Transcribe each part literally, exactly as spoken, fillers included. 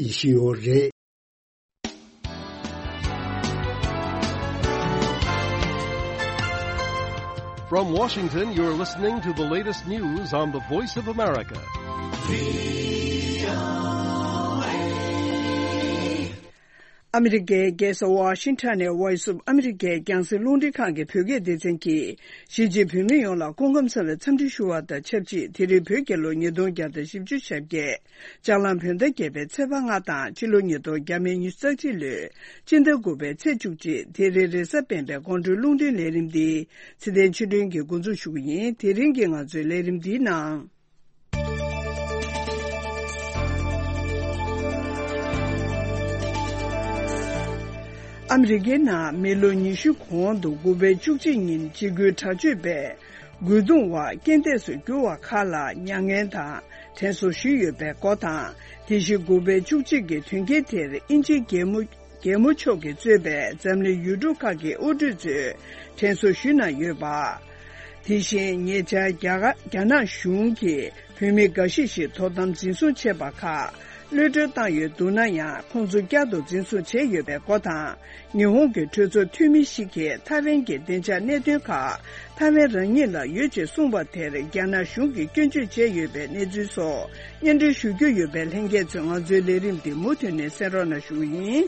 ཡེ་ཤེས་ཡོད་རེད། From Washington, you're listening to the latest news on the Voice of America. ཨ་མི་རི་ཀའི་རྒྱལ་ས་ཝ་ཤིང་ཊོན་ནས་Voice of America་རྒྱང་སྲིང་རླུང་འཕྲིན་ཁང་གི་བོད་སྐད་སྡེ་ཚན་གྱིས་གཞིས་བྱེས་བོད་མི་ཡོངས་ལ་སྐུ་ཁམས་བཟང་བའི་འཚམས་འདྲི་ཞུ་བ་དང་ཆབས་ཅིག་དེ་རིང་བོད་རྒྱལ་ལོ་ཉིས་སྟོང་བརྒྱ་དང་བཞི་བཅུ་ཞེ་བརྒྱད། ལྕགས་གླང་བོད་ཟླ་བརྒྱད་པའི་ཚེས་པ་ལྔ་དང་ཕྱི་ལོ་ཉིས་སྟོང་ཉི་ཤུ་རྩ་གཅིག་ལོའི་སྤྱི་ཟླ་དགུ་པའི་ཚེས་བཅུ་གཅིག་དེ་རིང་རེས་གཟའ་སྤེན་པའི་དགོང་དྲོའི་རླུང་འཕྲིན་ལས་རིམ་འདི་ཚེ་བརྟན་ཆོས་སྒྲོན་གྱིས་འགོ་འཛུགས་ཞུ་གི་ཡིན། དེ་རིང་གི་ང་ཚོའི་ལས་རིམ་འདིའི་ནང་། ཨ་མི་རི་ཀའི་ནང་མི་ལོ་ཉི་ཤུ་གོང་དུ་དགུ་པའི་བཅུ་གཅིག་ཉིན་འཇིགས་སྐུལ་དྲག་སྤྱོད་པས་རྒོལ་རྡུང་བ་རྐྱེན་འདས་སུ་གྱུར་བ་ཁག་ལ་མྱ་ངན་དང་དྲན་གསོ་ཞུས་ཡོད་པའི་སྐོར་དང་། དེ་བཞིན་དགུ་པའི་བཅུ་གཅིག་གི་དོན་རྐྱེན་དེར་དབྱིན་ཇིའི་རྒྱལ་མོ་རྒྱལ་མོ་མཆོག་གིས་གཙོས་པའི་འཛམ་གླིང་ཡུལ་གྲུ་ཁག་གི་དབུ་ཁྲིད་ཚོས་དྲན་གསོ་ཞུས་གནང་ཡོད་པ། དེ་བཞིན་ཉེ་ཆར་རྒྱ་གར་རྒྱ་ནག་གཞུང་གིས་བོད་མི་འགའ་ཤས་ཤིག་དོ་དམ་འཛིན་བཟུང་བྱས་པ་ཁག་གློད་གྲོལ་བཏང་ཡོད་འདུག་ན་ཡང་ཁོང་ཚོ་བསྐྱར་དུ་འཛིན་བཟུང་བྱས་ཡོད་པའི་སྐོར་དང་། ཉི་ཧོང་གི་གྲོས་ཚོགས་འཐུས་མི་ཞིག་གིས་ཐའེ་ཝན་གྱི་བདེ་འཇགས་གནད་དོན་ཁག་ཐའེ་ཝན་རང་ཉིད་ལ་ཡོད་ཅེས་གསུངས་པ་དེར་རྒྱ་ནག་གཞུང་གིས་སྐྱོན་བརྗོད་བྱས་ཡོད་པའི་གནས་ཚུལ་སོགས་སྙན་སྒྲོན་ཞུ་རྒྱུ་ཡོད་པས་ལྷན་རྒྱས་ཚོས་ང་ཚོའི་ལས་རིམ་འདི་མུ་མཐུད་ནས་གསན་རོགས་གནང་ཞུ་གི་ཡིན།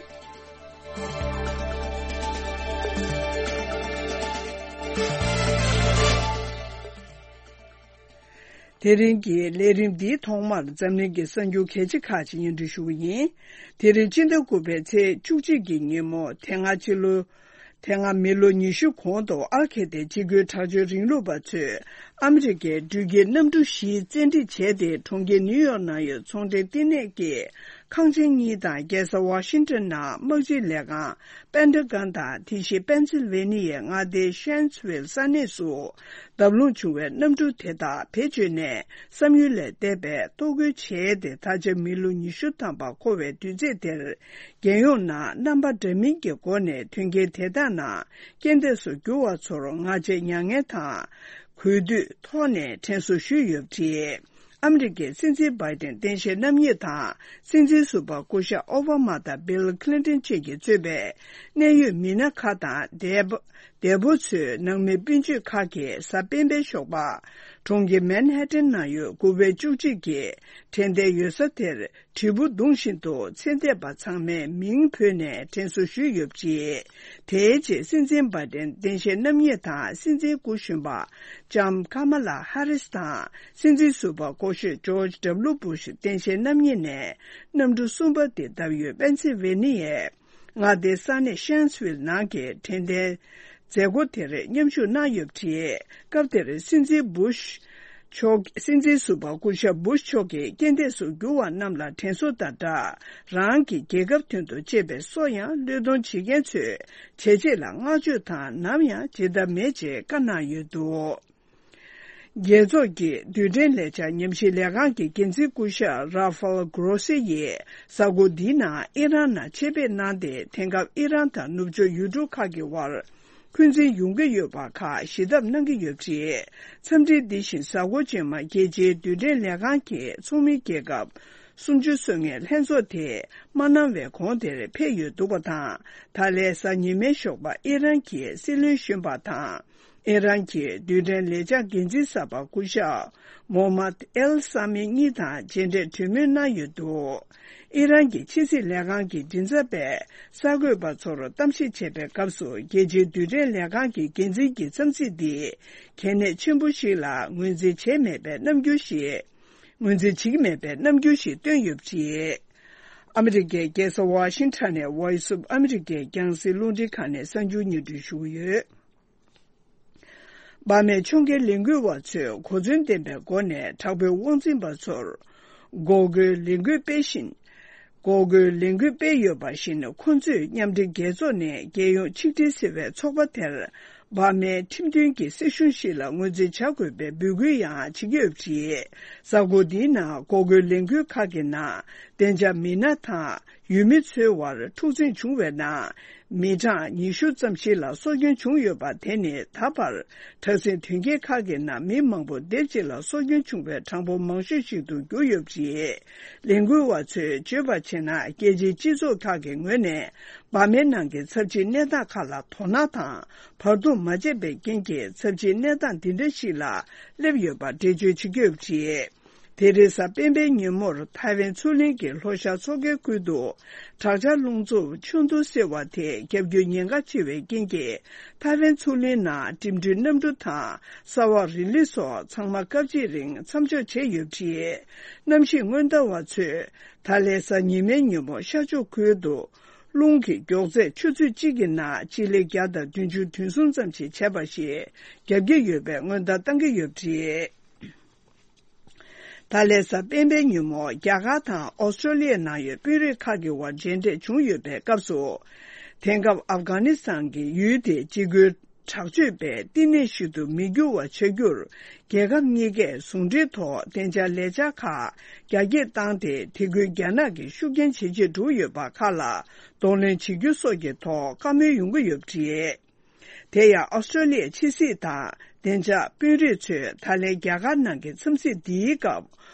དེ་རིང་གི་ལས་རིམ་འདིའི་ཐོག་མར་འཛམ་གླིང་གི་གསར་འགྱུར་གལ་ཆེ་ཁག་ཅིག་སྙན་སྒྲོན་ཞུ་གི་ཡིན། དེ་རིང་སྤྱི་ཟླ་དགུ་པའི་ཚེས་བཅུ་གཅིག་གི་ཉིན་མོ་དེ་སྔ་ཕྱི་ལོ། དེ་སྔ་མི་ལོ་ཉི་ཤུ་གོང་དུ་ཨལ་ཁེ་ཏའི་འཇིགས་སྐུལ་དྲག་སྤྱོད་རིང་ལུགས་པ་ཚོས་ཨ་མི་རི་ཀའི་འགྲུལ་སྐྱེལ་གནམ་གྲུ་བཞི་བཙན་ཁྲིད་བྱས་ཏེ་གྲོང་ཁྱེར་ནིའུ་ཡོག་ནང་ཡོད་ཚོང་འབྲེལ་བསྟི་གནས་ཀྱི་ཁང་ཆེན་གཉིས་དང་རྒྱལ་ས་ཝ་ཤིང་ཊོན་ནང་དམག་སྤྱིའི་ལས་ཁང་པེན་ཊ་གྷོན་དང་དེ་བཞིན་པེན་སིལ་ཝེ་ནི་ཡའི་མངའ་སྡེའི་ཤན་སི་ཝིལ་ས་གནས་སུ་བརྡབ་ལྷུང་བྱུང་བའི་གནམ་གྲུ་དེ་དག་བེད་སྤྱོད་ནས་བསམ་ཡུལ་ལས་འདས་པའི་གཏོར་རྒོལ་བྱས་ཏེ་ད་ཆ་མི་ལོ་ཉི་ཤུ་ཐམ་པ་འཁོར་བའི་དུས་ཚོད་དེར། རྒྱལ་ཡོངས་ནང་རྣམ་པ་འདྲ་མིན་གྱི་སྒོ་ནས་དོན་རྐྱེན་དེ་དག་ནང་རྐྱེན་འདས་སུ་གྱུར་བ་ཚོར་སྔ་རྗེས་མྱ་ངན་དང་། གུས་འདུད་ཐོག་ནས་དྲན་གསོ་ཞུས་ཡོད་པ་རེད། ཨ་མི་རི་ཀའི་སྲིད་འཛིན་བྷའི་ཏན་སྟངས་དཔྱལ་རྣམ་གཉིས་དང་སྲིད་འཛིན་ཟུར་པ་སྐུ་ཞབས་ཨོ་བྷ་མ་དང་བྷིལ་ཁི་ལིན་ཏོན་བཅས་ཀྱིས་གཙོས་པའི་གནད་ཡོད་མི་སྣ་ཁག་དང་འདས་པོ་འདས་པོ་ཚོའི་ནང་མི་སྤུན་མཆེད་ཁག་གིས་གཟའ་སྤེན་པའི་ཞོགས་པ། གྲོང་ཁྱེར་མན་ཧེ་ཏན་ནང་ཡོད་དགུ་པའི་བཅུ་གཅིག་གི་དྲན་རྟེན་ཡོད་ས་དེར། དྲིལ་བུ་བརྡུངས་བཞིན་དུ་ཚེ་འདས་པ་ཚང་མའི་མིང་བོས་ནས་དྲན་གསོ་ཞུས་ཡོད་པ་རེད། དེའི་རྗེས་སྲིད་འཛིན་བྷའི་ཏན་སྟངས་དཔྱལ་རྣམ་གཉིས་དང་སྲིད་འཛིན་སྐུ་གཞོན་པ་ལྕམ་ཀ་མ་ལ་ཧ་རིས་དང་སྲིད་འཛིན་ཟུར་པ་སྐུ་ཞབས་ཇོརྗ་ཌབ་ལུ་བུ་ཤ་སྟངས་དཔྱལ་རྣམ་གཉིས་ནས་གནམ་གྲུ་གསུམ་པ་དེ་བརྡབས་ཡོད་པེན་སིལ་ཝེ་ནི་ཡའི་མངའ་སྡེའི་ས་གནས་ཤན་སི་ཝིལ་ནང་གི་དྲན་རྟེན་མཛད་སྒོ་དེར་མཉམ་ཞུགས་གནང་ཡོད་པ་རེད། སྐབས་དེར་སྲིད་འཛིན་བུ་ཤ་མཆོག་སྲིད་འཛིན་ཟུར་པ་སྐུ་ཞབས་བུ་ཤ་མཆོག་གིས་རྐྱེན་འདས་སུ་གྱུར་བ་རྣམས་ལ་དྲན་གསོ་དང་སྦྲགས། རང་གི་རྒྱལ་ཁབ་དོན་དུ་གཅེས་པའི་སྲོག་ཡང་བློས་གཏོང་བྱེད་མཁན་ཚོའི་བྱས་རྗེས་ལ་བསྔགས་བརྗོད་དང་ནམ་ཡང་བརྗེད་ཐབས་མེད་ཅེས་བཀའ་གནང་ཡོད་འདུག་རྒྱལ་ཚོགས་ཀྱི་རྡུལ་ཕྲན་ལས་འཆར་ཉམས་ཞིབ་ལས་ཁང་གི་འགན་འཛིན་སྐུ་ཞབས་ར་ཧྥལ་གྷོ་རོ་སི་ཡིས་གཟའ་འཁོར་འདིའི་ནང་ཨི་རན་ནང་ཆེད་ཕེབས་གནང་སྟེ། དེང་སྐབས་ཨི་རན་དང་ནུབ་ཕྱོགས་ཡུལ་གྲུ་ཁག་གི་དབར་འཁོན་འཛིན་ཡོང་གི་ཡོད་པ་ཁག་ཞི་ཐབས་གནང་གི་ཡོད་པ་རེད། འཚམས་འདྲི་འདི་བཞིན་གཟའ་འཁོར་རྗེས་མ་རྒྱལ་སྤྱིའི་རྡུལ་ཕྲན་ལས་ཁང་གི་ཚོགས་མི་རྒྱལ་ཁབ་སུམ་ཅུ་སོ་ལྔའི་ལྷན་ཚོགས་དེ་མ་གནང་བའི་གོང་དེར་ཕེབས་ཡོད་འདུག་པ་དང་། ད་ལན་གཟའ་ཉི་མའི་ཞོགས་པ་ཨི་རན་གྱི་སྲིད་བློན་གཞོན་པ་དང་། ཨི་རན་གྱི་རྡུལ་ཕྲན་ལས་འཆར་འགན་འཛིན་གསར་པ་སྐུ་ཞབས་མོ་མད་ཨེལ་ས་མི་གཉིས་དང་མཇལ་འཕྲད་གྲོས་མོལ་གནང་ཡོད་འདུག་ཨི་རན་གྱི་ཕྱི་སྲིད་ལས་ཁང་གི་མགྲིན་ཚབ་པས་གསར་འགོད་པ་ཚོར་གཏམ་བཤད་བྱས་པའི་སྐབས་སུ། རྒྱལ་སྤྱིའི་རྡུལ་ཕྲན་ལས་ཁང་གི་འགན་འཛིན་གྱི་འཚམས་གཟིགས་འདི་གལ་གནད་ཆེན་པོ་ཞིག་ལ་ངོས་འཛིན་བྱས་མེད་པའི་རྣམ་འགྱུར་ཞིག་ངོས་འཛིན་བྱེད་ཀྱི་མེད་པའི་རྣམ་འགྱུར་ཞིག་བཏོན་ཡོད་པ་རེད། ཨ་མི་རི་ཀའི་རྒྱལ་ས་ཝ་ཤིང་ཊོན་ནས་Voice of America་རྒྱང་སྲིང་རླུང་འཕྲིན་ཁང་ནས་གསར་འགྱུར་སྙན་སྒྲོན་ཞུ་གི་ཡོད། འབར་མའི་ཕྱོགས་འགལ་ལས་འགུལ་བ་ཚོས་གོ་མཚོན་ལྡན་པའི་སྒོ་ནས་དྲག་པོའི་དབང་འཛིན་པ་ཚོར་འགོག་རྒོལ་ལས་འགུལ་སྤེལ་བཞིན། འགོག་རྒོལ་ལས་འགུལ་སྤེལ་ཡོད་པ་བཞིན། ཁོ་ཚོས་མཉམ་འབྲེལ་རྒྱལ་ཚོགས་ནས་རྒྱལ་ཡོངས་ཆིག་སྒྲིལ་ཟེར་བའི་ཚོགས་པ་དེར་འབར་མའི་ཁྲིམས་མཐུན་གྱི་སྲིད་གཞུང་ཞིག་ལ་ངོས་འཛིན་བྱ་དགོས་པའི་འབོད་སྐུལ་ཡང་བྱེད་ཀྱི་ཡོད་པ་རེད། གཟའ་འཁོར་འདིའི་ནང་འགོག་རྒོལ་ལས་འགུལ་ཁག་གི་ནང་བདེ་འཇགས་མི་སྣ་དང་ ཡུལ་མི་ཚོའི་དབར་འཁྲུག་འཛིང་བྱུང་བའི་ནང་། མི་གྲངས་ཉི་ཤུ་ཙམ་ཞིག་ལ་སྲོག་སྐྱོན་བྱུང་ཡོད་པ་དེ་ནི་ད་བར་དྲག་ཟིང་དོན་རྐྱེན་ཁག་གི་ནང་མི་མང་པོ་སྡེབ་གཅིག་ལ་སྲོག་སྐྱོན་བྱུང་བའི་གྲངས་འབོར་མང་ཤོས་ཤིག་ཏུ་གྱུར་ཡོད་པ་རེད། ལས་འགུལ་བ་ཚོས་བརྗོད་པར་བྱས་ན། རྒྱལ་སྤྱིའི་སྤྱི་ཚོགས་ཁག་གི་ངོས་ནས་འབར་མའི་ནང་གི་ཚབས་ཆེའི་གནས་སྟངས་ཁག་ལ་དོ་སྣང་དང་བར་འདུམ་མ་བྱས་པའི་རྐྱེན་གྱིས། ཚབས་ཆེའི་གནས་སྟངས་འདི་འདྲ་ཞིག་ལ་སླེབས་ཡོད་པ་འགྲེལ་བརྗོད་བྱེད་ཀྱི་ཡོད་པ་རེད། དེ་རིང་གཟའ་སྤེན་པའི་ཉིན་མོར་ཐའེ་ཝན་མཚོ་གླིང་གི་ལྷོ་ཤར་མཚོ་ཁའི་ཁུལ་དུ། དྲག་ཆར་རླུང་འཚུབ་ཆུ་རྡུལ་བསིལ་བ་དེ་བརྒྱབ་རྒྱུའི་ཉེན་ཁ་ཆེ་བའི་རྐྱེན་གྱིས། ཐའེ་ཝན་མཚོ་གླིང་ནང་འགྲིམ་འགྲུལ་གནམ་གྲུ་དང་ས་འོག་རི་ལི་སོགས་ཚང་མ་སྐབས་གཅིག་རིང་མཚམས་འཇོག་བྱས་ཡོད་པ་རེད། གནམ་གཤིས་སྔོན་བརྡ་བ་ཚོས། ད་ལན་གཟའ་ཉི་མའི་ཉིན་མོ་ཤར་ཕྱོགས་ཁུལ་དུ། རླུང་གི་མགྱོགས་ཚད་ཆུ་ཚོད་གཅིག་གི་ནང་སྤྱི་ལེ་བརྒྱ་དང་བདུན་ཅུ་དོན་གསུམ་ཙམ་ཞིག་བྱས་པ་ཞིག་བརྒྱབ་ཀྱི་ཡོད་པའི་སྔོན་བརྡ་བཏང་གི་ཡོད་པ་རེད། ད་ལན་གཟའ་སྤེན་པའི་ཉིན་མོ། རྒྱ་གར་དང་ཨོ་སི་ཀྲོ་ལི་ཡའི་ནང་ཡོད་དཔོན་རིགས་ཁག་གི་དབར་མཇལ་འཕྲད་བྱུང་ཡོད་པའི་སྐབས་སུ། དེང་སྐབས་ཨབ་གྷ་ནི་སི་ཐན་གྱི་ཡུལ་དེ་འཇིགས་སྐུལ་དྲག་སྤྱོད་པའི་བསྟི་གནས་ཤིག་ཏུ་མི་འགྱུར་བ་བྱ་རྒྱུར། རྒྱལ་ཁབ་གཉིས་ཀས་ཟུང་འབྲེལ་ཐོག་བདེ་འཇགས་ལས་འཆར་ཁག་རྒྱ་སྐྱེད་བཏང་སྟེ། དེ་ཁུལ་རྒྱ་ནག་གིས་ཤུགས་རྐྱེན་ཇེ་ཆེར་འགྲོ་ཡོད་པ་ཁག་ལ་གདོང་ལེན་བྱེད་རྒྱུ་སོགས་ཀྱི་ཐོག་བཀའ་མོལ་ཡོང་གི་ཡོད་པ་རེད། དེ་ཡང་ཨོ་སི་ཀྲོ་ལི་ཡའི་ཕྱི་སྲིད་དང་བདེ་འཇགས་དཔོན་རིགས་ཚོས་ད་ལན་རྒྱ་གར་ནང་གི་འཚམས་གཟིགས་འདིའི་སྐབས།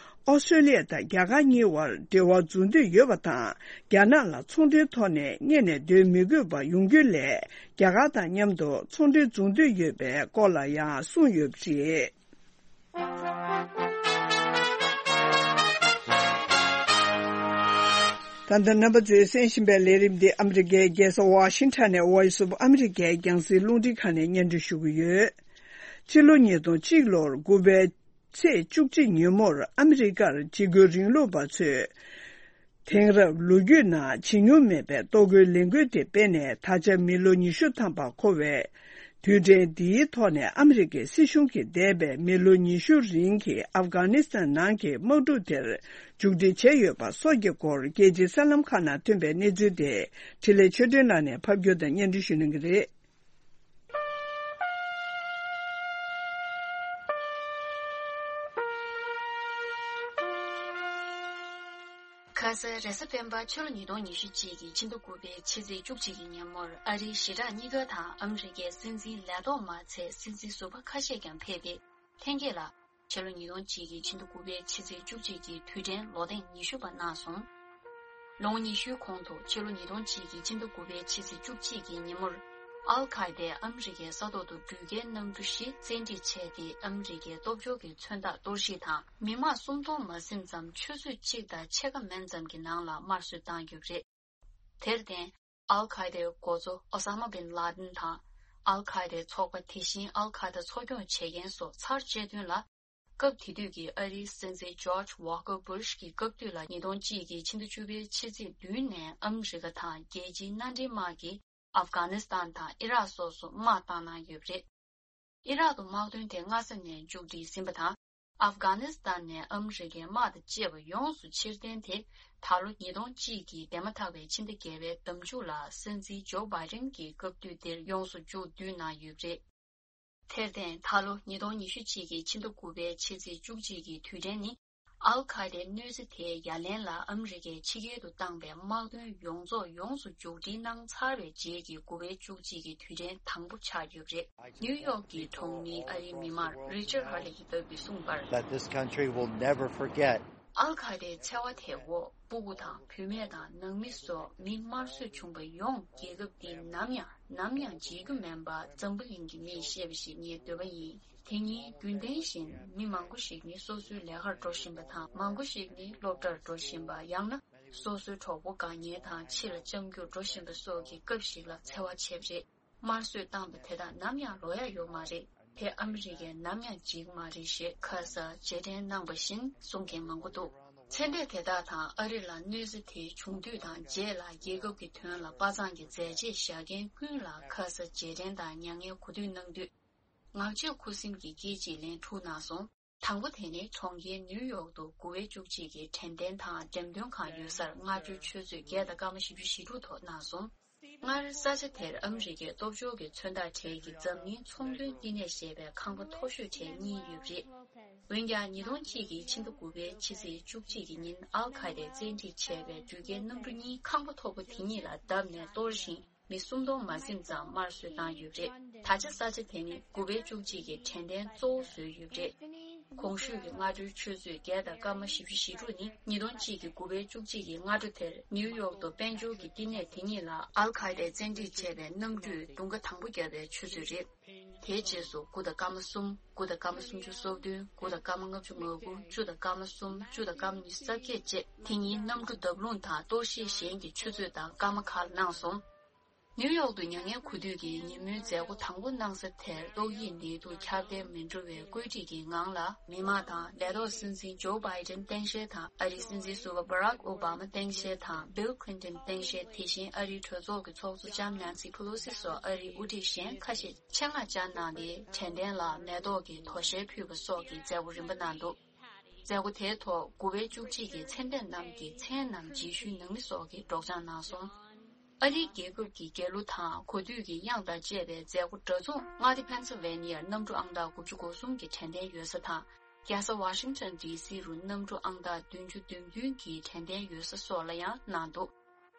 ཨོ་སི་ཀྲོ་ལི་ཡ་དང་རྒྱ་གར་གཉིས་དབར་འབྲེལ་བ་འཛུགས་འདོད་ཡོད་པ་དང་། རྒྱ་ནག་ལ་ཚོང་འབྲེལ་ཐོག་ནས་གཉེར་ནས་སྡོད་མི་དགོས་པ་ཡོང་རྒྱུ་ལས། རྒྱ་གར་དང་མཉམ་དུ་ཚོང་འབྲེལ་འཛུགས་འདོད་ཡོད་པའི་སྐོར་ལ་ཡང་གསུངས་ཡོད་པ་རེད། ད་ལྟ་རྣམ་པ་ཚོས་གསན་བཞིན་པའི་ལས་རིམ་འདི་ཨ་མི་རི་ཀའི་རྒྱལ་ས་ཝ་ཤིང་ཊོན་ནས་Voice of America་རྒྱང་སྲིང་རླུང་འཕྲིན་ཁང་ནས་སྙན་སྒྲོན་ཞུ་གི་ཡོད། ཕྱི་ལོ་ཉིས་སྟོང་གཅིག་ལོར་དགུ་པའི་ཚེས་བཅུ་གཅིག་ཉིན་མོར་ཨ་མི་རི་ཀར་འཇིགས་སྐུལ་རིང་ལུགས་པ་ཚོས། དེང་རབས་ལོ་རྒྱུས་ནང་བྱེད་མྱོང་མེད་པའི་གཏོར་རྒོལ་ལས་འགུལ་དེ་སྤེལ་ནས། ད་ཆ་མི་ལོ་ཉི་ཤུ་ཐམ་པ་འཁོར་བའི་དུས་དྲན་འདིའི་ཐོག་ནས། ཨ་མི་རི་ཀའི་སྲིད་གཞུང་གིས་འདས་པའི་མི་ལོ་ཉི་ཤུ་རིང་གི་ཨབ་གྷ་ནི་སི་ཐན་ནང་གི་དམག་འཁྲུག་དེར་མཇུག་སྒྲིལ་བྱས་ཡོད་པ་སོགས་ཀྱི་སྐོར། རྒྱལ་སྤྱིའི་གསར་ལམ་ཁག་ནང་ཐོན་པའི་གནས་ཚུལ་དེ་འཕྲིན་ལས་ཆོས་སྒྲོན་ལགས་ནས་ཕབ་སྒྱུར་དང་སྙན་སྒྲོན་ཞུ་གནང་གི་རེད། ཁ་སང་རེས་གཟའ་སྤེན་པ་ཕྱི་ལོ་ཉིས་སྟོང་ཉི་ཤུ་གཅིག་གི་ཕྱི་ཟླ་དགུ་པའི་ཕྱི་ཚེས་བཅུ་གཅིག་གི་ཉིན་མོར། ཨ་རིའི་ཞི་དྲག་གཉིས་ཀ་དང་ཨ་མི་རི་ཀའི་སྲིད་འཛིན་ལས་ཐོག་མ་ཚད་སྲིད་འཛིན་ཟུར་པ་ཁ་ཤས་ཀྱང་ཕེབས་ཏེ། ལྷན་རྒྱས་ལ་ཕྱི་ལོ་ཉིས་སྟོང་གཅིག་གི་ཕྱི་ཟླ་དགུ་པའི་ཕྱི་ཚེས་བཅུ་གཅིག་གི་དུས་དྲན་ལོ་ཐེངས་ཉི་ཤུ་པ་གནང་སོང་། ལོ་ངོ་ཉི་ཤུའི་གོང་དུ་ཕྱི་ལོ་ཉིས་སྟོང་གཅིག་གི་ཕྱི་ཟླ་དགུ་པའི་ཕྱི་ཚེས་བཅུ་གཅིག་གི་ཉིན་མོར། ཨལ་ཁ་ཡེ་དེས་ཨ་མི་རི་ཀའི་ས་ཐོག་ཏུ་འགྲུལ་སྐྱེལ་གནམ་གྲུ་བཞི་བཙན་ཁྲིད་བྱས་ཏེ། ཨ་མི་རི་ཀའི་སྟོབས་འབྱོར་གྱི་མཚོན་རྟགས་གཏོར་བཤིག་དང་། མི་མང་སུམ་སྟོང་མ་ཟིན་ཙམ་ཆུ་ཚོད་གཅིག་དང་ཕྱེད་ཀ་མན་ཙམ་གྱི་ནང་ལ་དམར་གསོད་བཏང་ཡོད་པ་རེད། དེར་བརྟེན། ཨལ་ཁ་ཡེ་དེའི་འགོ་གཙོ་ཨོ་ས་མ་བིན་ལ་དིན་དང་། ཨལ་ཁ་ཡེ་དེའི་ཚོགས་པ། དེ་བཞིན་ཨལ་ཁ་ཡེ་དེ་འཚོ་སྐྱོང་བྱེད་མཁན་སོགས་ཚར་བཅད་དོན་ལ། སྐབས་དེ་དུས་ཀྱི་ཨ་རིའི་སྲིད་འཛིན་ཇོརྗ་ཝོ་ཀར་བུ་ཤ་གི་སྐབས་དུས་ལ། ཉིས་སྟོང་གཅིག་གི་ཕྱི་ཟླ་བཅུ་པའི་ཕྱི་ཚེས་བདུན་ནས་ཨ་མི་རི་ཀ་དང་རྒྱལ་སྤྱིའི་མནའ་འབྲེལ་དམག་གིས་ཨབ་གྷ་ནི་སི་ཐན་དང་ཨི་རག་སོགས་སུ་དམག་བཏང་གནང་ཡོད་པ་རེད། ཨི་རག་ཏུ་དམག་དོན་དེ་སྔ་ས་ནས་མཇུག་སྒྲིལ་ཟིན་པ་དང་། ཨབ་གྷ་ནི་སི་ཐན་ནས་ཨ་མི་རི་ཀའི་དམག་དང་བཅས་པ་ཡོངས་སུ་ཕྱིར་འཐེན་དེ། ད་ལོ་ཉིས་སྟོང་གཅིག་གི་འདས་མ་ཐག་པའི་ཕྱི་ཟླ་བརྒྱད་པའི་ཟླ་མཇུག་ལ་སྲིད་འཛིན་ཇོ་བྷའི་ཌེན་གྱི་སྐབས་དུས་དེར་ཡོངས་སུ་མཇུག་བསྡུས་གནང་ཡོད་པ་རེད། དེར་བརྟེན། ད་ལོ་ཉིས་སྟོང་ཉི་ཤུ་གཅིག་གི་ཕྱི་ཟླ་དགུ་པའི་ཕྱི་ཚེས་བཅུ་གཅིག་གི་དུས་དྲན་ནི། ཨལ་ཁ་ཡེ་དེའི་གནོད་འཚེ་དེའི་ཡ་ལན་ལ་ཨ་མི་རི་ཀས་ཕྱི་རྒྱལ་དུ་བཏང་པའི་དམག་དོན་ཡོངས་རྫོགས་ཡོངས་སུ་མཇུག་སྒྲིལ་གནང་ཚར་བའི་རྗེས་ཀྱི་དགུ་པའི་བཅུ་གཅིག་གི་དུས་དྲན་དང་པོ་ཆགས་ཡོད་པ་རེད། ནིའུ་ཡོག་གི་གྲོང་མི་ཨ་རིའི་མི་དམངས་རི་ཅར་ཧར་ལི་ཡིས་བརྗོད་པར་གསུངས་པར། That this country will never forget. ཨལ་ཁ་ཡེ་དེའི་འཚེ་བ་དེ་འོག་སྤུ་གུ་དང་བུད་མེད་དང་ནང་མི་སོགས་མི་དམར་གསོད་བྱུང་བ་ཡོངས་རྒྱལ་ཁབ་འདིས་ནམ་ཡང་ནམ་ཡང་བརྗེད་རྒྱུ་མིན་པ་འཛམ་བུ་གླིང་གི་མིས་ཤེས་པ་ཞིག་ངའི་འདོད་པ་ཡིན། དེ་ཉིད་རྒྱུན་ལྡན་བཞིན་མི་མང་པོ་ཞིག་ནི་སོ་སོའི་ལས་ཀར་འགྲོ་བཞིན་པ་དང་། མང་པོ་ཞིག་ནི་སློབ་གྲྭར་འགྲོ་བཞིན་པ། ཡང་ན་སོ་སོའི་གྲོགས་པོ་དགའ་ཉེ་དང་ཕྱི་ལ་བཅར་རྒྱུར་འགྲོ་བཞིན་པ་སོགས་ཀྱི་སྐབས་ཤིག་ལ་འཚེ་བ་བྱས་པ་རེད། དམར་གསོད་བཏང་བ་དེ་དག་ནམ་ཡང་ལོག་ཡ་ཡོད་མ་རེད། དེ་ཨ་མི་རི་ཀས་ནམ་ཡང་བརྗེད་ཀྱི་མ་རེད་ཞེས་ཁ་སང་རྗེས་དྲན་གནང་བ་བཞིན་གསུང་མཁན་མང་པོ་འདུག། མཚན་ལས་དེ་དག་དང་ཨ་རི་ལ་གནོད་འཚེ་དེ་བྱུང་དུས་དང་རྗེས་ལ་རྒྱལ་ཁབ་ཀྱི་དོན་ལ་དཔའ་མཛངས་ཀྱི་མཛད་རྗེས་བཞག་མཁན་ཀུན་ལ་ཁ་སང་རྗེས་དྲན་དང་མྱ་ངན་གུས་འདུད་གནང་དུས། ངག་བརྗོད་ཁུ་སིམ་གྱི་སྐད་ཅིག་ལན་དྲུག་གནང་སོང་། དང་པོ་དེ་ནི་གྲོང་ཁྱེར་ནིའུ་ཡོག་ཏུ་དགུ་པའི་བཅུ་གཅིག་གི་དྲན་རྟེན་དང་འགྲེམས་སྟོན་ཁང་ཡོད་སར་སྔ་དྲོའི་ཆུ་ཚོད་བརྒྱད་དང་སྐར་མ་བཞི་བཅུ་ཞེ་དྲུག་ཐོག་གནང་སོང་། སྔར་ས་ཆ་དེར་ཨ་མི་རི་ཀའི་སྟོབས་འབྱོར་གྱི་མཚོན་རྟགས་གྲས་ཀྱི་འཛམ་གླིང་ཚོང་དོན་བསྟི་གནས་ཞེས་པའི་ཁང་པ་མཐོ་ཤོས་གྲས་གཉིས་ཡོད་པ་རེད། འོན་ཀྱང་ཉིས་སྟོང་གཅིག་གི་ཕྱི་ཟླ་དགུ་པའི་ཕྱི་ཚེས་བཅུ་གཅིག་གི་ཉིན་ཨལ་ཁ་ཏས་བཙན་ཁྲིད་བྱས་པའི་འགྲུལ་སྐྱེལ་གནམ་གྲུ་གཉིས་ཁང་པ་མཐོ་པོ་དེ་གཉིས་ལ་བརྡབས་ནས་གཏོར་ཞིང་། མི་སུམ་སྟོང་མ་ཟིན་ཙམ་དམར་གསོད་བཏང་ཡོད་པ་རེད། ད་ཆ་ས་ཆ་དེ་ནི་དགུ་པའི་བཅུ་གཅིག་གི་དྲན་རྟེན་གཙོ་བོ་བཟོས་ཡོད་པ་རེད། གོང་ཞུས་ཀྱི་སྔ་དྲོའི་ཆུ་ཚོད་བརྒྱད་དང་སྐར་མ་བཞི་བཅུ་ཞེ་དྲུག་ནི་ཉིས་སྟོང་གཅིག་གི་དགུ་པའི་བཅུ་གཅིག་གི་སྔ་དྲོ་དེར་ནིའུ་ཡོག་ཏུ་དཔལ་འབྱོར་གྱི་བསྟི་གནས་དེ་གཉིས་ལ་ཨལ་ཁ་ཏས་བཙན་ཁྲིད་བྱས་པའི་གནམ་གྲུས་རྡུང་ཁ་དང་པོ་བརྒྱབ་པའི་ཆུ་ཚོད་རེད། དེའི་རྗེས་སུ་དགུ་དང་སྐར་མ་གསུམ། དགུ་དང་སྐར་མ་སུམ་ཅུ་སོ་བདུན། དགུ་དང་སྐར་མ་ལྔ་བཅུ་ང་དགུ། བཅུ་དང་སྐར་མ་གསུམ། བཅུ་དང་སྐར་མ་ཉི་ཤུ་རྩ་བརྒྱད་བཅས་དེ་ཉིན་གནམ་གྲུ་བརྡབ་ལྷུང་དང་གཏོར་བཤིག་གཞན་གྱི་ཆུ་ཚོད་དང་སྐར་མ་ཁག་གནང་སོང་། ནིའུ་ཡོག་ཏུ་མྱ་ངན་གུ་དུས་ཀྱི་ཉིན་མོའི་མཛད་སྒོ་དང་པོ་གནང་ས་དེར་ཏོག་དབྱིབས་ནད་དུག་ཁྱབ་གདལ་མི་འགྲོ་བའི་བཀོད་སྒྲིག་གི་ངང་ལ། མི་མང་དང་ལས་ཐོག་སྲིད་འཛིན་ཇོ་བྷའི་ཏན་སྟངས་དཔྱལ་དང་ཨ་རིའི་སྲིད་འཛིན་ཟུར་པ་བྷ་རག་ཨོ་བྷ་མ་སྟངས་དཔྱལ་དང་བྷིལ་ཁི་ལིན་ཏན་སྟངས་དཔྱལ། དེ་བཞིན་ཨ་རིའི་གྲོས་ཚོགས་ཀྱི་ཚོགས་གཙོ་ལྕམ་ནན་སི་ཕེ་ལོ་སི་སོགས་ཨ་རིའི་དབུ་ཁྲིད་གཞན་ཁ་ཤས་ཆེད་མངགས་བཅར་གནང་སྟེ། དྲན་རྟེན་ལ་མེ་ཏོག་གི་དོ་ཤལ་ཕུལ་བ་སོགས་ཀྱི་མཛད་སྒོ་རིམ་པ་གནང་འདུག། མཛད་སྒོ་དེའི་ཐོག་དགུ་པའི་བཅུ་གཅིག་གི་མཚན་ལྡན་རྣམས་ཀྱི་མཚན་རྣམས་རྗེས་ཤུལ་ནང་མི་སོགས་ཀྱིས་སྒྲོག་སྦྱང་གནང་སོང་། ཨ་རིའི་རྒྱལ་ཁབ་ཀྱི་རྒྱལ་གླུ་དང་གོ་བསྡུར་གྱི་དབྱངས་དང་བཅས་པའི་མཛད་སྒོ་འདྲ་མཚུངས་མངའ་སྡེ་ཕེན་སིལ་ཝེ་ནི་ཡར་གནམ་གྲུ་ཨང་རྟགས་དགུ་བཅུ་གོ་གསུམ་གྱི་དྲན་རྟེན་ཡོད་ས་དང་། རྒྱལ་ས་ཝ་ཤིང་ཊོན་ཌི་སི་རུ་གནམ་གྲུ་ཨང་རྟགས་བདུན་ཅུ་དོན་བདུན་གྱི་དྲན་རྟེན་ཡོད་ས་སོགས་ལ་ཡང་གནང་འདུག།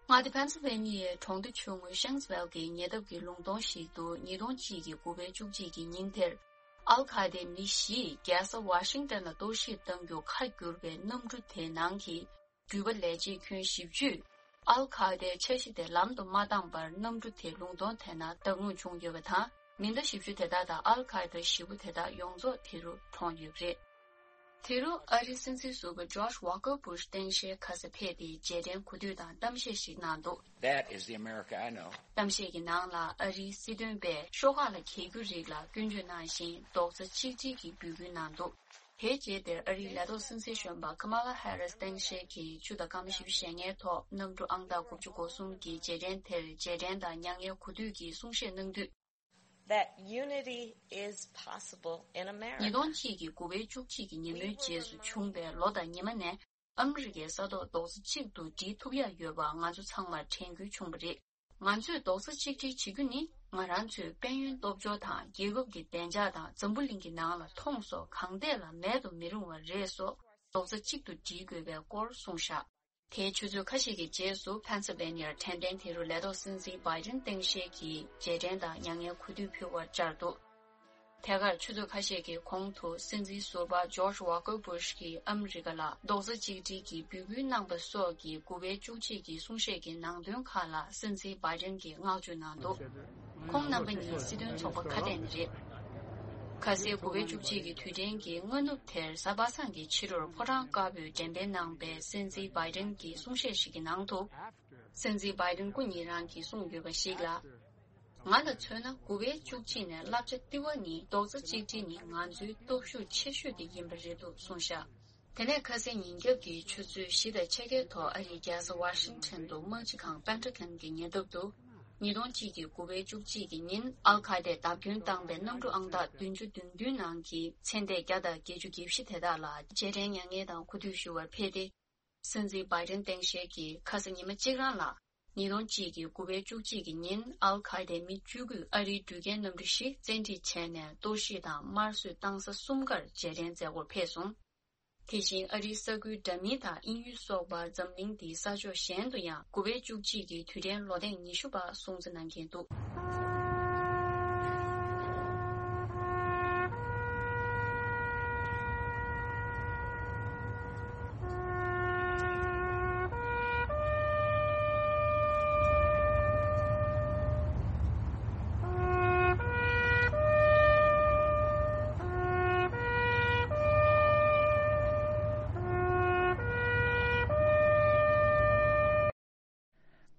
མངའ་སྡེ་ཕེན་སིལ་ཝེ་ནི་ཡའི་གྲོང་སྡེ་ཆུང་ངུ་ཤེངས་ཝེལ་གྱི་ཉེ་འདབས་ཀྱི་ལུང་སྟོང་ཞིག་ཏུ་ཉིས་སྟོང་གཅིག་གི་དགུ་པའི་བཅུ་གཅིག་གི་ཉིན་དེར། ཨལ་ཁ་ཏའི་མི་བཞིས་རྒྱལ་ས་ཝ་ཤིང་ཊོན་ལ་གཏོར་བཤིག་གཏང་རྒྱུ་ཁ་བསྒྱུར་བའི་གནམ་གྲུ་དེའི་ནང་གི་འགྲུལ་པ་ལས་བྱེད་ཁྱོན་བཞི་བཅུས་ཨལ་ཁ་ཏའི་འཆར་གཞི་དེ་ལམ་དུ་མ་བཏང་བར་གནམ་གྲུ་དེ་ལུང་སྟོང་དེ་ན་བདག་མེད་བྱུང་ཡོད་པ་དང་། མི་སྣ་བཞི་བཅུ་དེ་དག་དང་ཨལ་ཁ་ཏའི་བཞི་པོ་དེ་དག་ཡོངས་རྫོགས་དེ་རུ་གྲོངས་ཡོད་པ་རེད། དེ་རུ་ཨ་རིའི་སྲིད་འཛིན་ཟུར་པ་ཇོརྗ་ཝ་ཀར་སྦུ་ཤ་སྟངས་དཔྱལ་ཁ་སང་ཕེབས་ཏེ་རྗེས་དྲན་གོ་བསྡུར་དང་གཏམ་བཤད་ཞིག་གནང་འདུག། That is the America I know. གཏམ་བཤད་ཀྱི་ནང་ལ་ཨ་རིའི་སྲིད་དོན་པས་ཤོག་ཁག་ལ་གྱེས་རྒྱུ་རིགས་ལ་སྐྱོན་བརྗོད་གནང་ཞིང་རྡོག་རྩ་གཅིག་སྒྲིལ་གྱི་འབོད་སྐུལ་གནང་འདུག། དེའི་རྗེས་དེར་ཨ་རིའི་ལས་ཐོག་སྲིད་འཛིན་གཞོན་པ་ཁ་མ་ལ་ཧེ་རིས་སྟངས་དཔྱལ་གྱིས་ཆུ་དང་སྐར་མ་བཞི་བཅུ་ཞེ་ལྔའི་ཐོག་གནམ་གྲུ་ཨང་རྟགས་དགུ་བཅུ་གོ་གསུམ་གྱི་རྗེས་དྲན་དེར་རྗེས་དྲན་དང་མྱ་ངན་གུ་དུས་ཀྱི་གསུང་བཤད་གནང་དུས། That unity is possible in America. ཉིས་སྟོང་གཅིག་གི་དགུ་པའི་བཅུ་གཅིག་གི་ཉིན་མོའི་རྗེས་སུ་བྱུང་བའི་ལོ་དང་ཉི་མ་ནས་ཨ་མི་རི་ཀའི་ས་ཐོག་རྡོག་རྩ་གཅིག་ཏུ་སྒྲིལ་ཐུབ་ཡ་ཡོད་པ་ང་ཚོ་ཚང་མར་དྲན་སྐུལ་བྱུང་བ་རེད། ང་ཚོས་རྡོག་རྩ་གཅིག་སྒྲིལ་བྱེད་རྒྱུ་ནི་ང་རང་ཚོའི་དཔལ་ཡོན་སྟོབས་འབྱོར་དང་རྒྱལ་ཁབ་ཀྱི་བདེ་འཇགས་དང་འཛམ་བུ་གླིང་གི་ནང་ལ་མཐོང་སོགས་གང་ཐད་ལ་མེད་དུ་མི་རུང་བ་རེད་སོགས་རྡོག་རྩ་གཅིག་ཏུ་སྒྲིལ་དགོས་པའི་སྐོར་གསུངས་བཞག། དེའི་ཆུ་ཚོད་ཁ་ཤས་ཀྱི་རྗེས་སུ་ཕེན་སི་ལ་ཝེ་ནི་ཡར་དྲན་རྟེན་དེ་རུ་ལས་ཐོག་སྲིད་འཛིན་བྷའི་ཏིན་སྟངས་དཔྱལ་གྱིས་རྗེས་དྲན་དང་མྱ་ངན་གུས་འདུད་ཕུལ་བར་བཅར་འདུག། ཐད་ཀར་ཆུ་ཚོད་ཁ་ཤས་ཀྱི་གོང་དུ་སྲིད་འཛིན་ཟུར་པ་ཇོརྗ་ཝ་ཀར་སྦུ་ཤ་གིས་ཨ་མི་རི་ཀ་ལ་རྡོག་རྩ་གཅིག་སྒྲིལ་གྱི་འབོད་སྐུལ་གནང་པ་སོགས་ཀྱི་དགུ་པའི་བཅུ་གཅིག་གི་གསུང་བཤད་ཀྱི་ནང་དོན་ཁག་ལ་སྲིད་འཛིན་བྷའི་ཏིན་གྱིས་བསྔགས་བརྗོད་གནང་འདུག། ཁོང་རྣམ་པ་གཉིས་སྲིད་དོན་ཚོགས་པ་ཁ་གཏད་ནས་རེད། ཁ་སང་དགུ་པའི་བཅུ་གཅིག་གི་དུས་དྲན་གྱི་སྔ་ནུབ་དེར་གཟའ་པ་སངས་ཀྱི་ཕྱི་དྲོར་ཕོ་བྲང་དཀར་པོས་འགྲེམས་སྤེལ་གནང་པའི་སྲིད་འཛིན་བྷའི་ཏིན་གྱི་གསུང་བཤད་ཞིག་གི་ནང་དུ། སྲིད་འཛིན་བྷའི་ཏིན་སྐུ་ཉིད་རང་གིས་གསུངས་ཡོད་པ་ཞིག་ལ། ང་ལ་མཚོན་ན་དགུ་པའི་བཅུ་གཅིག་ནས་བསླབ་བྱ་ལྟེ་བ་ནི་རྡོག་རྩ་གཅིག་སྒྲིལ་ནི་ང་ཚོའི་སྟོབས་ཤུགས་ཆེ་ཤོས་དེ་ཡིན་པ་རེད་འདུག་གསུངས་བཞག། དེ་ནས་ཁ་སང་ཉིན་རྒྱབ་ཀྱི་ཆུ་ཚོད་བཞི་དང་ཕྱེད་ཀའི་ཐོག་ཨ་རིའི་རྒྱལ་ས་ཝ་ཤིང་ཊོན་དུ་དམག་སྤྱི་ཁང་པེན་ཊ་གོན་གྱི་ཉེ་འདབས་དུ། ཉིས་སྟོང་གཅིག་གི་དགུ་པའི་བཅུ་གཅིག་གི་ཉིན་ཨལ་ཁ་ཏས་བརྡབ་སྐྱོན་བཏང་པའི་གནམ་གྲུ་ཨང་རྟགས་བདུན་ཅུ་དོན་བདུན་ནང་གི་མཚན་ལྡན་བརྒྱ་དང་བརྒྱད་ཅུ་གྱ་བཞི་དེ་དག་ལ་རྗེས་དྲན་མྱ་ངན་དང་གུས་འདུད་ཞུ་བར་ཕེབས་ཏེ། སྲིད་འཛིན་བྷའི་ཏིན་སྟངས་དཔྱལ་གྱིས་ཁ་སང་ཉི་མ་གཅིག་རང་ལ། ཉིས་སྟོང་གཅིག་གི་དགུ་པའི་བཅུ་གཅིག་གི་ཉིན་ཨལ་ཁ་ཏའི་མི་བཅུ་དགུས་ཨ་རིའི་འགྲུལ་སྐྱེལ་གནམ་གྲུ་བཞི་བཙན་ཁྲིད་བྱས་ནས་གཏོར་བཤིག་དང་དམར་གསོད་བཏང་ས་གསུམ་ཀར་རྗེས་དྲན་མཛད་སྒོར་ཕེབས་སོང་། དེ་བཞིན་ཨ་རིའི་ས་ཁུལ་འདྲ་མིན་དང་དབྱིན་ཡུལ་སོགས་པ་འཛམ་གླིང་འདིའི་ས་ཕྱོགས་གཞན་དུ་ཡང་དགུ་པའི་བཅུ་གཅིག་གི་དུས་དྲན་ལོ་ཐེངས་ཉི་ཤུ་པ་སྲུང་བརྩི་གནང་གིན་འདུག།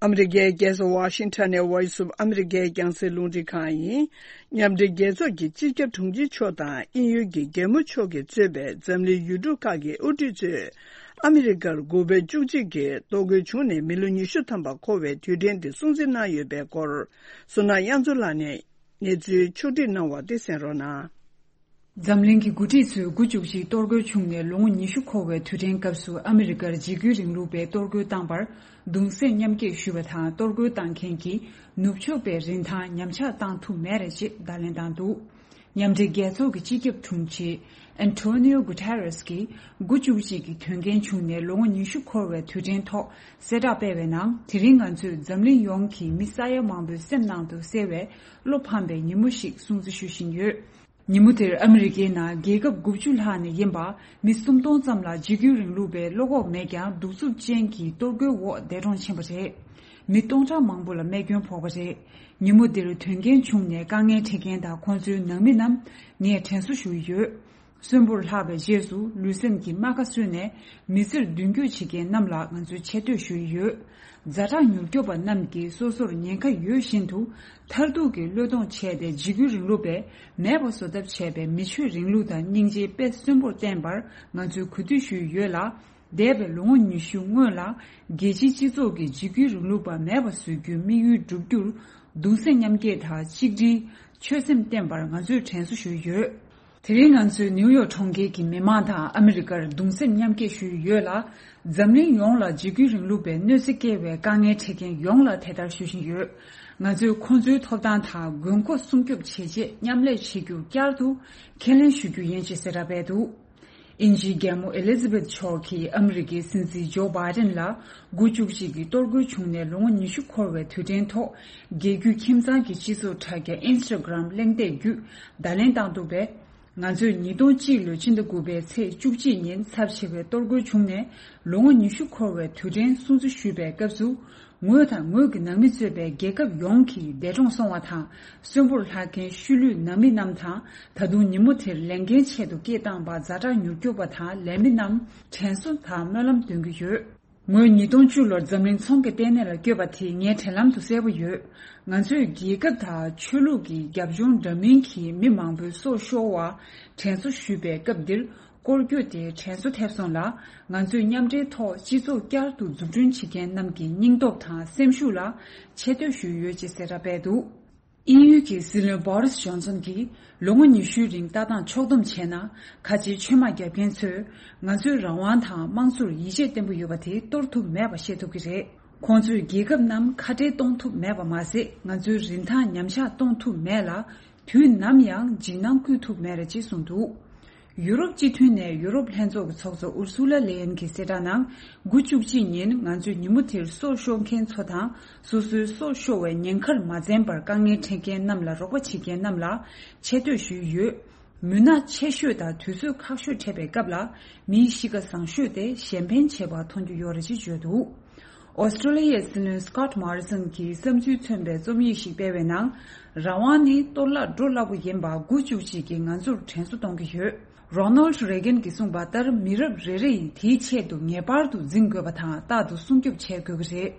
ཨ་མི་རི་ཀའི་རྒྱལ་ས་ཝ་ཤིང་ཊོན་ནས་Voice of America་རྒྱང་སྲིང་རླུང་འཕྲིན་ཁང་ཡིན། མཉམ་འབྲེལ་རྒྱལ་ཚོགས་ཀྱི་སྤྱི་ཁྱབ་དྲུང་ཆེ་མཆོག་དང་དབྱིན་ཡུལ་གྱི་རྒྱལ་མོ་མཆོག་གིས་གཙོས་པའི་འཛམ་གླིང་ཡུལ་གྲུ་ཁག་གི་དབུ་ཁྲིད་ཚོས་ཨ་མི་རི་ཀར་དགུ་པའི་བཅུ་གཅིག་གི་གཏོར་རྒོལ་བྱུང་ནས་མི་ལོ་ཉི་ཤུ་ཐམ་པ་འཁོར་བའི་དུས་དྲན་དེ་སྲུང་བརྩི་གནང་ཡོད་པའི་སྐོར། བསོད་ནམས་དབྱངས་མཚོ་ལགས་ནས་གནས་ཚུལ་ཕྱོགས་སྒྲིག་གནང་བ་དེ་གསན་རོགས་གནང་། འཛམ་གླིང་གི་འགོ་ཁྲིད་ཚོས་དགུ་བཅུ་གཅིག་གཏོར་རྒོལ་བྱུང་ནས་ལོ་ངོ་ཉི་ཤུ་འཁོར་བའི་དུས་དྲན་སྐབས་སུ་ཨ་མི་རི་ཀར་འཇིགས་སྐུལ་རིང་ལུགས་པས་གཏོར་རྒོལ་བཏང་པར་གདུང་སེམས་མཉམ་སྐྱེད་ཞུས་པ་དང་གཏོར་རྒོལ་བཏང་མཁན་གྱི་ནུབ་ཕྱོགས་པའི་རིན་ཐང་ཉམས་ཆག་བཏང་ཐུབ་མེད་རེད་ཅེས་བརྡ་ལན་བཏང་འདུག། མཉམ་འབྲེལ་རྒྱལ་ཚོགས་ཀྱི་སྤྱི་ཁྱབ་དྲུང་ཆེ་ ཨན་ཐོ་ནིའོ་གུ་ཐེ་རེས་ཀྱིས་དགུ་བཅུ་གཅིག་གི་དོན་རྐྱེན་བྱུང་ནས་ལོ་ངོ་ཉི་ཤུ་འཁོར་བའི་དུས་དྲན་ཐོག་གསལ་བསྒྲགས་སྤེལ་བའི་ནང་། དེ་རིང་ང་ཚོས་འཛམ་གླིང་ཡོངས་ཀྱི་མི་ས་ཡ་མང་པོའི་སེམས་ནང་དུ་གསལ་བའི་བློ་ཕམ་པའི་ཉིན་མོ་ཞིག་སྲུང་བརྩི་ཞུ་བཞིན་ཡོད། ཉིན་མོ་དེར་ཨ་མི་རི་ཀའི་ནང་རྒྱལ་ཁབ་དགུ་བཅུ་ལྷག་ནས་ཡིན་པ་མི་སུམ་སྟོང་ཙམ་ལ་འཇིགས་སྐུལ་རིང་ལུགས་པས་བློ་ཁོག་མེད་ཀྱང་གདུག་རྩུབ་ཅན་གྱི་གཏོར་རྒོལ་འོག་འདས་གྲོངས་ཕྱིན་པ་རེད། མི་སྟོང་ཕྲག་མང་པོ་ལ་རྨས་སྐྱོན་ཕོག་པ་རེད། ཉིན་མོ་འདིར་དོན་རྐྱེན་བྱུང་ནས་དཀའ་ངལ་འཕྲད་མཁན་དང་ཁོང་ཚོའི་ནང་མི་རྣམས་ངས་དྲན་གསོ་ཞུ་ཡི་ཡོད། གསོན་པོར་ལྷག་པའི་རྗེས་སུ་ལུས་སེམས་ཀྱི་རྨ་ཁ་གསོས་ནས་མི་ཚེར་མདུན་སྐྱོད་བྱེད་མཁན་རྣམས་ལ་ང་ཚོས་ཆེ་བསྟོད་ཞུ་ཡི་ཡོད། ཛ་དྲག་མྱུར་སྐྱོབ་པ་རྣམས་ཀྱིས་སོ་སོར་ཉེན་ཁ་ཡོད་བཞིན་དུ་མཐར་ཐུག་གི་བློས་གཏོང་བྱས་ཏེ་འཇིགས་སྐུལ་རིང་ལུགས་པས་མེད་པ་བཟོ་ཐབས་བྱས་པའི་མི་ཆོས་རིང་ལུགས་དང་སྙིང་རྗེ་དཔེ་གསོན་པོར་བསྟན་པར་ང་ཚོས་གུས་འདུད་ཞུ་ཡི་ཡོད་ལ། འདས་པའི་ལོ་ངོ་ཉི་ཤུ་སྔོན་ལ་རྒྱལ་སྤྱིའི་སྤྱི་ཚོགས་ཀྱིས་འཇིགས་སྐུལ་རིང་ལུགས་པ་མེད་པ་བཟོ་རྒྱུའི་དམིགས་ཡུལ་བསྒྲུབ་རྒྱུར་གདུང་སེམས་མཉམ་སྐྱེད་དང་གཅིག་སྒྲིལ། ཆོད་སེམས་བསྟེན་པར་ང་ཚོས་དྲན་གསོ་ཞུ་ཡི་ཡོད། དེ་རིང་ང་ཚོས་ནིའུ་ཡོག་གྲོང་ཁྱེར་གྱི་མི་མང་དང་ཨ་མི་རི་ཀར་གདུང་སེམས་མཉམ་སྐྱེད་ཞུ་ཡི་ཡོད་ལ། འཛམ་གླིང་ཡོངས་ལ་འཇིགས་སྐུལ་རིང་ལུགས་པའི་གནོད་འཚེ་བསྐྱལ་བའི་དཀའ་ངལ་འཕྲད་མཁན་ཡོངས་ལ་དེ་ལྟར་ཞུ་བཞིན་ཡོད། ང་ཚོས་ཁོང་ཚོའི་ཐོབ་ཐང་དང་དགོས་མཁོ་སྲུང་སྐྱོབ་བྱེད་ཆེད་མཉམ་ལས་བྱེད་རྒྱུ་བསྐྱར་དུ་ཁས་ལེན་ཞུ་རྒྱུ་ཡིན་ཞེས་གསལ་བསྒྲགས་སྤེལ་འདུག་དབྱིན་ཇིའི་རྒྱལ་མོ་ཨེ་ལི་ཛ་བེཐ་མཆོག་གིས་ཨ་མི་རི་ཀའི་སྲིད་འཛིན་ཇོ་བྷའི་ཌེན་ལ་དགུ་བཅུ་གཅིག་གི་གཏོར་རྒོལ་བྱུང་ནས་ལོ་ངོ་ཉི་ཤུ་འཁོར་བའི་དུས་དྲན་ཐོག་རྒྱལ་རྒྱུད་ཁྱིམ་ཚང་གི་སྤྱི་ཚོགས་དྲ་རྒྱ་ཨིན་སི་ཊ་གྷི་རམ་གླེང་སྟེགས་བརྒྱུད་བརྡ་ལན་བཏང་འདུག་པས། ང་ཚོས་ཉིས་སྟོང་གཅིག་ལོའི་ཕྱི་ཟླ་དགུ་པའི་ཚེས་བཅུ་གཅིག་ཉིན་ཚབས་ཆེ་བའི་གཏོར་རྒོལ་བྱུང་ནས་ལོ་ངོ་ཉི་ཤུ་འཁོར་བའི་དུས་དྲན་སྲུང་བརྩི་ཞུས་པའི་སྐབས་སུ། ངོས་དང་ངོས་ཀྱི་ནང་མི་གཙོས་པའི་རྒྱལ་ཁབ་ཡོངས་ཀྱིས་འདས་གྲོངས་སོང་བ་དང་གསོན་པོར་ལྷག་མཁན་ཤུལ་ལུས་ནང་མི་རྣམས་དང་། ད་དུང་ཉིན་མོ་དེར་ལས་འགན་ཆེད་དུ་སྐད་བཏང་པ་ཛ་དྲག་མྱུར་སྐྱོབ་པ་དང་ལས་མི་རྣམས་དྲན་གསོ་དང་སྨོན་ལམ་འདོན་གྱི་ཡོད། ངོས་ཉིས་སྟོང་བཅུ་ལོར་འཛམ་གླིང་ཚོང་གི་ལྟེ་གནས་ལ་བསྐྱོད་པ་དེ་ངའི་དྲན་ལམ་དུ་གསལ་པོ་ཡོད། ང་ཚོས་རྒྱལ་ཁབ་དང་ཆོས་ལུགས་ཀྱི་རྒྱབ་ལྗོངས་འདྲ་མིན་གྱི་མི་མང་པོའི་སྲོག་ཤོར་བར་དྲན་གསོ་ཞུས་པའི་སྐབས་འདིར། སྐོར་སྐྱོད་དེ་དྲན་གསོ་ཐེབས་སོང་ལ། ང་ཚོས་མཉམ་འབྲེལ་ཐོག་སྤྱི་ཚོགས་བསྐྱར་དུ་འཛུགས་སྐྲུན་བྱེད་མཁན་རྣམས་ཀྱི་སྙིང་སྟོབས་དང་སེམས་ཤུགས་ལ་ཆེ་བསྟོད་ཞུས་ཡོད་ཅེས་གསལ་བསྒྲགས་སྤེལ་འདུག་དབྱིན་ཡུལ་གྱི་སྲིད་བློན་བོ་རིས་ཇོན་སོན་གྱིས་ལོ་ངོ་ཉི་ཤུའི་རིང་ལྟ་སྟངས་ཕྱོགས་བསྡོམས་བྱས་ན། ཁ་ཆེའི་ཆོས་དམག་རྒྱབ་མཁན་ཚོས་ང་ཚོའི་རང་དབང་དང་དམངས་གཙོར་ཡིད་ཆེས་བརྟན་པོ་ཡོད་པ་དེ་གཏོར་ཐུབ་མེད་པ་ཤེས་ཐུབ་ཀྱི་རེད། ཁོང་ཚོས་རྒྱལ་ཁབ་རྣམས་ཁ་བྲལ་གཏོང་ཐུབ་མེད་པ་མ་ཟད། ང་ཚོའི་རིན་ཐང་ཉམས་ཆག་གཏོང་ཐུབ་མེད་ལ། དུས་ནམ་ཡང་འཇིགས་སྣང་བསྐུལ་ཐུབ་མེད་རེད་ཅེས་གསུངས་འདུག་ཡུ་རོབ་སྤྱི་མཐུན་ནས་ཡུ་རོབ་ལྷན་ཚོགས་ཀྱི་ཚོགས་གཙོ་ཨུར་སུ་ལ་ལེ་ཡན་གྱིས་གསལ་བསྒྲགས་ནང་། དགུ་བཅུ་གཅིག་ཉིན་ང་ཚོས་ཉིན་མོ་དེར་སྲོག་ཤོར་མཁན་ཚོ་དང་། སོ་སོའི་སྲོག་ཤོར་བའི་ཉེན་ཁར་མ་འཛེམས་པར་དཀའ་ངལ་འཕྲད་མཁན་རྣམས་ལ་རོགས་པ་བྱེད་མཁན་རྣམས་ལ་ཆེ་བསྟོད་ཞུས་ཡོད། མུན་ནག་ཆེ་ཤོས་དང་དུས་ཚོད་ཁག་ཤོས་འཕྲད་པའི་སྐབས་ལ། མིའི་གཤིས་ཀ་བཟང་ཤོས་དེ་གཞན་ཕན་བྱེད་པར་མཐོང་རྒྱུ་ཡོད་རེད་ཅེས་བརྗོད་འདུག་ཨོ་སི་ཀྲོ་ལི་ཡའི་སྲིད་བློན་སི་ཀོཊ་མོ་རི་སོན་གྱིས་བསམ་ཚུལ་མཚོན་པའི་རྩོམ་ཡིག་ཞིག་སྤེལ་བའི་ནང་། རང་དབང་ནི་གཏོར་བརླག་འགྲོ་སླ་པོ་ཡིན་པ་དགུ་བཅུ་གཅིག་གིས་ང་ཚོར་དྲན་གསོ་གཏོང་གི་ཡོད། རོ་ནལ་ཌི་རེ་གན་གྱིས་གསུངས་པ་ལྟར། མི་རབས་རེ་རེ་ཡིས་དེའི་ཆེད་དུ་ངེས་པར་དུ་འཛིང་དགོས་པ་དང་། རྟག་ཏུ་སྲུང་སྐྱོབ་བྱེད་དགོས་ཀྱི་རེད།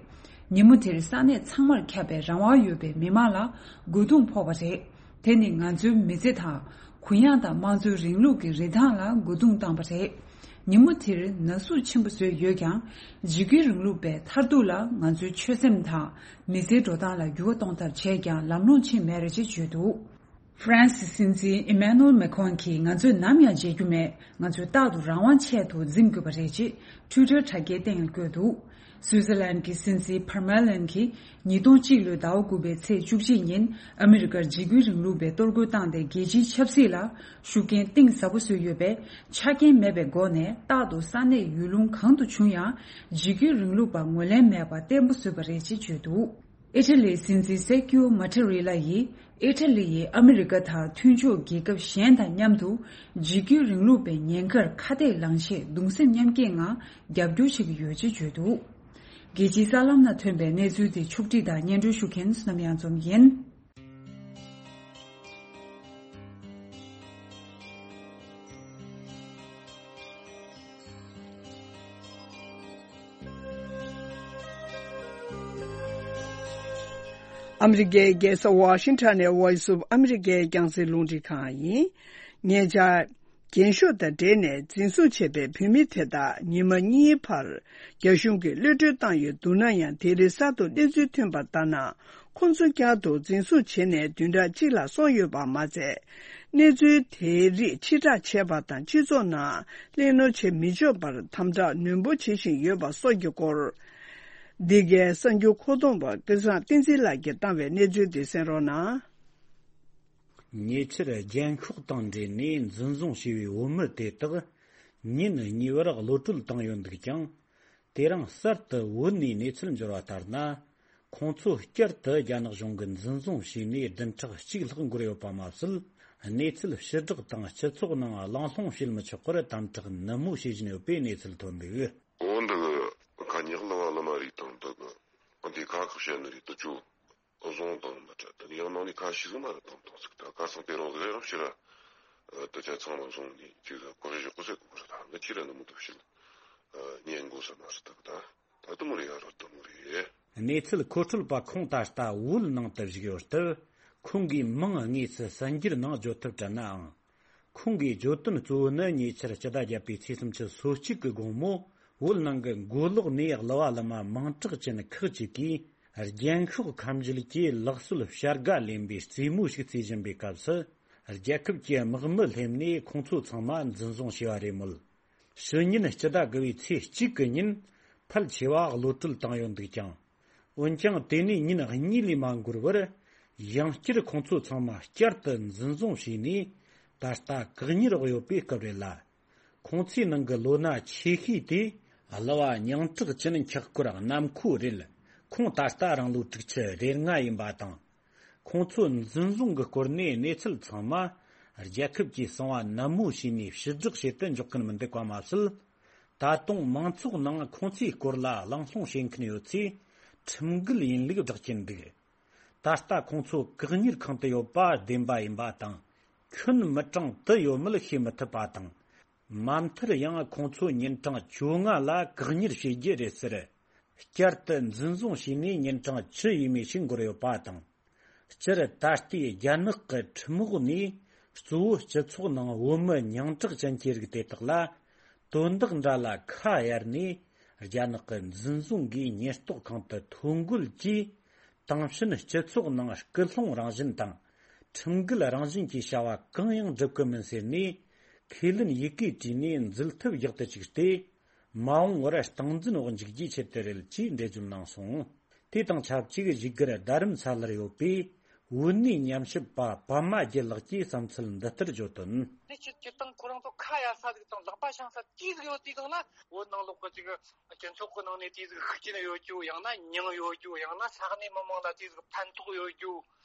ཉིན་མོ་དེར་ས་གནས་ཚང་མར་ཁྱབ་པའི་རང་དབང་ཡོད་པའི་མི་མང་ལ་རྒོལ་རྡུང་ཕོག་པ་རེད། དེ་ནི་ང་ཚོའི་མི་ཚེ་དང་གུ་ཡངས་དང་དམངས་གཙོའི་རིང་ལུགས་ཀྱི་རིན་ཐང་ལ་རྒོལ་རྡུང་བཏང་པ་རེད། ཉིན་མོ་དེར་ན་ཟུག་ཆེན་པོ་བཟོས་ཡོད་ཀྱང་། འཇིགས་སྐུལ་རིང་ལུགས་པའི་མཐར་ཐུག་ལ་ང་ཚོའི་ཆོད་སེམས་དང་མི་ཚེའི་འགྲོ་སྟངས་ལ་འགྱུར་བ་གཏོང་ཐབས་བྱས་ཀྱང་ལམ་ལྷོང་ཕྱིན་མེད་རེད་ཅེས་བརྗོད་འདུག་ཧྥ་རན་སིའི་སྲིད་འཛིན་ཨི་མེ་ནུ་ཨེལ་མེ་ཁོན་གྱིས་ང་ཚོས་ནམ་ཡང་བརྗེད་རྒྱུ་མེད། ང་ཚོས་རྟག་ཏུ་རང་དབང་ཆེད་དུ་འཛིང་དགོས་པ་རེད་ཅེས་ཊུའི་ཊར་དྲ་རྒྱའི་སྟེང་ལ་བཀོད་འདུག་སུའུ་ཙེར་ལན་གྱི་སྲིད་འཛིན་ཕར་མེ་ལན་གྱིས་ཉིས་སྟོང་གཅིག་ལོའི་ཟླ་བ་དགུ་པའི་ཚེས་བཅུ་གཅིག་ཉིན་ཨ་མི་རི་ཀར་འཇིགས་སྐུལ་རིང་ལུགས་པའི་གཏོར་རྒོལ་བཏང་སྟེ་རྒྱལ་སྤྱིའི་ཆབ་སྲིད་ལ་ཤུགས་རྐྱེན་གཏིང་ཟབ་པོ་བཟོས་ཡོད་པས། ཆ་རྐྱེན་མེད་པའི་སྒོ་ནས་རྟག་ཏུ་ས་གནས་ཡུལ་ལུང་གང་དུ་བྱུང་ཡང་འཇིགས་སྐུལ་རིང་ལུགས་པ་ངོས་ལེན་མེད་པ་བརྟན་པོ་བཟོས་པ་རེད་ཅེས་བརྗོད་འདུག་ཨི་ཊ་ལིའི་སྲིད་འཛིན་སེར་ཀིའོ་མ་ཊེ་རི་ལ་ཡིས་ཨི་ཊ་ལི་ཡིས་ཨ་མི་རི་ཀ་དང་མཐུན་ཕྱོགས་རྒྱལ་ཁབ་གཞན་དང་མཉམ་དུ་འཇིགས་སྐུལ་རིང་ལུགས་པའི་ཉེན་ཁར་ཁ་གཏད་ལངས་ཆེད་གདུང་སེམས་མཉམ་སྐྱེད་ངང་རྒྱབ་སྐྱོར་བྱེད་ཀྱི་ཡོད་ཅེས་བརྗོད་འདུག་རྒྱལ་སྤྱིའི་གསར་ལམ་ནང་ཐོན་པའི་གནས་ཚུལ་དེ་ཕྱོགས་སྒྲིག་དང་སྙན་སྒྲོན་ཞུ་མཁན་བསོད་ནམས་གཡང་འཛོམས་ཡིན། ཨ་མི་རི་ཀའི་རྒྱལ་ས་ཝ་ཤིང་ཊོན་ནས་Voice of America་རྒྱང་སྲིང་རླུང་འཕྲིན་ཁང་ཡིན། ཉེ་ཆར། རྒྱན་ཤོག་དང་འབྲེལ་ནས་འཛིན་བཟུང་བྱས་པའི་བོད་མི་དེ་དག་ཉི་མ་གཉིས་བར་རྒྱ་གཞུང་གིས་གློད་གྲོལ་བཏང་ཡོད་འདུག་ན་ཡང་། དེ་རིང་གསར་དུ་གནས་ཚུལ་ཐོན་པ་ལྟར་ན། ཁོང་ཚོ་བསྐྱར་དུ་འཛིན་བཟུང་བྱས་ནས་བདུན་ཕྲག་གཅིག་ལྷག་སོང་ཡོད་པ་མ་ཚད། གནས་ཚུལ་དེའི་རིགས་ཕྱིར་བསྒྲགས་བྱས་པ་དང་། སྤྱི་ཚོགས་ནང་གླེང་སློང་བྱེད་མི་ཆོག་པར་དམ་དྲག་ནན་པོ་བྱེད་བཞིན་ཡོད་པ་སོགས་ཀྱི་སྐོར། འདི་གའི་གསར་འགྱུར་མཁོ་གཏོང་བ་སྐལ་བཟང་བསྟན་འཛིན་ལགས་ཀྱིས་བཏང་བའི་གནས་ཚུལ་དེ་གསན་རོགས་གནང་། ཉེ་ཆར་རྒྱན་ཤོག་དང་འབྲེལ་ནས་འཛིན་བཟུང་བྱས་པའི་བོད་མི་དེ་དག་ཉིན་གཉིས་པར་གློད་གྲོལ་བཏང་ཡོད་འདུག་ཀྱང་། དེ་རིང་གསར་དུ་བོད་ནས་གནས་ཚུལ་འབྱོར་བ་ལྟར་ན། ཁོང་ཚོ་བསྐྱར་དུ་རྒྱ་ནག་གཞུང་གིས་འཛིན་བཟུང་བྱས་ནས་བདུན་ཕྲག་གཅིག་ལྷག་འགོར་ཡོད་པ་མ་ཟད། གནས་ཚུལ་ཕྱིར་བསྒྲགས་དང་སྤྱི་ཚོགས་ནང་གླེང་སློང་བྱེད་མི་ཆོག་པར་དམ་དྲག་ནན་མོ་བྱེད་བཞིན་ཡོད་པའི་གནས་ཚུལ་ཐོན་འདུག། འོ་འདི་གི་ཁ་ཉག་ལ་བ་ལ་མ་རེད་དང་འདི་གི་འདི་ཁ་ཁག་བཤད་ནི་རེད་དུ་ཅུ་བཟུང་དང་མི་འདྲ་དུ་ཡང་ནང་ནས་ཁ་ཤས་ཟིག་མ་རེད་དང་དང་ཟིག་ད་ཁ་སང་དེ་རང་ཟིག་རེད་རོགས་ཕྱིར་ར་དུ་ཆ་ཚང་མ་བཟུང་ནས་ཅིག་གི་གོ་རེ་ཞོག་གོ་ཟེར་གོ་རེད་ད་འདི་ཁྱེད་ར་ནི་མུ་ཐུབ་ཕྱིར་ཉན་དགོས་ས་མ་རེད་ད་གི་ད། ད་དུ་མོ་རེ་ཡ་རོ་དུ་མོ་རེ། གནས་ཚུལ་མཁོ་སྤྲོད་པ་ཁོང་ད་ལྟ་བོད་ནང་དུ་བཞུགས་ཡོད་སྟབས། ཁོང་གིས་མིང་དངོས་སུ་གསར་འགྱུར་ནང་བརྗོད་ཐབས་བྲལ་ནའང་། ཁོང་གིས་བརྗོད་དོན་གཙོ་བོ་ནི་ཉེ་ཆར་སྤྱི་ཟླ་བརྒྱད་པའི་ཚེས་སུམ་ཅུ་སོ་གཅིག་གི་དགོང་མོ་བོད་ནང་གི་མགོ་ལོག་ནས་གླུ་བ་གླུ་མ་མིང་གྲགས་ཅན་ཁག་ཅིག་གིས་རྒྱན་ཤོག་ཁ་མཇལ་གྱི་ལག་སྲོལ་བྱ་དགའ་ལེན་པའི་རྩེད་མོ་ཞིག་རྩེ་བཞིན་པའི་སྐབས་སུ། རྒྱལ་ཁབ་ཀྱི་དམག་མི་སླེབས་ནས་ཁོང་ཚོ་ཚང་མ་འཛིན་བཟུང་བྱས་པ་རེད་མོད། ཕྱི་ཉིན་སྤྱི་ཟླ་དགུ་བའི་ཚེས་གཅིག་གི་ཉིན་ཕལ་ཆེ་བ་གློད་གྲོལ་བཏང་ཡོད་འདུག་ཀྱང་། འོན་ཀྱང་དེ་ནས་ཉིན་གཉིས་ལས་མ་འགོར་བར་ཡང་བསྐྱར་ཁོང་ཚོ་ཚང་མ་བསྐྱར་དུ་འཛིན་བཟུང་བྱས་ནས་ད་ལྟ་བཀག་ཉར་འོག་ཡོད་པའི་སྐབས་རེད་ལ། ཁོང་ཚོའི་ནང་གི་ལོ་ན་ཆེ་ཤོས་དེ་གླུ་བ་མིང་གྲགས་ཅན་འཁྱག་སྐོར་ནམ་མཁོ་རེད། ཁོང་ད་ལྟ་རང་ལོ་དྲུག་ཅུ་རེ་ལྔ་ཡིན་པ་དང་། ཁོང་ཚོ་འཛིན་བཟུང་གི་སྐོར་ནས་གནས་ཚུལ་ཚང་མ་རྒྱལ་ཁབ་ཀྱིས་གསང་བ་ནན་མོ་བྱས་ནས་ཕྱིར་བསྒྲགས་བྱེད་དུ་འཇུག་གིན་མི་འདུག་པ་མ་ཟད། ད་དུང་མང་ཚོགས་ནང་ཁོང་ཚོའི་སྐོར་ལ་གླེང་སློང་བྱེད་མཁན་ཡོད་ཚེ་ཁྲིམས་འགལ་ཡིན་ལུགས་བསྒྲགས་ཀྱིན་འདུག། ད་ལྟ་ཁོང་ཚོ་བཀག་ཉར་ཁང་དུ་ཡོད་པ་བདེན་པ་ཡིན་པ་དང་། ཁྱོན་མི་གྲངས་དུ་ཡོད་མེད་ཤེས་མི་ཐུབ་པ་དང་། མ་མཐར་ཡང་ཁོང་ཚོ་ཉིན་གྲངས་བཅོ་ལྔ་ལ་བཀག་ཉར་བྱེད་རྒྱུ་རེད་ཟེར། བསྐྱར་དུ་འཛིན་བཟུང་བྱས་ནས་ཉིན་གྲངས་བཅུ་ཡས་མས་ཤིག་འགོར་ཡོད་པ་དང་། སྤྱིར་ད་ལྟའི་རྒྱ་ནག་གི་ཁྲིམས་འོག་ནས་གཙོ་བོ་སྤྱི་ཚོགས་ནང་བོད་མི་མིང་གྲགས་ཅན་གྱི་རིགས་དེ་དག་ལ་དོན་དག་འདྲ་ལ་ཁ་གཡར་ནས་རྒྱ་ནག་གི་འཛིན་བཟུང་གིས་ཉེན་རྟོག་ཁང་དུ་ཐོ་འགོད་ཀྱིས། དེང་ཕྱིན་སྤྱི་ཚོགས་ནང་སྐུལ་སློང་རང་བཞིན་དང་། ཁྲིམས་འགལ་རང་བཞིན་གྱི་བྱ་བ་གང་ཡང་སྒྲུབ་ཀྱི་མིན་ཟེར་ནས། ཁས་ལེན་ཡི་གེ་བྲིས་ནས་འཛུལ་ཐབས་ཡག་ཏུ་བཅུག་སྟེ། མ་འོངས་བར་སྟངས་འཛིན་འོག་འཇུག་རྒྱུའི་ཆེད་དུ་རེད་ཅེས་འགྲེལ་བརྗོད་གནང་སོང་། དེ་དང་ཆབས་ཅིག་བཞུགས་སྒར་རྡ་རམ་ས་ལར་ཡོད་པའི་བོད་གནས་ཉམས་ཞིབ་པ་པདྨ་རྒྱལ་ལགས་ཀྱིས་བསམ་ཚུལ་འདི་ལྟར་བརྗོད་དོན། ནི་སྤྱིར་སྤྱིར་བཏང་ཁོ་རང་ཚོ་ཁ་གཡར་ས་ཟིག་དང་ལག་པ་འཆང་ས་ཅི་ཟིག་ཡོད་དུས་སྒང་ལ་བོད་ནང་ལོགས་ཀྱི་ཅིག་སྤྱི་ཚོགས་ཀྱི་ནང་ནས་དེ་ཟིག་ཤུགས་རྐྱེན་ཡོད་རྒྱུ། ཡང་ན་མྱིང་ཡོད་རྒྱུ། ཡང་ན་ས་གནས་མི་མང་ལ་དེ་ཟིག་ཕན་ཐོགས་ཡོད་རྒྱུ།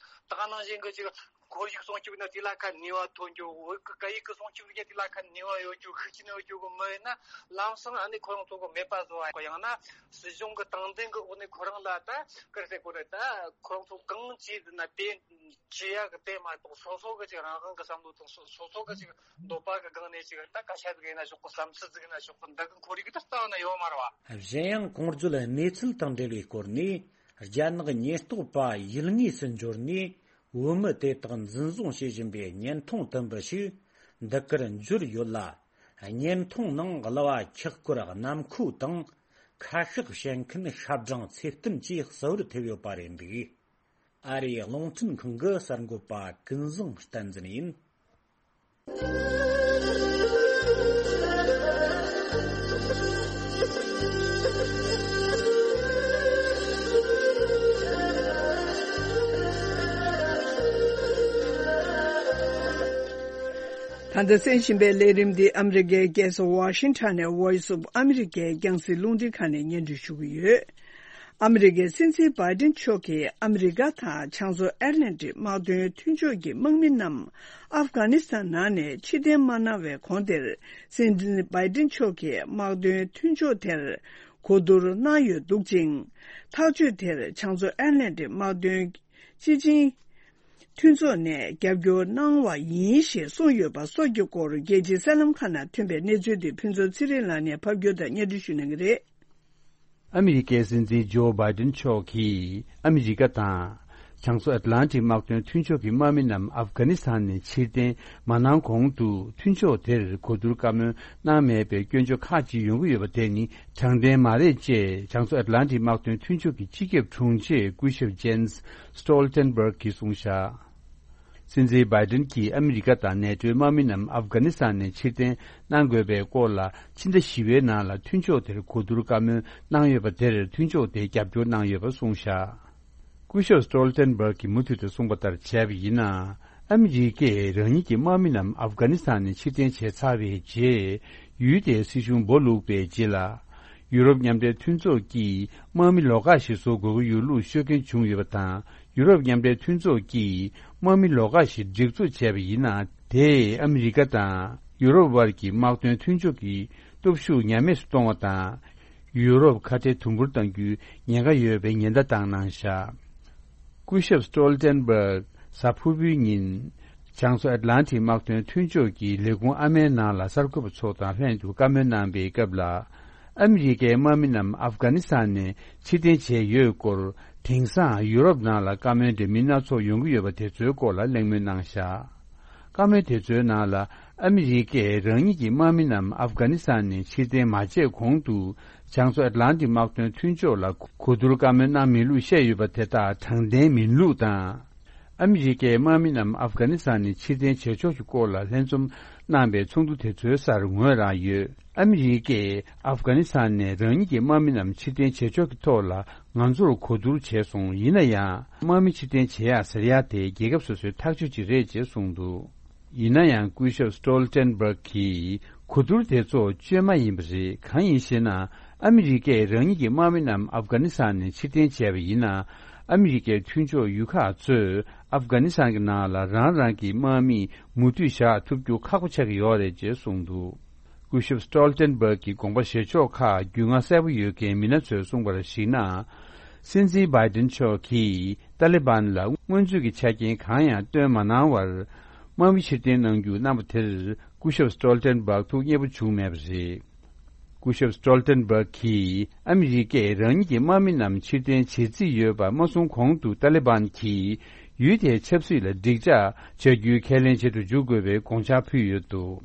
ད་ག་ནང་བཞིན་གྱི་ཅིག་ཁོར་ཡུག་སྲུང་སྐྱོབ་ན་དེ་ལ་ཁ་ནུས་པ་ཐོན་རྒྱུ། བོད་ཀྱི་སྐད་ཡིག་གི་སྲུང་སྐྱོབ་ཟིག་དེ་ལ་ཁ་ནུས་པ་ཡོད་རྒྱུ། ཤུགས་རྐྱེན་ཡོད་རྒྱུ་གི་མི་ཡིན་ན་ལམ་སང་ཨ་ནི་ཁོ་རང་ཚོ་གི་མེད་པ་བཟོ་བ། ཡང་ན་སྲིད་གཞུང་གི་དྲང་བདེན་གི་འོག་ནས་ཁོ་རང་ལ་ད་ཀར་ཟེར་གོ་རེད། ད་ཁོ་རང་ཚོ་གང་བྱས་ཟིན་ན་དེ་བྱེད་ཡག་གི་དེ་མ་གཏོགས་སོ་སོ་གི་ཅིག་རང་དབང་གི་བསམ་བློ་དང་སོ་སོ་སོ་གི་ཅིག་འདོད་པ་གི་སྒང་ནས་ཅིག་ད་སྐད་ཆ་ཟིག་ཡིན་ན་ཆོག་གི། བསམ་ཚུལ་ཟིག་ཡིན་ན་ཆོག་གི། འདི་གི་ཁོར་ཡུག་ད་རྩ་བ་ནས་ཡོད་མ་རེད་བ། གཞན་ཡང་གོང་བརྗོད་གནས་ཚུལ་དང་འབྲེལ་བའི་སྐོར་ནས་རྒྱ་ནག་ཉེན་རྟོག་པ་ཡུལ་དངོས་སུ་འབྱོར་ནས་བོད་མི་དེ་དག་འཛིན་བཟུང་བྱེད་བཞིན་པའི་བརྙན་ཐུང་དུམ་བུ་ཞིག་འདི་གར་འབྱོར་ཡོད་ལ། བརྙན་ཐུང་ནང་གླུ་བ་འཁྱག་སྐོར་གནམ་ཁོ་དང་ཁ་ཤགས་བཤད་མཁན་ཤབ་སྦྲང་ཚེ་བརྟན་བཅས་གསལ་བོར་ཐེབས་ཡོད་པ་རེད་འདུག། ཨ་རིའི་རླུང་འཕྲིན་ཁང་གི་གསར་འགོད་པ་ཀུན་བཟང་བསྟན་འཛིན་ཡིན། ད་ལྟ་གསན་བཞིན་པའི་ལས་རིམ་འདི་ཨ་མི་རི་ཀའི་རྒྱལ་ས་ཝ་ཤིང་ཊོན་ནས་Voice of America རྒྱང་སྲིང་རླུང་འཕྲིན་ཁང་ནས་སྙན་སྒྲོན་ཞུ་གི་ཡོད། ཨ་མི་རི་ཀའི་སྲིད་འཛིན་བྷའི་ཌེན་མཆོག་གིས་ཨ་མི་རི་ཀ་དང་བྱང་མཚོ་ཨེཊ་ལན་ཊིག་དམག་དོན་མཐུན་ཕྱོགས་ཀྱི་དམག་མི་རྣམས་ཨབ་གྷ་ནི་སི་ཐན་ནང་ནས་ཕྱིར་འཐེན་མ་གནང་བའི་གོང་དེར། སྲིད་འཛིན་བྷའི་ཌེན་མཆོག་གིས་དམག་དོན་མཐུན་ཕྱོགས་དེར་གོ་བསྡུར་གནང་ཡོད་འདུག་ཅིང་། ཐག་གཅོད་དེར་བྱང་མཚོ་ཨེཊ་ལན་ཊིག་དམག་དོན་སྤྱི་ཆིངས་མཐུན་ཚོགས་ནས་རྒྱབ་སྐྱོར་གནང་བ་ཡིན་ཞེས་གསུངས་ཡོད་པ་སོགས་ཀྱི་སྐོར་རྒྱལ་སྤྱིའི་གསར་ལམ་ཁག་ནང་ཐོན་པའི་གནས་ཚུལ་དེ་ཕུན་ཚོགས་ཚེ་རིང་ལགས་ནས་ཕབ་སྒྱུར་དང་སྙན་སྒྲོན་ཞུ་གནང་གི་རེད། ཨ་མི་རི་ཀའི་སྲིད་འཛིན་ཇོ་བྷའི་ཌེན་མཆོག་གིས་ཨ་མི་རི་ཀ་དང་། བྱང་མཚོ་ཨེཊ་ལན་ཊིག་དམག་དོན་མཐུན་ཕྱོགས་ཀྱི་དམག་མི་རྣམས་ཨབ་གྷ་ནི་སི་ཐན་ནས་ཕྱིར་འཐེན་མ་གནང་གོང་དུ་མཐུན་ཕྱོགས་དེར་གོ་བསྡུར་བཀའ་མོལ་གནང་མེད་པའི་སྐྱོན་བརྗོད་ཁག་ཅིག་ཡོང་གི་ཡོད་པ་དེ་ནི་དྲང་བདེན་མ་རེད་ཅེས་བྱང་མཚོ་ཨེཊ་ལན་ཊིག་དམག་དོན་མཐུན་ཕྱོགས་ཀྱི་སྤྱི་ཁྱབ་དྲུང་ཆེ་སྐུ་ཞབས་ཇེན་སི་སི་ཊོལ་ཊེན་བྷག་གིས་གསུངས་བཞག། སྲིད་འཛིན་བྷའི་ཌེན་གྱིས་ཨ་མི་རི་ཀ་དང་ནེ་ཊོའི་དམག་མི་རྣམས་ཨབ་གྷ་ནི་སི་ཐན་ནས་ཕྱིར་འཐེན་གནང་དགོས་པའི་སྐོར་ལ་ཕྱི་ཟླ་བཞི་པའི་ནང་ལ་མཐུན་ཕྱོགས་དེར་གོ་བསྡུར་བཀའ་མོལ་གནང་ཡོད་པ་དེར་མཐུན་ཕྱོགས་དེས་རྒྱབ་སྐྱོར་གནང་ཡོད་པ་གསུངས་བཞག། སྐུ་ཞབས་སི་ཊོལ་ཊེན་བྷག་གིས་མུ་མཐུད་དུ་གསུངས་པ་ལྟར་བྱས་པ་ཡིན་ན། ཨ་མི་རི་ཀས་རང་ཉིད་ཀྱི་དམག་མི་རྣམས་ཨབ་གྷ་ནི་སི་ཐན་ནས་ཕྱིར་འཐེན་བྱས་ཚར་བའི་རྗེས། ཡུལ་དེའི་སྲིད་གཞུང་སྦོ་ལུགས་པའི་རྗེས་ལ། ཡུ་རོབ་མཉམ་འབྲེལ་མཐུན་ཚོགས་ཀྱིས་དམག་མི་ལོགས་ཀ་ཞིག་བཟོ་དགོས་ཀྱི་ཡོད་ལུགས་ཤོད་མཁན་བྱུང་ཡོད་པ་དང་། ཡུ་རོབ་མཉམ་འབྲེལ་མཐུན་ཚོགས་ཀྱིས་དམག་མི་ལོགས་ཀ་ཞིག་སྒྲིག་འཛུགས་བྱས་པ་ཡིན་ན། དེས་ཨ་མི་རི་ཀ་དང་ཡུ་རོབ་དབར་གྱི་དམག་དོན་མཐུན་ཕྱོགས་ཀྱི་སྟོབས་ཤུགས་ཉམས་དམས་སུ་གཏོང་བ་དང་། ཡུ་རོབ་ཁ་བྲལ་དུམ་བུར་གཏང་རྒྱུའི་ཉེན་ཁ་ཡོད་པའི་ཉེན་བརྡ་བཏང་གནང་བཞག་སྐུ་ཞབས་སི་ཏོལ་ཏན་སྦརག་གཟའ་ཕུར་བུའི་ཉིན། བྱང་མཚོ་ཨེཊ་ལན་ཊིག་དམག་དོན་མཐུན་ཕྱོགས་ཀྱི་ལས་ཁུངས་ཨ་མའི་ནང་ལ་གསར་འགོད་པ་ཚོ་དང་ལྷན་དུ་བཀའ་མོལ་གནང་པའི་སྐབས་ལ། ཨ་མི་རི་ཀའི་དམག་མི་རྣམས་ཨབ་གྷ་ནི་སི་ཐན་ནས་ཕྱིར་འཐེན་བྱས་ཡོད་སྐོར། དེང་སང་ཡུ་རོབ་ནང་ལ་བཀའ་མོལ་འདྲ་མིན་སྣ་ཚོགས་ཡོང་གི་ཡོད་པ་དེ་ཚོའི་སྐོར་ལ་གླེང་མོལ་གནང་བཞག་བཀའ་མོལ་དེ་ཚོའི་ནང་ལ། ཨ་མི་རི་ཀས་རང་ཉིད་ཀྱི་དམག་མི་རྣམས་ཨབ་གྷ་ནི་སི་ཐན་ནས་ཕྱིར་འཐེན་མ་བྱས་གོང་དུ། བྱང་མཚོ་ཨེཊ་ལན་ཊིག་དམག་དོན་མཐུན་ཕྱོགས་ལ་གོ་བསྡུར་བཀའ་མོལ་གནང་མེད་ལུགས་བཤད་ཡོད་པ་དེ་དག་དྲང་བདེན་མིན་ལུགས་དང་། ཨ་མི་རི་ཀའི་དམག་མི་རྣམས་ཨབ་གྷ་ནི་སི་ཐན་ནས་ཕྱིར་འཐེན་བྱེད་ཕྱོགས་ཀྱི་སྐོར་ལ་ལྷན་འཛོམས་གནང་པའི་ཚོགས་འདུ་དེ་ཚོའི་སར་ངོས་རང་ཡོད། ཨ་མི་རི་ཀས་ཨབ་གྷ་ནི་སི་ཐན་ནས་རང་ཉིད་ཀྱི་དམག་མི་རྣམས་ཕྱིར་འཐེན་བྱེད་ཕྱོགས་ཀྱི་ཐོག་ལ་ང་ཚོར་གོ་བསྡུར་བྱས་སོང་། ཡིན་ན་ཡང་། དམག་མི་ཕྱིར་འཐེན་བྱེད་ཡག་ཟེར་ཡག་དེ་རྒྱལ་ཁབ་སོ་སོའི་ཐག་གཅོད་ཅིག་རེད་ཅེས་གསུངས་འདུག་ཡིན་ན་ཡང་། སྐུ་ཞབས་སི་ཏོལ་ཏན་སྦརག་གིས་གོ་བསྡུར་དེ་ཚོ་བཅོས་མ་ཡིན་པ་རེད། གང་ཡིན་ཞེ་ན། ཨ་མི་རི་ཀས་རང་ཉིད་ཀྱི་དམག་མི་རྣམས་ཨབ་གྷ་ནི་སི་ཐན་ནས་ཕྱིར་འཐེན་བྱས་པ་ཡིན་ན། ཨ་མི་རི་ཀའི་མཐུན་ཕྱོགས་ཡུལ་ཁག་ཚོས་ཨབ་གྷ་ནི་སི་ཐན་གྱི་ནང་ལ་རང་རང་གི་དམག་མི་མུ་མཐུད་བཞག་ཐུབ་རྒྱུ་ཁག་པོ་ཆགས་ཀྱི་ཡོད་རེད་ཅེས་གསུངས་འདུག་སྐུ་ཞབས་སི་ཏོལ་ཏན་སྦརག་གི་དགོངས་པ་བཞེས་ཕྱོགས་ཁག་རྒྱུས་མངའ་གསལ་པོ་ཡོད་མཁན་མི་སྣ་ཚོས་གསུངས་པར་གཞིགས་ན། སྲིད་འཛིན་བྷའི་ཏིན་མཆོག་གིས་ཏཱ་ལི་བན་ལ་སྔོན་ཚུད་ཀྱི་ཆ་རྐྱེན་གང་ཡང་བཏོན་མ་གནང་བར། དམག་མི་ཕྱིར་འཐེན་གནང་རྒྱུ་གནང་པ་དེར་སྐུ་ཞབས་སི་ཏོལ་ཏན་སྦརག་ཐུགས་མཉེས་པོ་བྱུང་མེད་པ་རེད། སྐུ་ཞབས་སི་ཏོལ་ཏན་སྦརག་གིས་ཨ་མི་རི་ཀས་རང་ཉིད་ཀྱི་དམག་མི་རྣམས་ཕྱིར་འཐེན་བྱེད་རྩིས་ཡོད་པ་མ་གསུངས་གོང་དུ། ཏཱ་ལི་བན་གྱིས་ཡུལ་དེའི་ཆབ་སྲིད་ལ་འགྲིག་འཇགས་བྱ་རྒྱུའི་ཁས་ལེན་བྱེད་དུ་འཇུག་དགོས་པའི་དགོངས་འཆར་ཕུལ་ཡོད་འདུག་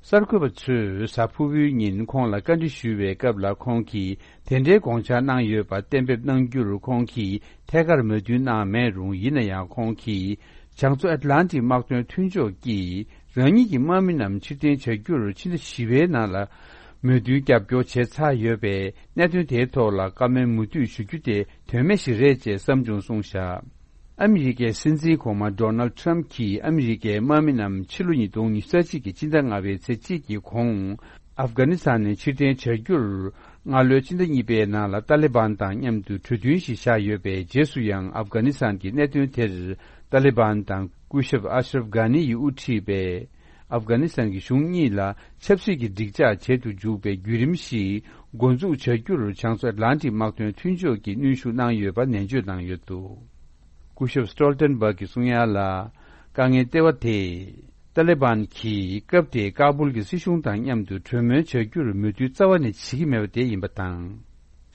གསར་འགོད་པ་ཚོས་གཟའ་ཕུར་བུའི་ཉིན་ཁོང་ལ་བཀའ་འདྲི་ཞུས་པའི་སྐབས་ལ། ཁོང་གིས་དེ་འདྲའི་དགོངས་འཆར་གནང་ཡོད་པ་གཏན་འབེབས་གནང་རྒྱུར་ཁོང་གིས་ཐད་ཀར་མོས་མཐུན་གནང་མེད་རུང་། ཡིན་ན་ཡང་། ཁོང་གིས་བྱང་མཚོ་ཨེཊ་ལན་ཊིག་དམག་དོན་མཐུན་ཕྱོགས་ཀྱིས་རང་ཉིད་ཀྱི་དམག་མི་རྣམས་ཕྱིར་འཐེན་བྱ་རྒྱུར་ཕྱི་ཟླ་བཞི་པའི་ནང་ལ་མོས་མཐུན་རྒྱབ་སྐྱོར་བྱས་ཚར་ཡོད་པས། གནད་དོན་དེའི་ཐོག་ལ་བཀའ་མོལ་མུ་མཐུད་ཞུ་རྒྱུ་དེ་དོན་མེད་ཞིག་རེད་ཅེས་བསམ་བྱུང་གསུངས་བཞག་ཨ་མི་རི་ཀའི་སྲིད་འཛིན་གོང་མ་ཌོ་ནལ་ཊམ་གྱིས་ཨ་མི་རི་ཀའི་དམག་མི་རྣམས་ཕྱི་ལོ་ཉིས་སྟོང་ཉི་ཤུ་རྩ་གཅིག་གི་སྤྱི་ཟླ་ལྔ་པའི་ཚེས་གཅིག་གི་གོང་ཨབ་གྷ་ནི་སི་ཐན་ནས་ཕྱིར་འཐེན་བྱ་རྒྱུར། སྔ་ལོའི་ཕྱི་ཟླ་གཉིས་པའི་ནང་ལ་ཏཱ་ལི་བན་དང་མཉམ་དུ་གྲོས་མཐུན་ཞིག་བཞག་ཡོད་པའི་རྗེས་སུ་ཡང་། ཨབ་གྷ་ནི་སི་ཐན་གྱི་གནད་དོན་དེར་ཏཱ་ལི་བན་དང་སྐུ་ཞབས་ཨ་ཤ་རབ་གྷ་ནི་ཡིས་དབུ་ཁྲིད་པའི་ཨབ་གྷ་ནི་སི་ཐན་གྱི་གཞུང་གཉིས་ལ་ཆབ་སྲིད་ཀྱི་འགྲིག་འཇགས་བྱེད་དུ་འཇུག་པའི་བརྒྱུད་རིམ་ཞིག་འགོ་འཛུགས་བྱ་རྒྱུར་བྱང་མཚོ་ཨེཊ་ལན་ཊིག་དམག་དོན་མཐུན་ཕྱོགས་ཀྱིས་གནོན་ཤུགས་གནང་ཡོད་པ་ནན་བརྗོད་གནང་ཡོད་འདུག་སྐུ་ཞབས་སི་ཏོལ་ཏན་སྦརག་གིས་གསུང་ཡ་ལ། དཀའ་ངལ་ལྟེ་བ་དེ། ཏཱ་ལི་བན་གྱིས་སྐབས་དེའི་ཀ་བུལ་གྱི་སྲིད་གཞུང་དང་མཉམ་དུ་གྲོས་མོལ་བྱ་རྒྱུར་མོས་མཐུན་རྩ་བ་ནས་བྱེད་ཀྱི་མེད་པ་དེ་ཡིན་པ་དང་།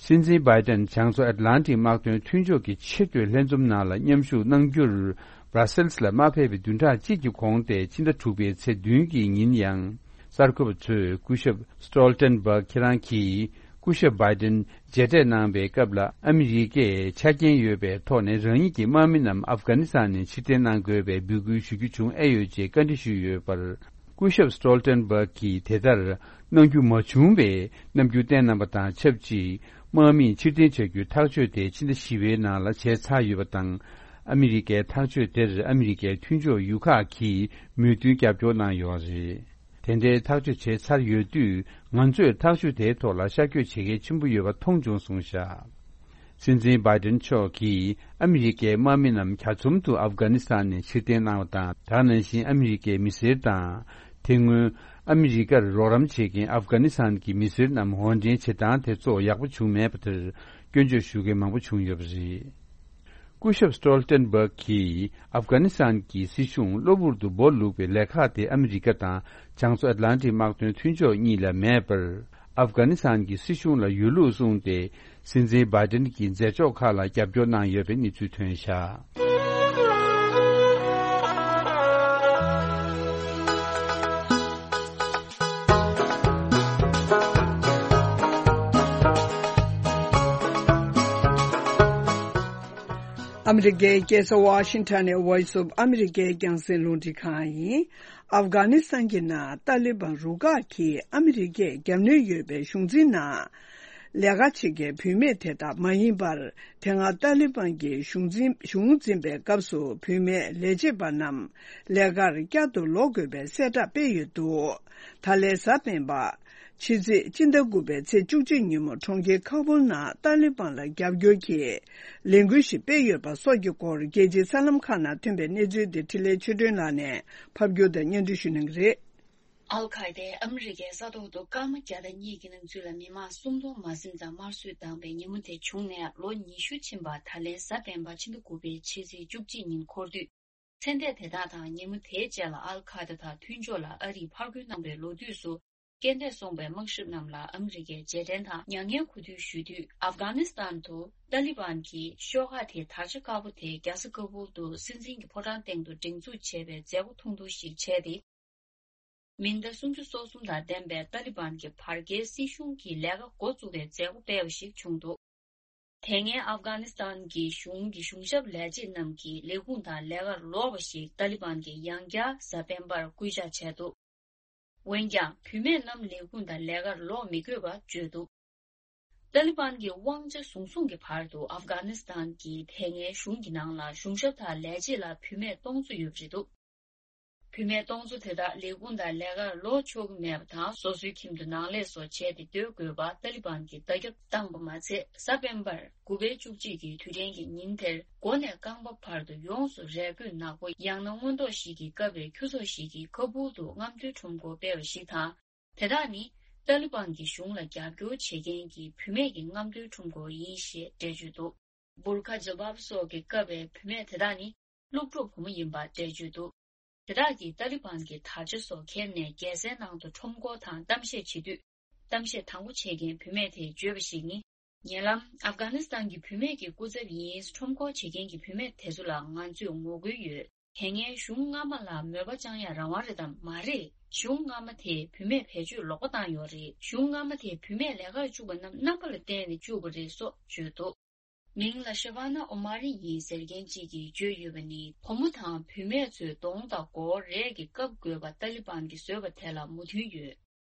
སྲིད་འཛིན་བྷའི་ཏན་བྱང་མཚོ་ཨེཊ་ལན་ཊིག་དམག་དོན་མཐུན་ཕྱོགས་ཀྱི་ཆེས་མཐོའི་ལྷན་འཛོམས་ནང་ལ་མཉམ་ཞུགས་གནང་རྒྱུར། བྷ་ར་སེལ་སི་ལ་མ་ཕེབས་པའི་བདུན་ཕྲག་གཅིག་གི་གོང་སྟེ། ཕྱི་ཟླ་དྲུག་པའི་ཚེས་བདུན་གྱི་ཉིན་ཡང་། གསར་འགོད་པ་ཚོས་སྐུ་ཞབས་སི་ཏོལ་ཏན་སྦརག་ཁྱེད་རང་གིས་སྐུ་ཞབས་བྷའི་ཏན་མཇལ་འཕྲད་གནང་པའི་སྐབས་ལ། ཨ་མི་རི་ཀས་ཆ་རྐྱེན་ཡོད་པའི་ཐོག་ནས་རང་ཉིད་ཀྱི་དམག་མི་རྣམས་ཨབ་གྷ་ནི་སི་ཐན་ནས་ཕྱིར་འཐེན་གནང་དགོས་པའི་འབོད་སྐུལ་ཞུ་རྒྱུ་བྱུང་ཨེ་ཡོད་ཅེས་བཀའ་འདྲི་ཞུས་ཡོད་པར། སྐུ་ཞབས་སི་ཏོལ་ཏན་སྦརག་གིས་དེ་ལྟར་གནང་རྒྱུ་མ་བྱུང་བའི་རྣམ་འགྱུར་བསྟན་གནང་པ་དང་ཆབས་ཅིག་དམག་མིས་ཕྱིར་འཐེན་བྱ་རྒྱུའི་ཐག་གཅོད་དེ་ཕྱི་ཟླ་བཞི་པའི་ནང་ལ་བྱས་ཚར་ཡོད་པ་དང་། ཨ་མི་རི་ཀའི་ཐག་གཅོད་དེར་ཨ་མི་རི་ཀའི་མཐུན་ཕྱོགས་ཡུལ་ཁག་གིས་མོས་མཐུན་རྒྱབ་སྐྱོར་གནང་ཡོད་རེད། དེ་འདྲའི་ཐག་གཅོད་བྱས་ཚར་ཡོད་དུས། ང་ཚོས་ཐག་གཅོད་དེའི་ཐོག་ལ་ཤར་བསྐྱོད་བྱེད་གལ་ཆེན་པོ་ཡོད་པ་མཐོང་བྱུང་གསུངས་བཞག་སྲིད་འཛིན་བྷའི་ཏན་མཆོག་གིས་ཨ་མི་རི་ཀའི་དམག་མི་རྣམས་གྱ་ཚོམ་དུ་ཨབ་གྷ་ནི་སི་ཐན་ནས་ཕྱིར་འཐེན་གནང་བ་དང་། དེ་ནང་བཞིན་ཨ་མི་རི་ཀའི་མི་སེར་དང་། དེ་སྔོན་ཨ་མི་རི་ཀར་རོགས་རམ་བྱེད་མཁན་ཨབ་གྷ་ནི་སི་ཐན་གྱི་མི་སེར་རྣམས་དབོར་འདྲེན་བྱེད་སྟངས་དེ་ཚོ་ཡག་པོ་བྱུང་མེད་པ་དེར་སྐྱོན་བརྗོད་ཞུ་མཁན་མང་པོ་བྱུང་ཡོད་པ་རེད། སྐུ་ཞབས་སི་ཏོལ་ཏན་སྦརག་གིས་ཨབ་གྷ་ནི་སི་ཐན་གྱི་སྲིད་གཞུང་གློ་བུར་དུ་སྦོ་ལུག་པའི་ལས་ཁག་དེ་ཨ་མི་རི་ཀ་དང་བྱང་མཚོ་ཨེཊ་ལན་ཊིག་དམག་དོན་མཐུན་ཕྱོགས་གཉིས་ལ་མེད་པར། ཨབ་གྷ་ནི་སི་ཐན་གྱི་སྲིད་གཞུང་ལ་ཡོད་ལུགས་གསུངས་ཏེ། སྲིད་འཛིན་བྷའི་ཏན་གྱི་མཛད་ཕྱོགས་ཁག་ལ་རྒྱབ་སྐྱོར་གནང་ཡོད་པའི་གནས་ཚུལ་ཐོན་བཞག་ཨ་མི་རི་ཀའི་རྒྱལ་ས་ཝ་ཤིང་ཊོན་ནས་Voice of America རྒྱང་སྲིང་རླུང་འཕྲིན་ཁང་ཡིན། ཨབ་གྷ་ནི་སི་ཐན་གྱི་ནང་ཏཱ་ལི་བན་རུ་ཁག་གིས་ཨ་མི་རི་ཀས་རྒྱབ་གནོན་ཡོད་པའི་གཞུང་འཛིན་ནང་ ལས་ཀ་བྱེད་མཁན་བུད་མེད་དེ་དག་མ་ཡིན་པར། དེ་སྔ་ཏཱ་ལི་བན་གྱིས་གཞུང་འཛིན་གཞུང་འཛིན་པའི་སྐབས་སུ་བུད་མེད་ལས་བྱེད་པ་རྣམས་ལས་ཀར་བསྐྱར་དུ་ལོག་དགོས་པའི་གསལ་བསྒྲགས་སྤེལ་ཡོད་འདུག་ད་ལན་གཟའ་སྤེན་པ། ཕྱི་ཚེས་སྤྱི་ཟླ་དགུ་པའི་ཚེས་བཅུ་གཅིག་ཉིན་མོ་གྲོང་ཁྱེར་ཁ་བུལ་ནང་ཏཱ་ལི་བན་ལ་རྒྱབ་སྐྱོར་གྱི་ལས་འགུལ་ཞིག་སྤེལ་ཡོད་པ་སོགས་ཀྱི་སྐོར། རྒྱལ་སྤྱིའི་གསར་ལམ་ཁག་ནང་ཐོན་པའི་གནས་ཚུལ་དེ་འཕྲིན་ལས་ཆོས་སྒྲོན་ལགས་ནས་ཕབ་སྒྱུར་དང་སྙན་སྒྲོན་ཞུ་གནང་གི་རེད། ཨལ་ཁ་ཡེ་དཱས་ཨ་མི་རི་ཀའི་ས་ཐོག་ཏུ་སྐར་མ་བརྒྱ་དང་གཉིས་ཀྱི་ནང་ཚུད་ལ་མི་མང་སུམ་སྟོང་མ་ཟིན་ཙམ་དམར་གསོད་བཏང་པའི་ཉིན་མོ་དེ་བྱུང་ནས་ལོ་ཉི་ཤུ་ཕྱིན་པ། ད་ལན་གཟའ་སྤེན་པ་ཕྱི་ཟླ་དགུ་པའི་ཕྱི་ཚེས་བཅུ་གཅིག་ཉིན་འཁོར་དུས། ཚེ་འདས་དེ་དག་དང་ཉིན་མོ་དེའི་རྗེས་ལ་ཨལ་ཁ་ཡེ་དཱ་དང་མཐུན་ཕྱོགས་ལ་ཨ་རིས་ཕར་རྒོལ་གནང་བའི་ལོ་དུས་སུ། རྐྱེན་འདས་སོང་བའི་དམག་ཞབས་རྣམས་ལ་ཨ་མི་རི་ཀས་རྗེས་དྲན་དང་མྱ་ངན་གུས་འདུད་ཞུ་དུས། ཨབ་གྷ་ནི་སི་ཐན་དུ་ཏཱ་ལི་བན་གྱིས་ཤོག་ཁག་དེའི་དར་ཆ་དཀར་པོ་དེ་རྒྱལ་ས་ཀ་བུལ་དུ་སྲིད་འཛིན་གྱི་ཕོ་བྲང་སྟེང་དུ་སྒྲེང་འཛུགས་བྱས་པའི་མཛད་སྒོ་ཐུང་ཐུང་ཞིག་བྱས་ཏེ། མི་ཟླ་སུམ་ཅུ་སོ་གསུམ་དང་ལྡན་པའི་ཏཱ་ལི་བན་གྱི་བར་བརྒལ་སྲིད་གཞུང་གི་ལས་ཀ་འགོ་བཙུགས་པའི་མཛད་སྒོ་སྤེལ་བ་ཞིག་བྱུང་འདུག་དེ་སྔའི་ཨབ་གྷ་ནི་སི་ཐན་གྱི་གཞུང་གི་གཞུང་ཞབས་ལས་བྱེད་རྣམས་ཀྱིས་ལས་ཁུངས་དང་ལས་ཀར་ལོག་པ་ཞིག་ཏཱ་ལི་བན་གྱིས་ཡང་བསྐྱར་གཟའ་སྤེན་པར་སྐུལ་ལྕག་བྱས་འདུག་འོན་ཀྱང་། བུད་མེད་རྣམས་ལས་ཁུངས་དང་ལས་ཀར་ལོག་མི་དགོས་པ་བརྗོད་འདུག་ཏཱ་ལི་བན་གྱི་དབང་ཆ་བཟུང་བཟུང་གི་བར་དུ་ཨབ་གྷ་ནི་སི་ཐན་གྱི་དེ་སྔའི་གཞུང་གི་ནང་ལ་གཞུང་ཞབས་དང་ལས་བྱེད་ལ་བུད་མེད་སྟོང་ཚོ་ཡོད་པ་རེད་འདུག་བུད་མེད་སྟོང་ཚོ་དེ་དག་ལས་ཁུངས་དང་ལས་ཀར་ལོག་ཆོག་གི་མེད་པ་དང་། སོ་སོའི་ཁྱིམ་དུ་ནང་ལས་སོགས་བྱས་ཏེ་སྡོད་དགོས་པ་ཏཱ་ལི་བན་གྱིས་བརྡ་ཁྱབ་བཏང་པ་མ་ཚད། གཟའ་སྤེན་པར་དགུ་པའི་བཅུ་གཅིག་གི་དུས་དྲན་གྱི་ཉིན་དེར། མགོ་ནས་རྐང་པ་བར་དུ་ཡོངས་སུ་རས་གོས་ནག་པོ་ཡང་ན་སྔོན་མདོག་ཞིག་གིས་བཀབ་པའི་ཁྱུ་ཚོགས་ཤིག་གིས་ཀ་བུལ་དུ་རྔམ་སྟོན་ཁྲོམ་སྐོར་སྤེལ་བ་ཞིག་དང་། དེ་དག་ནི་ཏཱ་ལི་བན་གྱི་གཞུང་ལ་རྒྱབ་སྐྱོར་བྱེད་མཁན་གྱི་བུད་མེད་ཀྱི་རྔམ་སྟོན་ཁྲོམ་སྐོར་ཡིན་ཞེས་འགྲེལ་བརྗོད་འདུག་བུར་ཁ་ཇིལ་བབ་སོགས་ཀྱིས་བཀབ་པའི་བུད་མེད་དེ་དག་ནི་སློབ་ཕྲུག་བུ་མོ་ཡིན་པ་འགྲེལ་བརྗོད་འདུག་དེ་དག་གིས་ཏཱ་ལི་བན་གྱི་དར་ཆ་སོགས་འཁྱེར་ནས་རྒྱལ་སའི་ནང་དུ་ཁྲོམ་སྐོར་དང་གཏམ་བཤད་བྱེད་དུས། གཏམ་བཤད་དང་པོ་བྱེད་མཁན་བུད་མེད་དེས་བརྗོད་པ་ཞིག་ནི། ཉེ་ལམ་ཨབ་གྷ་ནི་སི་ཐན་གྱི་བུད་མེད་ཀྱི་སྐུ་ཚབ་ཡིན། ཁྲོམ་སྐོར་བྱེད་མཁན་གྱི་བུད་མེད་དེ་ཚོ་ལ་ང་ཚོས་ངོ་རྒོལ་ཡོད། དེ་སྔའི་གཞུང་སྔ་མ་ལ་མོས་པ་བཅངས་ཡ་རང་དབང་རེད་དམ་མ་རེད། གཞུང་སྔ་མ་དེས་བུད་མེད་བེད་སྤྱོད་ལོག་པ་བཏང་ཡོད་རེད། གཞུང་སྔ་མ་དེས་བུད་མེད་ལས་ཀར་བཅུག་པ་རྣམས་རྣམ་པ་ལ་བརྟེན་ནས་བཅུག་པ་རེད་སོགས་བརྗོད་འདུག་མིང་ལ་ཤ་བ་ན་ཨོ་མ་རི་ཡིན་ཟེར་མཁན་གཅིག་གིས་བརྗོད་ཡོད་པ་ནི། བུ་མོ་དང་བུད་མེད་ཚོས་གདོང་དང་མགོ་བོར་རས་ཀྱིས་བཀབ་དགོས་པ་ཏཱ་ལི་བན་གྱིས་བཟོས་པ་དེ་ལ་མོས་མཐུན་ཡོད།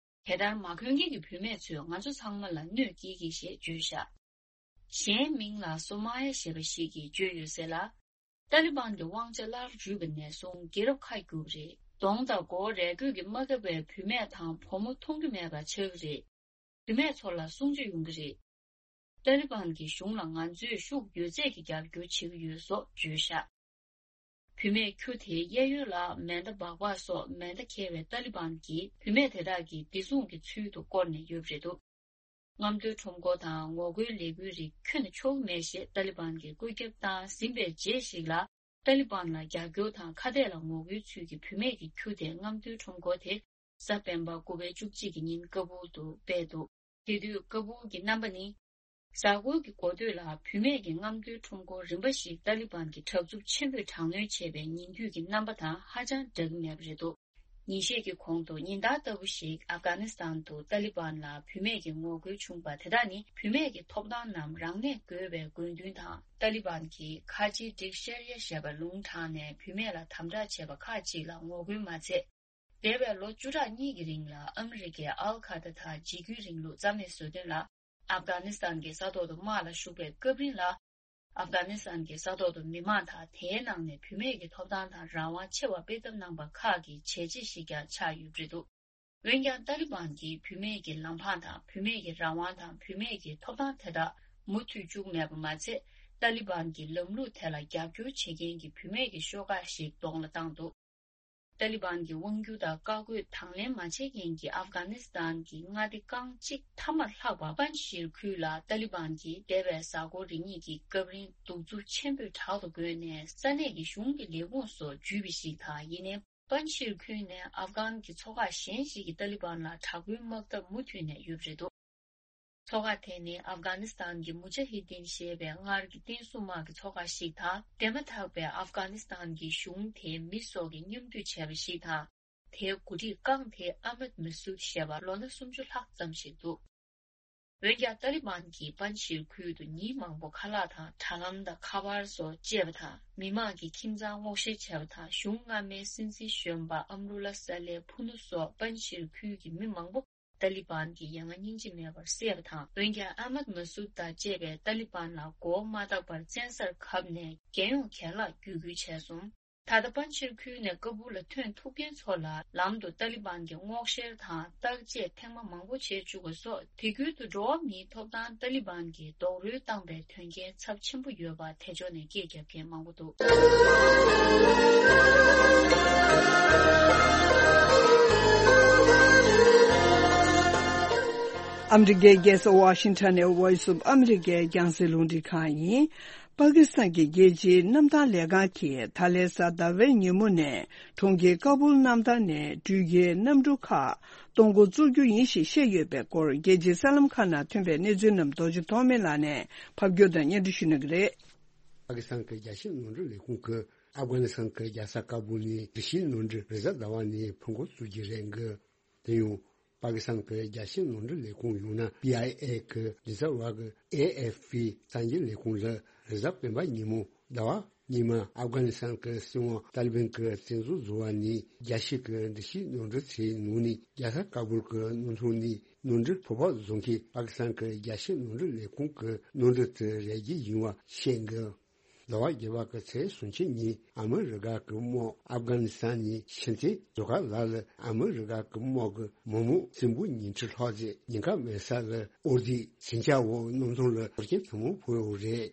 དེ་ལྟར་མ་གོན་མཁན་གྱི་བུད་མེད་ཚོས་ང་ཚོ་ཚང་མ་ལ་གནོད་སྐྱེལ་གྱི་ཞེས་བརྗོད་བཞག་གཞན་མིང་ལ་སོ་མ་ཡ་ཞེས་པ་ཞིག་གིས་བརྗོད་ཡོད་ཟེར་ལ། ཏཱ་ལི་བན་གྱི་དབང་ཆ་སླར་རུལ་བ་ནས་བཟུང་རྒྱལ་རབས་ཁ་བསྒྱུར་བ་རེད། གདོང་དང་མགོ་བོ་རས་གོས་ཀྱིས་མ་བཀབ་པའི་བུད་མེད་དང་བུ་མོ་མཐོང་རྒྱུ་མེད་པ་ཆགས་ཀྱི་རེད། བུད་མེད་ཚོ་ལ་སྲུང་བརྩི་ཡོང་གི་རེད། ཏཱ་ལི་བན་གྱི་གཞུང་ལ་ང་ཚོས་ཤུགས་ཡོད་ཚད་ཀྱིས་རྒྱབ་སྐྱོར་བྱེད་ཀྱི་ཡོད་སོགས་བརྗོད་བཞག་བུད་མེད་ཁྱུ་དེའི་གཡས་གཡོན་ལ་མེ་མདའ་སྦག་སྦག་སོགས་མེ་མདའ་འཁྱེར་བའི་ཏཱ་ལི་བན་གྱིས་བུད་མེད་དེ་དག་གིས་བདེ་སྲུང་གི་ཚུལ་དུ་བསྐོར་ནས་ཡོད་པ་རེད་འདུག་རྔམ་སྟོན་ཁྲོམ་སྐོར་དང་ངོ་རྒོལ་ལས་འགུལ་རིགས་ཁྱོན་ནས་ཆོག་གི་མེད་ཞེས་ཏཱ་ལི་བན་གྱིས་བཀོད་ཁྱབ་བཏང་ཟིན་པའི་རྗེས་ཤིག་ལ། ཏཱ་ལི་བན་ལ་རྒྱབ་སྐྱོར་དང་ཁ་གཏད་ལ་ངོ་རྒོལ་ཚུལ་གྱིས་བུད་མེད་ཀྱི་ཁྱུ་དེ་རྔམ་སྟོན་ཁྲོམ་སྐོར་དེ་གཟའ་སྤེན་པ་དགུ་པའི་བཅུ་གཅིག་གི་ཉིན་ཀ་བུལ་དུ་སྤེལ་འདུག་དེ་དུས་ཀ་བུལ་གྱི་རྣམ་པ་ནི། གཟའ་འཁོར་གྱི་འགོ་སྟོད་ལ་བུད་མེད་ཀྱི་རྔམ་སྟོན་ཁྲོམ་སྐོར་རིམ་པ་ཞིག་ཏཱ་ལི་བན་གྱིས་དྲག་རྩུབ་ཆེན་པོས་དྲག་གནོན་བྱས་པའི་ཉིན་དུས་ཀྱི་རྣམ་པ་དང་ཧ་ཅང་འདྲ་གི་མེད་པ་རེད་འདུག་ཉིན་ཤས་ཀྱི་གོང་དུ་ཉིན་ལྟར་ལྟ་བུ་ཞིག་ཨབ་གྷ་ནི་སི་ཐན་དུ་ཏཱ་ལི་བན་ལ་བུད་མེད་ཀྱི་ངོ་རྒོལ་བྱུང་བ་དེ་དག་ནི་བུད་མེད་ཀྱི་ཐོབ་ཐང་རྣམས་རང་གནས་དགོས་པའི་དགོས་འདུན་དང་། ཏཱ་ལི་བན་གྱིས་ཁ་ཆེའི་སྒྲིག་བཤེར་ཡ་ཞེས་པ་ལུང་དྲངས་ནས་བུད་མེད་ལ་དམ་དྲག་བྱས་པ་ཁག་ཅིག་ལ་ངོ་རྒོལ་མ་ཚད། འདས་པའི་ལོ་བཅུ་ཕྲག་གཉིས་ཀྱི་རིང་ལ་ཨ་མི་རི་ཀས་ཨལ་ཁ་ཏ་དང་འཇིགས་སྐུལ་རིང་ལུགས་རྩ་མེད་བཟོ་དོན་ལ། ཨབ་གྷ་ནི་སི་ཐན་གྱི་ས་ཐོག་ཏུ་དམག་ལ་ཞུགས་པའི་སྐབས་རིང་ལ། ཨབ་གྷ་ནི་སི་ཐན་གྱི་ས་ཐོག་ཏུ་མི་མང་དང་དེའི་ནང་ནས་བུད་མེད་ཀྱི་ཐོབ་ཐང་དང་རང་དབང་ཆེ་བ་སྤེལ་ཐབས་གནང་པ་ཁག་གི་བྱས་རྗེས་ཤིག་ཀྱང་ཆགས་ཡོད་པ་རེད་འདུག་འོན་ཀྱང་ཏཱ་ལི་བན་གྱིས་བུད་མེད་ཀྱི་ལམ་འཕང་དང་བུད་མེད་ཀྱི་རང་དབང་དང་བུད་མེད་ཀྱི་ཐོབ་ཐང་དེ་དག་མུ་མཐུད་བཅུག་མེད་པ་མ་ཚད། ཏཱ་ལི་བན་གྱི་ལམ་ལུགས་དེ་ལ་རྒྱབ་སྐྱོར་བྱེད་མཁན་གྱི་བུད་མེད་ཀྱི་ཤོག་ཁག་ཞིག་གདོང་ལ་བཏང་འདུག་ཏཱ་ལི་བན་གྱི་དབང་སྒྱུར་དང་བཀའ་བཀོད་དང་ལེན་མ་བྱེད་མཁན་གྱི་ཨབ་གྷ་ནི་སི་ཐན་གྱི་མངའ་སྡེ་རྐང་གཅིག་ཐ་མར་ལྷག་པ་པན་ཤིར་ཁུལ་ལ་ཏཱ་ལི་བན་གྱིས་འདས་པའི་གཟའ་འཁོར་རེ་གཉིས་ཀྱི་སྐབས་རིང་གདུག་རྩུབ་ཆེན་པོས་དྲག་ཏུ་རྒོལ་ནས་ས་གནས་ཀྱི་གཞུང་གི་ལས་ཁུངས་སོགས་འཇུས་པ་ཞིག་དང་། ཡིན་ནའི། པན་ཤིར་ཁུལ་ནས་ཨབ་གྷན་གྱི་ཚོགས་ཁག་གཞན་ཞིག་གིས་ཏཱ་ལི་བན་ལ་དྲག་པོའི་དམག་འཐབ་མུ་མཐུད་ནས་ཡོད་པ་རེད་འདུག་ཚོགས་ཁག་དེ་ནི་ཨབ་གྷ་ནི་སི་ཐན་གྱི་མུ་ཇ་ཧི་དིན་ཞེས་པའི་སྔར་གྱི་བསྟན་སྲུང་དམག་གི་ཚོགས་ཁག་ཞིག་དང་། འདས་མ་ཐག་པའི་ཨབ་གྷ་ནི་སི་ཐན་གྱི་གཞུང་དེའི་མི་སོགས་ཀྱིས་མཉམ་འདུས་བྱས་པ་ཞིག་དང་། དེའི་འགོ་ཁྲིད་རྐང་དེ་ཨ་མད་མ་སུད་ཞེས་པ་ལོ་ན་སུམ་ཅུ་ལྷག་ཙམ་ཞིག་འདུག་འོན་ཀྱང་ཏཱ་ལི་བན་གྱིས་པན་ཤིར་ཁུལ་དུ་ཉིན་མང་པོ་ཁ་ལག་དང་དྲ་ལམ་དང་ཁ་པར་སོགས་བཅད་པ་དང་། མི་མང་གི་ཁྱིམ་ཚང་སྔོག་བཤེར་བྱས་པ་དང་། གཞུང་སྔ་མའི་སྲིད་འཛིན་གཞོན་པ་ཨམ་རུ་ལ་ས་ལེ་ཕུ་ནུ་སོགས་པན་ཤིར་ཁུལ་གྱི་མི་མང་པོ་ ཏཱ་ལི་བན་གྱིས་ཡ་ང་སྙིང་རྗེ་མེད་པར་བསད་པ་དང་། འོན་ཀྱང་ཨ་མད་མ་སུད་དང་བཅས་པས་ཏཱ་ལི་བན་ལ་མགོ་བོ་མ་བཏགས་པར་བཙན་སར་བཀབ་ནས་རྒྱལ་ཡོངས་རྒན་ལགས་བརྒྱུད་སྐུལ་བྱས་སོང་། ད་ལྟ་པན་ཆེར་ཁུལ་ནས་ཀ་སྦུལ་ལ་ཐོན་ཐུབ་མཁན་ཚོ་ལ་ལམ་དུ་ཏཱ་ལི་བན་གྱིས་སྔོག་བཤེར་དང་བརྟག་དཔྱད་ཐེངས་མ་མང་པོ་བྱེད་བཅུག་པ་སོགས། དེ་ཁུལ་དུ་འགྲོ་བ་མིའི་ཐོབ་ཐང་ཏཱ་ལི་བན་གྱིས་རྡོག་རོལ་བཏང་པའི་དོན་རྐྱེན་ཚབས་ཆེན་པོ་ཡོད་པ་དེ་ཕྱོགས་ནས་སྐད་རྒྱབ་མཁན་མང་པོ་འདུག། ཨ་མི་རི་ཀའི་རྒྱལ་ས་ཝ་ཤིང་ཊོན་ནས་Voice of America་རྒྱང་སྲིང་རླུང་འཕྲིན་ཁང་ཡིན། པ་ཀི་སི་ཐན་གྱི་རྒྱལ་སྤྱིའི་གནམ་ཐང་ལས་ཁང་གིས་ད་ལན་གཟའ་ཟླ་བའི་ཉིན་མོ་ནས་གྲོང་ཁྱེར་ཀ་སྦུལ་གནམ་ཐང་ནས་འགྲུལ་སྐྱེལ་གནམ་གྲུ་ཁག་གཏོང་འགོ་བཙུགས་རྒྱུ་ཡིན་ཞེས་བཤད་ཡོད་པའི་སྐོར། རྒྱལ་སྤྱིའི་གསར་ལམ་ཁག་ནང་ཐོན་པའི་གནས་ཚུལ་རྣམས་རྡོ་རྗེ་ཐོགས་མེད་ལགས་ནས་ཕབ་སྒྱུར་དང་སྙན་སྒྲོན་ཞུ་གནང་གི་རེད། པ་ཀི་སི་ཐན་གྱི་རྒྱལ་སྤྱིའི་ནོར་འཁྲུལ་ལས་ཁུངས་ཀྱིས་ཨབ་གྷ་ནི་སི་ཐན་གྱི་རྒྱལ་ས་ཀ་སྦུལ་ནས་འགྲུལ་སྐྱེལ་ནོར་འཁྲུལ་རེས་གཟའ་ཟླ་བ་ནས་ཕུད་འགོ་བཙུགས་རྒྱུ་རེད་འདུག། དེ་ཡང་པ་ཀི་སི་ཐན་གྱི་རྒྱལ་སྤྱིའི་ནོར་འཁྲུལ་ལས་ཁུངས་ཡང་ན་པི་ཨའི་ཨེ་གི་མགྲིན་ཚབ་པ་གིས་ཨེ་ཨེཕ་པི་གསར་འགྱུར་ལས་ཁུངས་ལ་རེས་གཟའ་སྤེན་པ་ཉིན་མོ་ཟླ་བ་ཉི་མ་ཨབ་གྷ་ནི་སི་ཐན་གྱི་སྲིད་དབང་ཏཱ་ལི་བན་གྱིས་བཙན་འཛུལ་བཟོ་བ་ནས་རྒྱལ་སྤྱི་གི་འགྲུལ་སྐྱེལ་ནོར་འཁྲུལ་ཚོའི་ནང་ནས་རྒྱལ་ས་ཀ་སྦུལ་གྱི་ནང་ཐོག་ནས་ནོར་འཁྲུལ་ཕོར་པ་བཟོ་མཁན་པ་ཀི་སི་ཐན་གྱི་རྒྱལ་སྤྱིའི་ནོར་འཁྲུལ་ལས་ཁུངས་ཀྱི་ནོར་འཁྲུལ་དེ་རལ་གྲི་ཡིན་པ་བཤད་འདུག། ཟླ་བ་བརྒྱད་པ་གི་ཚེས་སུམ་ཅུ་ཉིན་ཨ་མི་རི་ཀ་གི་དམག་ཨབ་གྷ་ནི་སི་ཐན་ནས་ཕྱིན་ཚེ་ཟུར་མཁར་ལ་ལ་ཨ་མི་རི་ཀ་གི་དམག་གི་མི་མང་སྲིན་འབུ་ཉིས་ཁྲི་ལྷག་ཙམ་ཉེན་ཁ་མེད་ས་ལ་དབོར་རྫས་ཟིང་ཆ་འོག་གནམ་ཐང་ལ་གཏོར་སྐྱོན་ཐེངས་མང་ཕོག་ཡོད་རེད།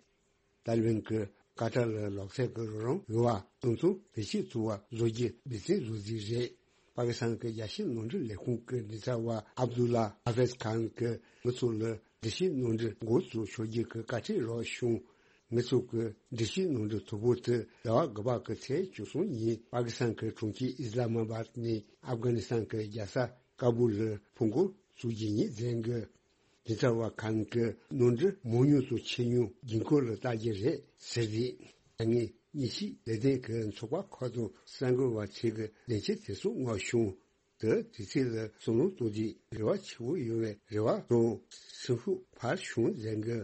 ཏཱ་ལི་བན་གྱིས་ཀ་ཏར་ལ་ལོག་ཚད་ཀྱི་རོགས་རམ་ཡོད་པ་གཏོང་ཚུལ་བེད་སྤྱོད་བཙུགས་པ་བཟོ་རྒྱུ་འབད་བརྩོན་བཟོ་རྩིས་རེད། པ་ཀི་སི་ཐན་གྱི་རྒྱལ་སྤྱིའི་ནོར་འཁྲུལ་ལས་ཁུངས་ཀྱི་མགྲིན་ཚབ་པ་ཨབ་དུ་ལ་ཧ་ཧྥེཛ་ཁཱན་གྱིས་ང་ཚོ་ལ་འགྲུལ་སྐྱེལ་ནོར་འཁྲུལ་འགོ་བཙུགས་ཆོག་རྒྱུ་གི་བཀའ་ཁྲིད་རོགས་བྱུང་། ང་ཚོ་གི་འགྲུལ་སྐྱེལ་ནོར་འཁྲུལ་དོ་པོ་དེ་ཟླ་བ་དགུ་པ་གི་ཚེས་བཅུ་གསུམ་ཉིན་པ་ཀི་སི་ཐན་གྱི་གྲོང་ཁྱེར་ཨི་སི་ལ་མ་བཱད་ནས་ཨབ་གྷ་ནི་སི་ཐན་གྱི་རྒྱལ་ས་ཀ་སྦུལ་ལ་ཕུད་འགོ་བཙུགས་རྒྱུ་ཡིན་ཟེར་གི། མགྲིན་ཚབ་པ་ཁཱན་གྱིས་ནོར་འཁྲུལ་མང་ཉུང་དང་ཆེ་ཉུང་དགོས་མཁོ་ལ་ལྟ་རྒྱུ་རེད་ཟེར་ཏེ། ད་ངས་གཉིས་ཕྱིའི་ལས་དོན་གྱི་ཚོགས་པ་ཁག་དང་གསར་འགོད་པ་ཚོས་ཀྱི་ལན་ཆ་དེ་ཚོ་མངགས་བྱུང་། དེ་དུས་ཚོད་ལ་བསམ་བློ་གཏོང་དུས་རེ་བ་ཆེ་བོ་ཡོད་པའི་རེ་བ་དང་སེམས་ཤུགས་འཕར་བྱུང་ཟེར་གི།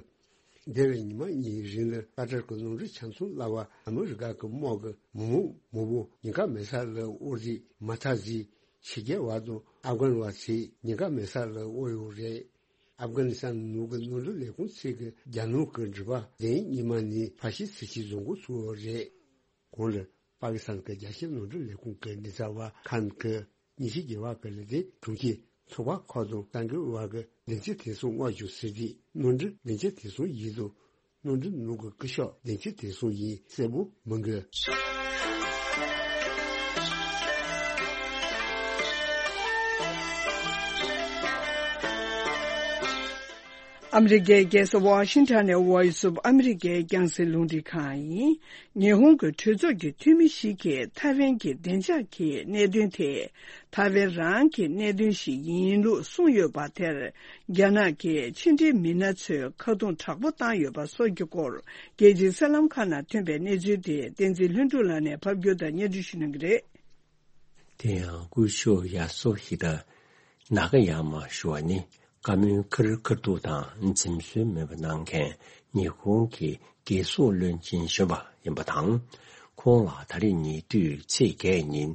འདས་པའི་ཉི་མ་གཉིས་རིང་ལ་ཀ་ཏར་གྱི་ནོར་འཁྲུལ་ཆ་ཚང་བརླགས་པ་ཨ་མི་རི་ཀ་གི་དམག་གི་མི་མང་མང་པོ་ཉེན་ཁ་མེད་ས་ལ་དབོར་རྫས་མ་ཐག་རྫས་ཕྱི་རྒྱལ་བ་དང་ཨབ་གྷན་བ་ཚོས་ཉེན་ཁ་མེད་ས་ལ་དབོར་ཡོད་རེད། ཨབ་གྷ་ནི་སི་ཐན་ནང་གི་ནོར་འཁྲུལ་ལས་ཁུངས་ཚོས་ཀྱི་རྒྱ་ནག་གི་འགྲུལ་པ་དེ་ཉི་མ་ནས་ཕ་ཤི་སི་ཤི་བཟོ་འགོ་ཚུགས་ཡོད་རེད། གོང་ལ་པ་ཀི་སི་ཐན་གྱི་རྒྱལ་སྤྱིའི་ནོར་འཁྲུལ་ལས་ཁུངས་ཀྱི་མགྲིན་ཚབ་པ་ཁཱན་གྱིས་ཉིན་ཤས་རྒྱལ་བ་གི་ལས་དོན་དྲུང་ཆེ་ཚོགས་པ་ཁག་དང་གསར་འགོད་པ་གི་ལན་ཆ་དེ་ཚོ་མངགས་བྱུང་ཟེར་དུས་ནོར་འཁྲུལ་ལན་ཆ་དེ་ཚོ་ཡིན་དང་ནོར་འཁྲུལ་ནང་གི་སྐུ་ཞབས་ལན་ཆ་དེ་ཚོ་ཡིན་གསལ་པོ་མི་འགོད། ཨ་མི་རི་ཀའི་རྒྱལ་ས་ཝ་ཤིང་ཊོན་ནས་Voice of America་རྒྱང་སྲིང་རླུང་འཕྲིན་ཁང་ཡིན། ཉི་ཧོང་གི་གྲོས་ཚོགས་ཀྱི་འཐུས་མི་ཞིག་གིས་ཐའེ་ཝན་གྱི་བདེ་འཇགས་ཀྱི་གནད་དོན་དེ་ཐའེ་ཝན་རང་གི་གནད་དོན་ཞིག་ཡིན་ལུགས་གསུངས་ཡོད་པ་དེར། རྒྱ་ནག་གིས་ཕྱི་འབྲེལ་མི་སྣ་ཚོས་ཁ་རྡུང་དྲག་པོ་བཏང་ཡོད་པ་སོགས་ཀྱི་སྐོར། རྒྱལ་སྤྱིའི་གསར་ལམ་ཁག་ནང་ཐོན་པའི་གནས་ཚུལ་དེ་བསྟན་འཛིན་ལྷུན་གྲུབ་ལགས་ནས་ཕབ་སྒྱུར་དང་སྙན་སྒྲོན་ཞུ་གནང་གི་རེད། དེ་ཡང་ཀུ་ཤུ་ཡ་སུ་ཧི་ད་ནཱ་ག་ཡ་མ་ཞུ་བ་ནི་བཀའ་མོལ་ཁེར་ཁེར་ཐུག་དང་འཛེམ་ཟོན་མེད་པ་གནང་མཁན་ཉི་ཧོང་གི་རྒྱལ་སྲུང་བློན་ཆེན་གཞོན་པ་ཡིན་པ་དང་། ཁོང་ལ་ད་རེས་ཉེ་དུས་ཚེས་བརྒྱད་ཉིན་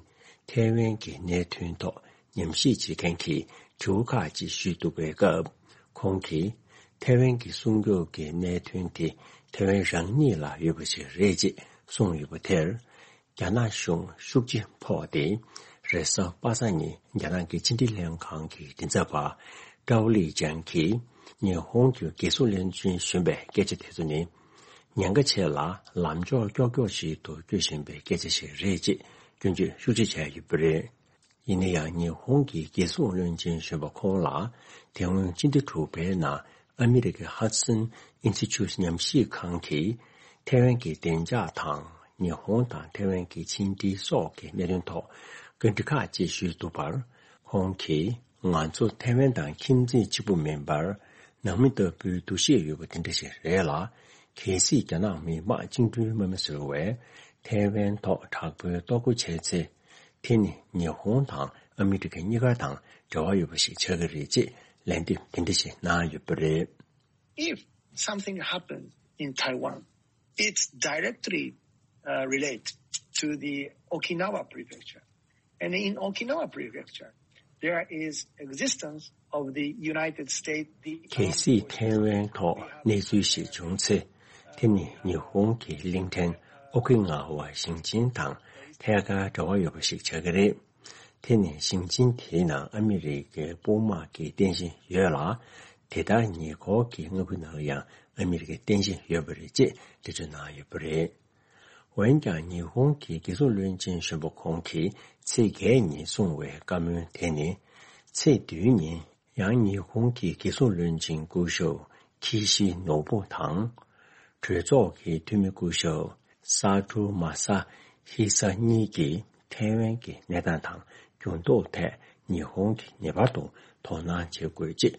ཐའེ་ཝན་གྱི་གནད་དོན་ཐོག་ཉམས་ཞིབ་བྱེད་མཁན་གྱིས་དྲི་བ་ཁག་ཅིག་ཞུས་འདུག་པའི་སྐབས། ཁོང་གིས་ཐའེ་ཝན་གྱི་སྲུང་སྐྱོབ་ཀྱི་གནད་དོན་དེ་ཐའེ་ཝན་རང་ཉིད་ལ་ཡོད་པ་ཞིག་རེད་ཅེས་གསུངས་ཡོད་པ་དེར། རྒྱ་ནག་གཞུང་ཤུགས་ཆེ་ཕོག་སྟེ། རེས་གཟའ་པ་སངས་ཉིན་རྒྱ་ནག་གི་ཕྱི་འབྲེལ་ལྷན་ཁང་གི་མགྲིན་ཚབ་པ་ཀྲའོ་ལི་ཅང་གིས་ཉི་ཧོང་གི་རྒྱལ་སྲུང་བློན་ཆེན་གཞོན་པའི་སྐད་ཆ་དེ་ཚོ་ནི། ཉེན་ཁ་ཆེ་ལ་ལམ་ཕྱོགས་ཀྱོག་ཀྱོག་ཞིག་ཏུ་སྐྱོད་བཞིན་པའི་སྐད་ཆ་ཞིག་རེད་ཅེས་སྐྱོན་བརྗོད་ཤུགས་ཆེ་བྱས་ཡོད་པ་རེད། ཡིན་ན་ཡང་ཉི་ཧོང་གི་རྒྱལ་སྲུང་བློན་ཆེན་གཞོན་པ་ཁོང་ལ་དེ་སྔོན་སྤྱི་ཟླ་དྲུག་པའི་ནང་ཨ་མི་རི་ཀའི་ཧ་ཌི་སན་ཨིན་སི་ཊི་ཊུཊ་ཉམས་ཞིབ་ཁང་གིས་ཐའེ་ཝན་གྱི་བདེ་འཇགས་དང་ཉི་ཧོང་དང་ཐའེ་ཝན་གྱི་ཕྱི་འབྲེལ་སོགས་ཀྱི་གནད་དོན་ཐོག་བཀའ་འདྲི་ཁག་ཅིག་ཞུས་འདུག་པར། ཁོང་གིས་ང་ཚོ་ཐའེ་ཝན་དང་ཁྱིམ་མཚེས་གཅིག་པུ་མིན་པར་ནང་མི་ལྟ་བུའི་འདུ་ཤེས་ཡོད་པ་དེ་འདྲ་ཞིག་རེད་ལ། གལ་སྲིད་རྒྱ་ནག་མི་དམངས་བཅིངས་འགྲོལ་དམག་མི་ཟེར་བས་ཐའེ་ཝན་ཐོག་དྲག་པོའི་གཏོར་རྒོལ་བྱས་ཚེ། དེ་ནི་ཉི་ཧོང་དང་ཨ་མི་རི་ཀ་གཉིས་ཀ་དང་འབྲེལ་བ་ཡོད་པ་ཞིག་ཆགས་ཀྱི་རེད་ཅེས་ལན་འདེབས་དེ་འདྲ་ཞིག་གནང་ཡོད་པ་རེད། If something happened in Taiwan, it's directly uh, related to the Okinawa prefecture. And in Okinawa prefecture, there is existence of the United States, the གལ་སྲིད་ཐའེ་ཝན་ཐོག་གནས་ཚུལ་ཞིག་བྱུང་ཚེ། དེ་ནི་ཉི་ཧོང་གི་གླིང་ཕྲན་ཨོ་ཀི་ནཱ་ཝ་ཞིང་ཆེན་དང་ཐད་ཀར་འབྲེལ་བ་ཡོད་པ་ཞིག་ཆགས་ཀྱི་རེད། དེ་ནི་ཞིང་ཆེན་དེའི་ནང་ཨ་མི་རི་ཀའི་དཔུང་དམག་གི་རྟེན་གཞི་ཡོད་ལ། དེ་ལྟར་ཉེ་འཁོར་གྱི་མངའ་ཁུལ་ནང་ལ་ཡང་ཨ་མི་རི་ཀའི་རྟེན་གཞི་ཡོད་པ་རེད་ཅེས་འགྲེལ་བརྗོད་གནང་ཡོད་པ་རེད། འོན་ཀྱང་ཉི་ཧོང་གི་རྒྱལ་སྲུང་བློན་ཆེན་གཞོན་པ་ཁོང་གིས་ཚེས་བརྒྱད་ཉིན་གསུངས་པའི་བཀའ་མོལ་དེ་ནི། ཚེས་བདུན་ཉིན་ཡང་ཉི་ཧོང་གི་རྒྱལ་སྲུང་བློན་ཆེན་སྐུ་ཞབས་ཁི་ཤི་ནོ་བུ་དང་། གྲོས་ཚོགས་ཀྱི་འཐུས་མི་སྐུ་ཞབས་སཱ་ཏུ་མ་ས་ཧི་ས་གཉིས་ཀྱིས་ཐའེ་ཝན་གྱི་གནས་སྟངས་དང་འགྱུར་ལྡོག་ཐད་ཉི་ཧོང་གིས་ངེས་པར་དུ་དོ་སྣང་བྱེད་དགོས་ཅེས་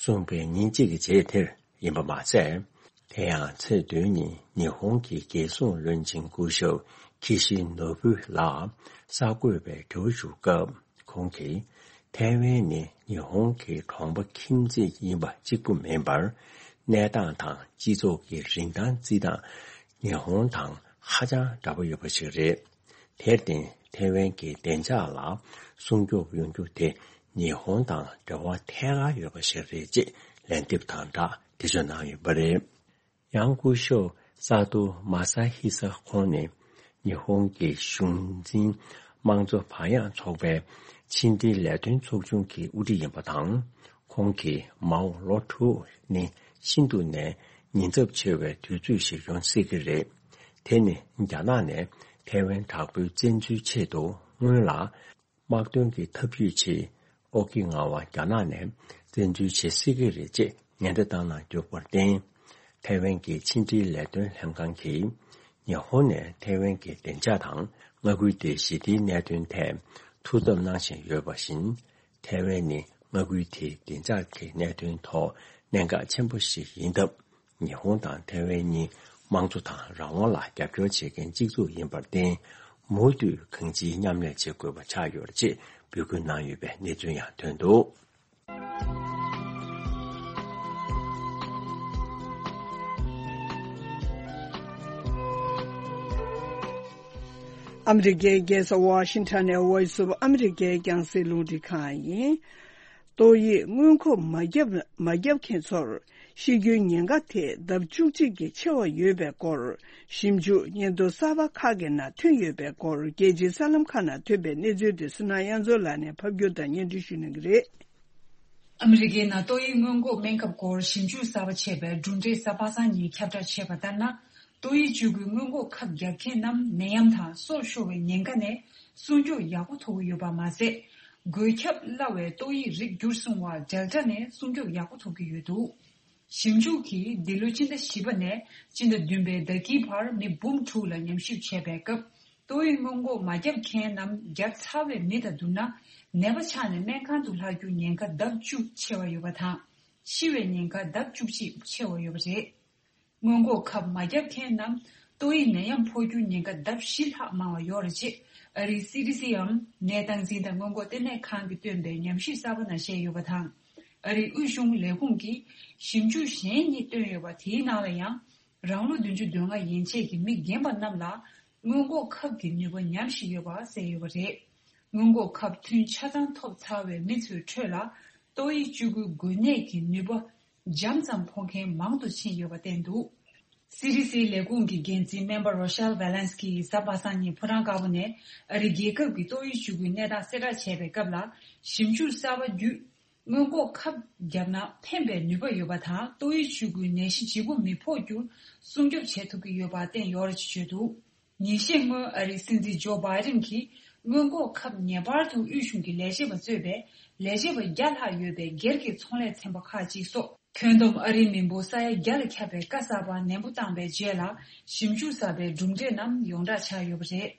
གསུངས་པའི་ཉིན་གཅིག་གི་རྗེས་དེར་ཡིན་པ་མ་ཟད། དེ་ཡང་ཚེས་བདུན་ཉིན་ཉི་ཧོང་གི་རྒྱལ་སྲུང་བློན་ཆེན་སྐུ་ཞབས་ཁི་ཤི་ནོ་བུ་ལགས་གསར་འགོད་པའི་དྲི་བ་ཞུ་སྐབས། ཁོང་གིས་ཐའེ་ཝན་ནི་ཉི་ཧོང་གི་གྲོང་པ་ཁྱིམ་མཚེས་ཡིན་པ་གཅིག་པུ་མིན་པར། གནས་སྟངས་དང་སྤྱི་ཚོགས་ཀྱི་རིན་ཐང་བརྩི་སྟངས་ཉི་ཧོང་དང་ཧ་ཅང་འདྲ་པོ་ཡོད་པ་ཞིག་རེད། དེར་བརྟེན་ཐའེ་ཝན་གྱི་བདེ་འཇགས་ལ་སྲུང་སྐྱོབ་ཡོང་རྒྱུ་དེ་ཉི་ཧོང་དང་འབྲེལ་བ་ཐད་ཀར་ཡོད་པ་ཞིག་རེད་ཅེས་ལན་འདེབས་དང་སྦྲགས་འགྲེལ་བརྗོད་གནང་ཡོད་པ་རེད། ཡང་སྐུ་ཞབས་སཱ་ཏོ་མ་ས་ཧི་ས་ཁོང་ནི་ཉི་ཧོང་གི་གཞུང་འཛིན་དམངས་གཙོ་བག་ཡངས་ཚོགས་པའི་ཕྱི་འབྲེལ་ལས་དོན་ཚོགས་ཆུང་གི་དབུ་ཁྲིད་ཡིན་པ་དང་། ཁོང་གིས་མའོ་ལོ་དྲུག་ནི་ཤིན་ཏུ་ནས་ཉེན་ཚབས་ཆེ་བའི་དུས་ཚོད་ཞིག་ཡོང་སྲིད་ཀྱི་རེད། དེ་ནི་རྒྱ་ནག་ནས་ཐའེ་ཝན་དྲག་པོའི་བཙན་འཛུལ་ཆེད་དུ་སྔོན་ལ། དམག་དོན་གྱི་ཐབས་ཇུས་ཆེད་ཨོ་ཀི་ནཱ་ཝ་རྒྱ་ནག་ནས་བཙན་འཛུལ་བྱེད་སྲིད་ཀྱི་རེད་ཅེས་ཉེན་བརྡ་བཏང་གནང་བཅུག་པར་བརྟེན། ཐའེ་ཝན་གྱི་ཕྱི་འབྲེལ་ལས་དོན་ལྷན་ཁང་གིས་ཉི་ཧོང་ནས་ཐའེ་ཝན་གྱི་བདེ་འཇགས་དང་མངའ་ཁུལ་དེའི་ཞི་བདེའི་གནད་དོན་ཐད་ཐུགས་འཚབ་གནང་བཞིན་ཡོད་པ་བཞིན། ཐའེ་ཝན་ནི་མངའ་ཁུལ་དེའི་བདེ་འཇགས་ཀྱི་གནད་དོན་ཐོག་གནད་འགག་ཆེན་པོ་ཞིག་ཡིན་སྟབས། ཉི་ཧོང་དང་ཐའེ་ཝན་གཉིས་དམངས་གཙོ་དང་རང་དབང་ལ་རྒྱབ་སྐྱོར་བྱེད་མཁན་གཅིག་མཚུངས་ཡིན་པར་བརྟེན། མུ་མཐུད་གང་ཅིའི་མཉམ་ལས་བྱེད་དགོས་པ་ཆགས་ཡོད་ཅེས་འབོད་སྐུལ་གནང་ཡོད་པའི་གནས་ཚུལ་ཡང་ཐོན་འདུག། ཨ་མི་རི་ཀའི་རྒྱལ་ས་ཝ་ཤིང་ཊོན་ནས་Voice of America་རྒྱང་སྲིང་རླུང་འཕྲིན་ཁང་ཡིན། ཏོག་དབྱིབས་སྔོན་འགོག་མ་བརྒྱབ་མ་བརྒྱབ་མཁན་ཚོར་ཤི་རྒྱུའི་ཉེན་ཁ་དེ་ལྡབ་བཅུ་གཅིག་གིས་ཆེ་བ་ཡོད་པའི་སྐོར་ཞིབ་འཇུག་སྙན་ཐོ་གསར་པ་ཁག་གི་ནང་ཐོན་ཡོད་པའི་སྐོར་རྒྱལ་སྤྱིའི་གསར་ལམ་ཁག་ནང་ཐོན་པའི་གནས་ཚུལ་དེ་བསོད་ནམས་དབྱངས་མཚོ་ལགས་ནས་ཕབ་སྒྱུར་དང་སྙན་སྒྲོན་ཞུ་གནང་གི་རེད། ཨ་མི་རི་ཀའི་ནང་ཏོག་དབྱིབས་སྔོན་འགོག་སྨན་ཁབ་སྐོར་ཞིབ་འཇུག་གསར་པ་བྱས་པའི་གྲུབ་འབྲས་གཟའ་པ་སངས་ཉིན་ཁྱབ་བསྒྲགས་བྱས་པ་ལྟར་ན། ཏོག་དབྱིབས་བཅུ་དགུའི་སྔོན་འགོག་ཁབ་བརྒྱབ་མཁན་རྣམས་ནད་ཡམས་དང་སྲོག་ཤོར་བའི་ཉེན་ཁ་ནས་སྲུང་སྐྱོབ་ཡག་པོ་ཐོབ་ཀྱི་ཡོད་པ་མ་ཟད། འགོས་ཁྱབ་སླ་བའི་ཏོག་དབྱིབས་རིགས་བསྒྱུར་སོང་བ་Delta་ནས་སྲུང་སྐྱོབ་ཡག་པོ་ཐོབ་ཀྱི་ཡོད་འདུག། ཞིབ་འཇུག་གིས་འདི་ལོའི་སྤྱི་ཟླ་བཞི་པ་ནས་སྤྱི་ཟླ་བདུན་པའི་ཟླ་དཀྱིལ་བར་མི་འབུམ་དྲུག་ལ་ཉམས་ཞིབ་བྱས་པའི་སྐབས། ཏོག་དབྱིབས་སྔོན་འགོག་མ་བརྒྱབ་མཁན་རྣམས་བརྒྱབ་ཚར་བའི་མི་དང་བསྡུར་ན། ནད་པ་ཆགས་ནས་སྨན་ཁང་དུ་ལྷག་རྒྱུ་ཉེན་ཁ་ལྡབ་བཅུ་ཆེ་བ་ཡོད་པ་དང་། ཤི་བའི་ཉེན་ཁ་ལྡབ་བཅུ་གཅིག་ཆེ་བ་ཡོད་པ་རེད། སྔོན་འགོག་ཁབ་མ་བརྒྱབ་མཁན་རྣམས་ཏོག་དབྱིབས་ནད་ཡམས་ཕོག་རྒྱུའི་ཉེན་ཁ་ལྡབ་བཞི་ལྷག་མང་བ་ཡོད་རེད་ཅེས་ཨ་རིའི་སི་ཌི་སི་འམ་ནད་སྟངས་འཛིན་དང་སྔོན་འགོག་ལྟེ་གནས་ཁང་གིས་བཏོན་པའི་ཉམས་ཞིབ་གསར་པ་ནང་བཤད་ཡོད་པ་དང་། ཨ་རིའི་དབུས་གཞུང་ལས་ཁུངས་ཀྱིས་ཞིབ་འཇུག་གཞན་གཉིས་བཏོན་ཡོད་པ་དེའི་ནང་ལ་ཡང་། རང་ལོ་བདུན་ཅུ་དོན་ལྔ་ཡན་ཆད་ཀྱི་མི་རྒན་པ་རྣམས་ལ་སྔོན་འགོག་ཁབ་ཀྱི་ནུས་པ་ཉམས་བཞིན་ཡོད་པ་གསལ་ཡོད་པ་རེད། སྔོན་འགོག་ཁབ་ཐུན་ཆ་ཚང་ཐོབ་ཚར་བའི་མི་ཚོའི་ཁྲོད་ལ་ཏོག་དབྱིབས་བཅུ་དགུའི་འགོས་ནད་ཀྱི་ནུས་པ་འཇམ་ཙམ་ཕོག་མཁན་མང་དུ་ཕྱིན་ཡོད་པ་བསྟན་འདུག། སི་ཌི་སི་ལས་ཁུངས་ཀྱི་འགན་འཛིན་སྨན་པ་Rochelle Walensky་གིས་གཟའ་པ་སངས་ཉིན་ཕོ་བྲང་དཀར་པོ་ནས་ཨ་རི་རྒྱལ་ཁབ་ཀྱི་ཏོག་དབྱིབས་བཅུ་དགུའི་གནས་སྟངས་གསལ་བསྒྲགས་བྱས་པའི་སྐབས་ལ། ཞིབ་འཇུག་གསར་པ་བརྒྱུད། སྔོན་འགོག་ཁབ་བརྒྱབ་ན་ཕན་པའི་ནུས་པ་ཡོད་པ་དང་ཏོག་དབྱིབས་བཅུ་དགུའི་ནད་གཞི་ལྗིད་པོ་མི་ཕོག་རྒྱུར་སྲུང་སྐྱོབ་བྱེད་ཐུབ་ཀྱི་ཡོད་པ་བསྟན་ཡོད་རེད་ཅེས་བརྗོད་འདུག། ཉིན་ཤས་སྔོན་ཨ་རིའི་སྲིད་འཛིན་ཇོ་བྷའི་ཌེན་གྱིས་སྔོན་འགོག་ཁབ་ངེས་པར་དུ་དབུས་གཞུང་གི་ལས་བྱེད་པ་གཙོས་པའི་ལས་བྱེད་པ་བརྒྱ་ལྷག་ཡོད་པའི་སྒེར་གྱི་ཚོང་ལས་ཚན་པ་ཁག་ཅིག་སོགས་ཁྱོན་བསྡོམས་ཨ་རིའི་མི་འབོར་ས་ཡ་བརྒྱ་ལ་ཁྱབ་པའི་བཀའ་གསར་པ་ནན་པོ་བཏང་པའི་རྗེས་ལ་ཞིབ་འཇུག་གསར་པའི་གྲུབ་འབྲས་རྣམས་ཡོངས་བསྒྲགས་བྱས་ཡོད་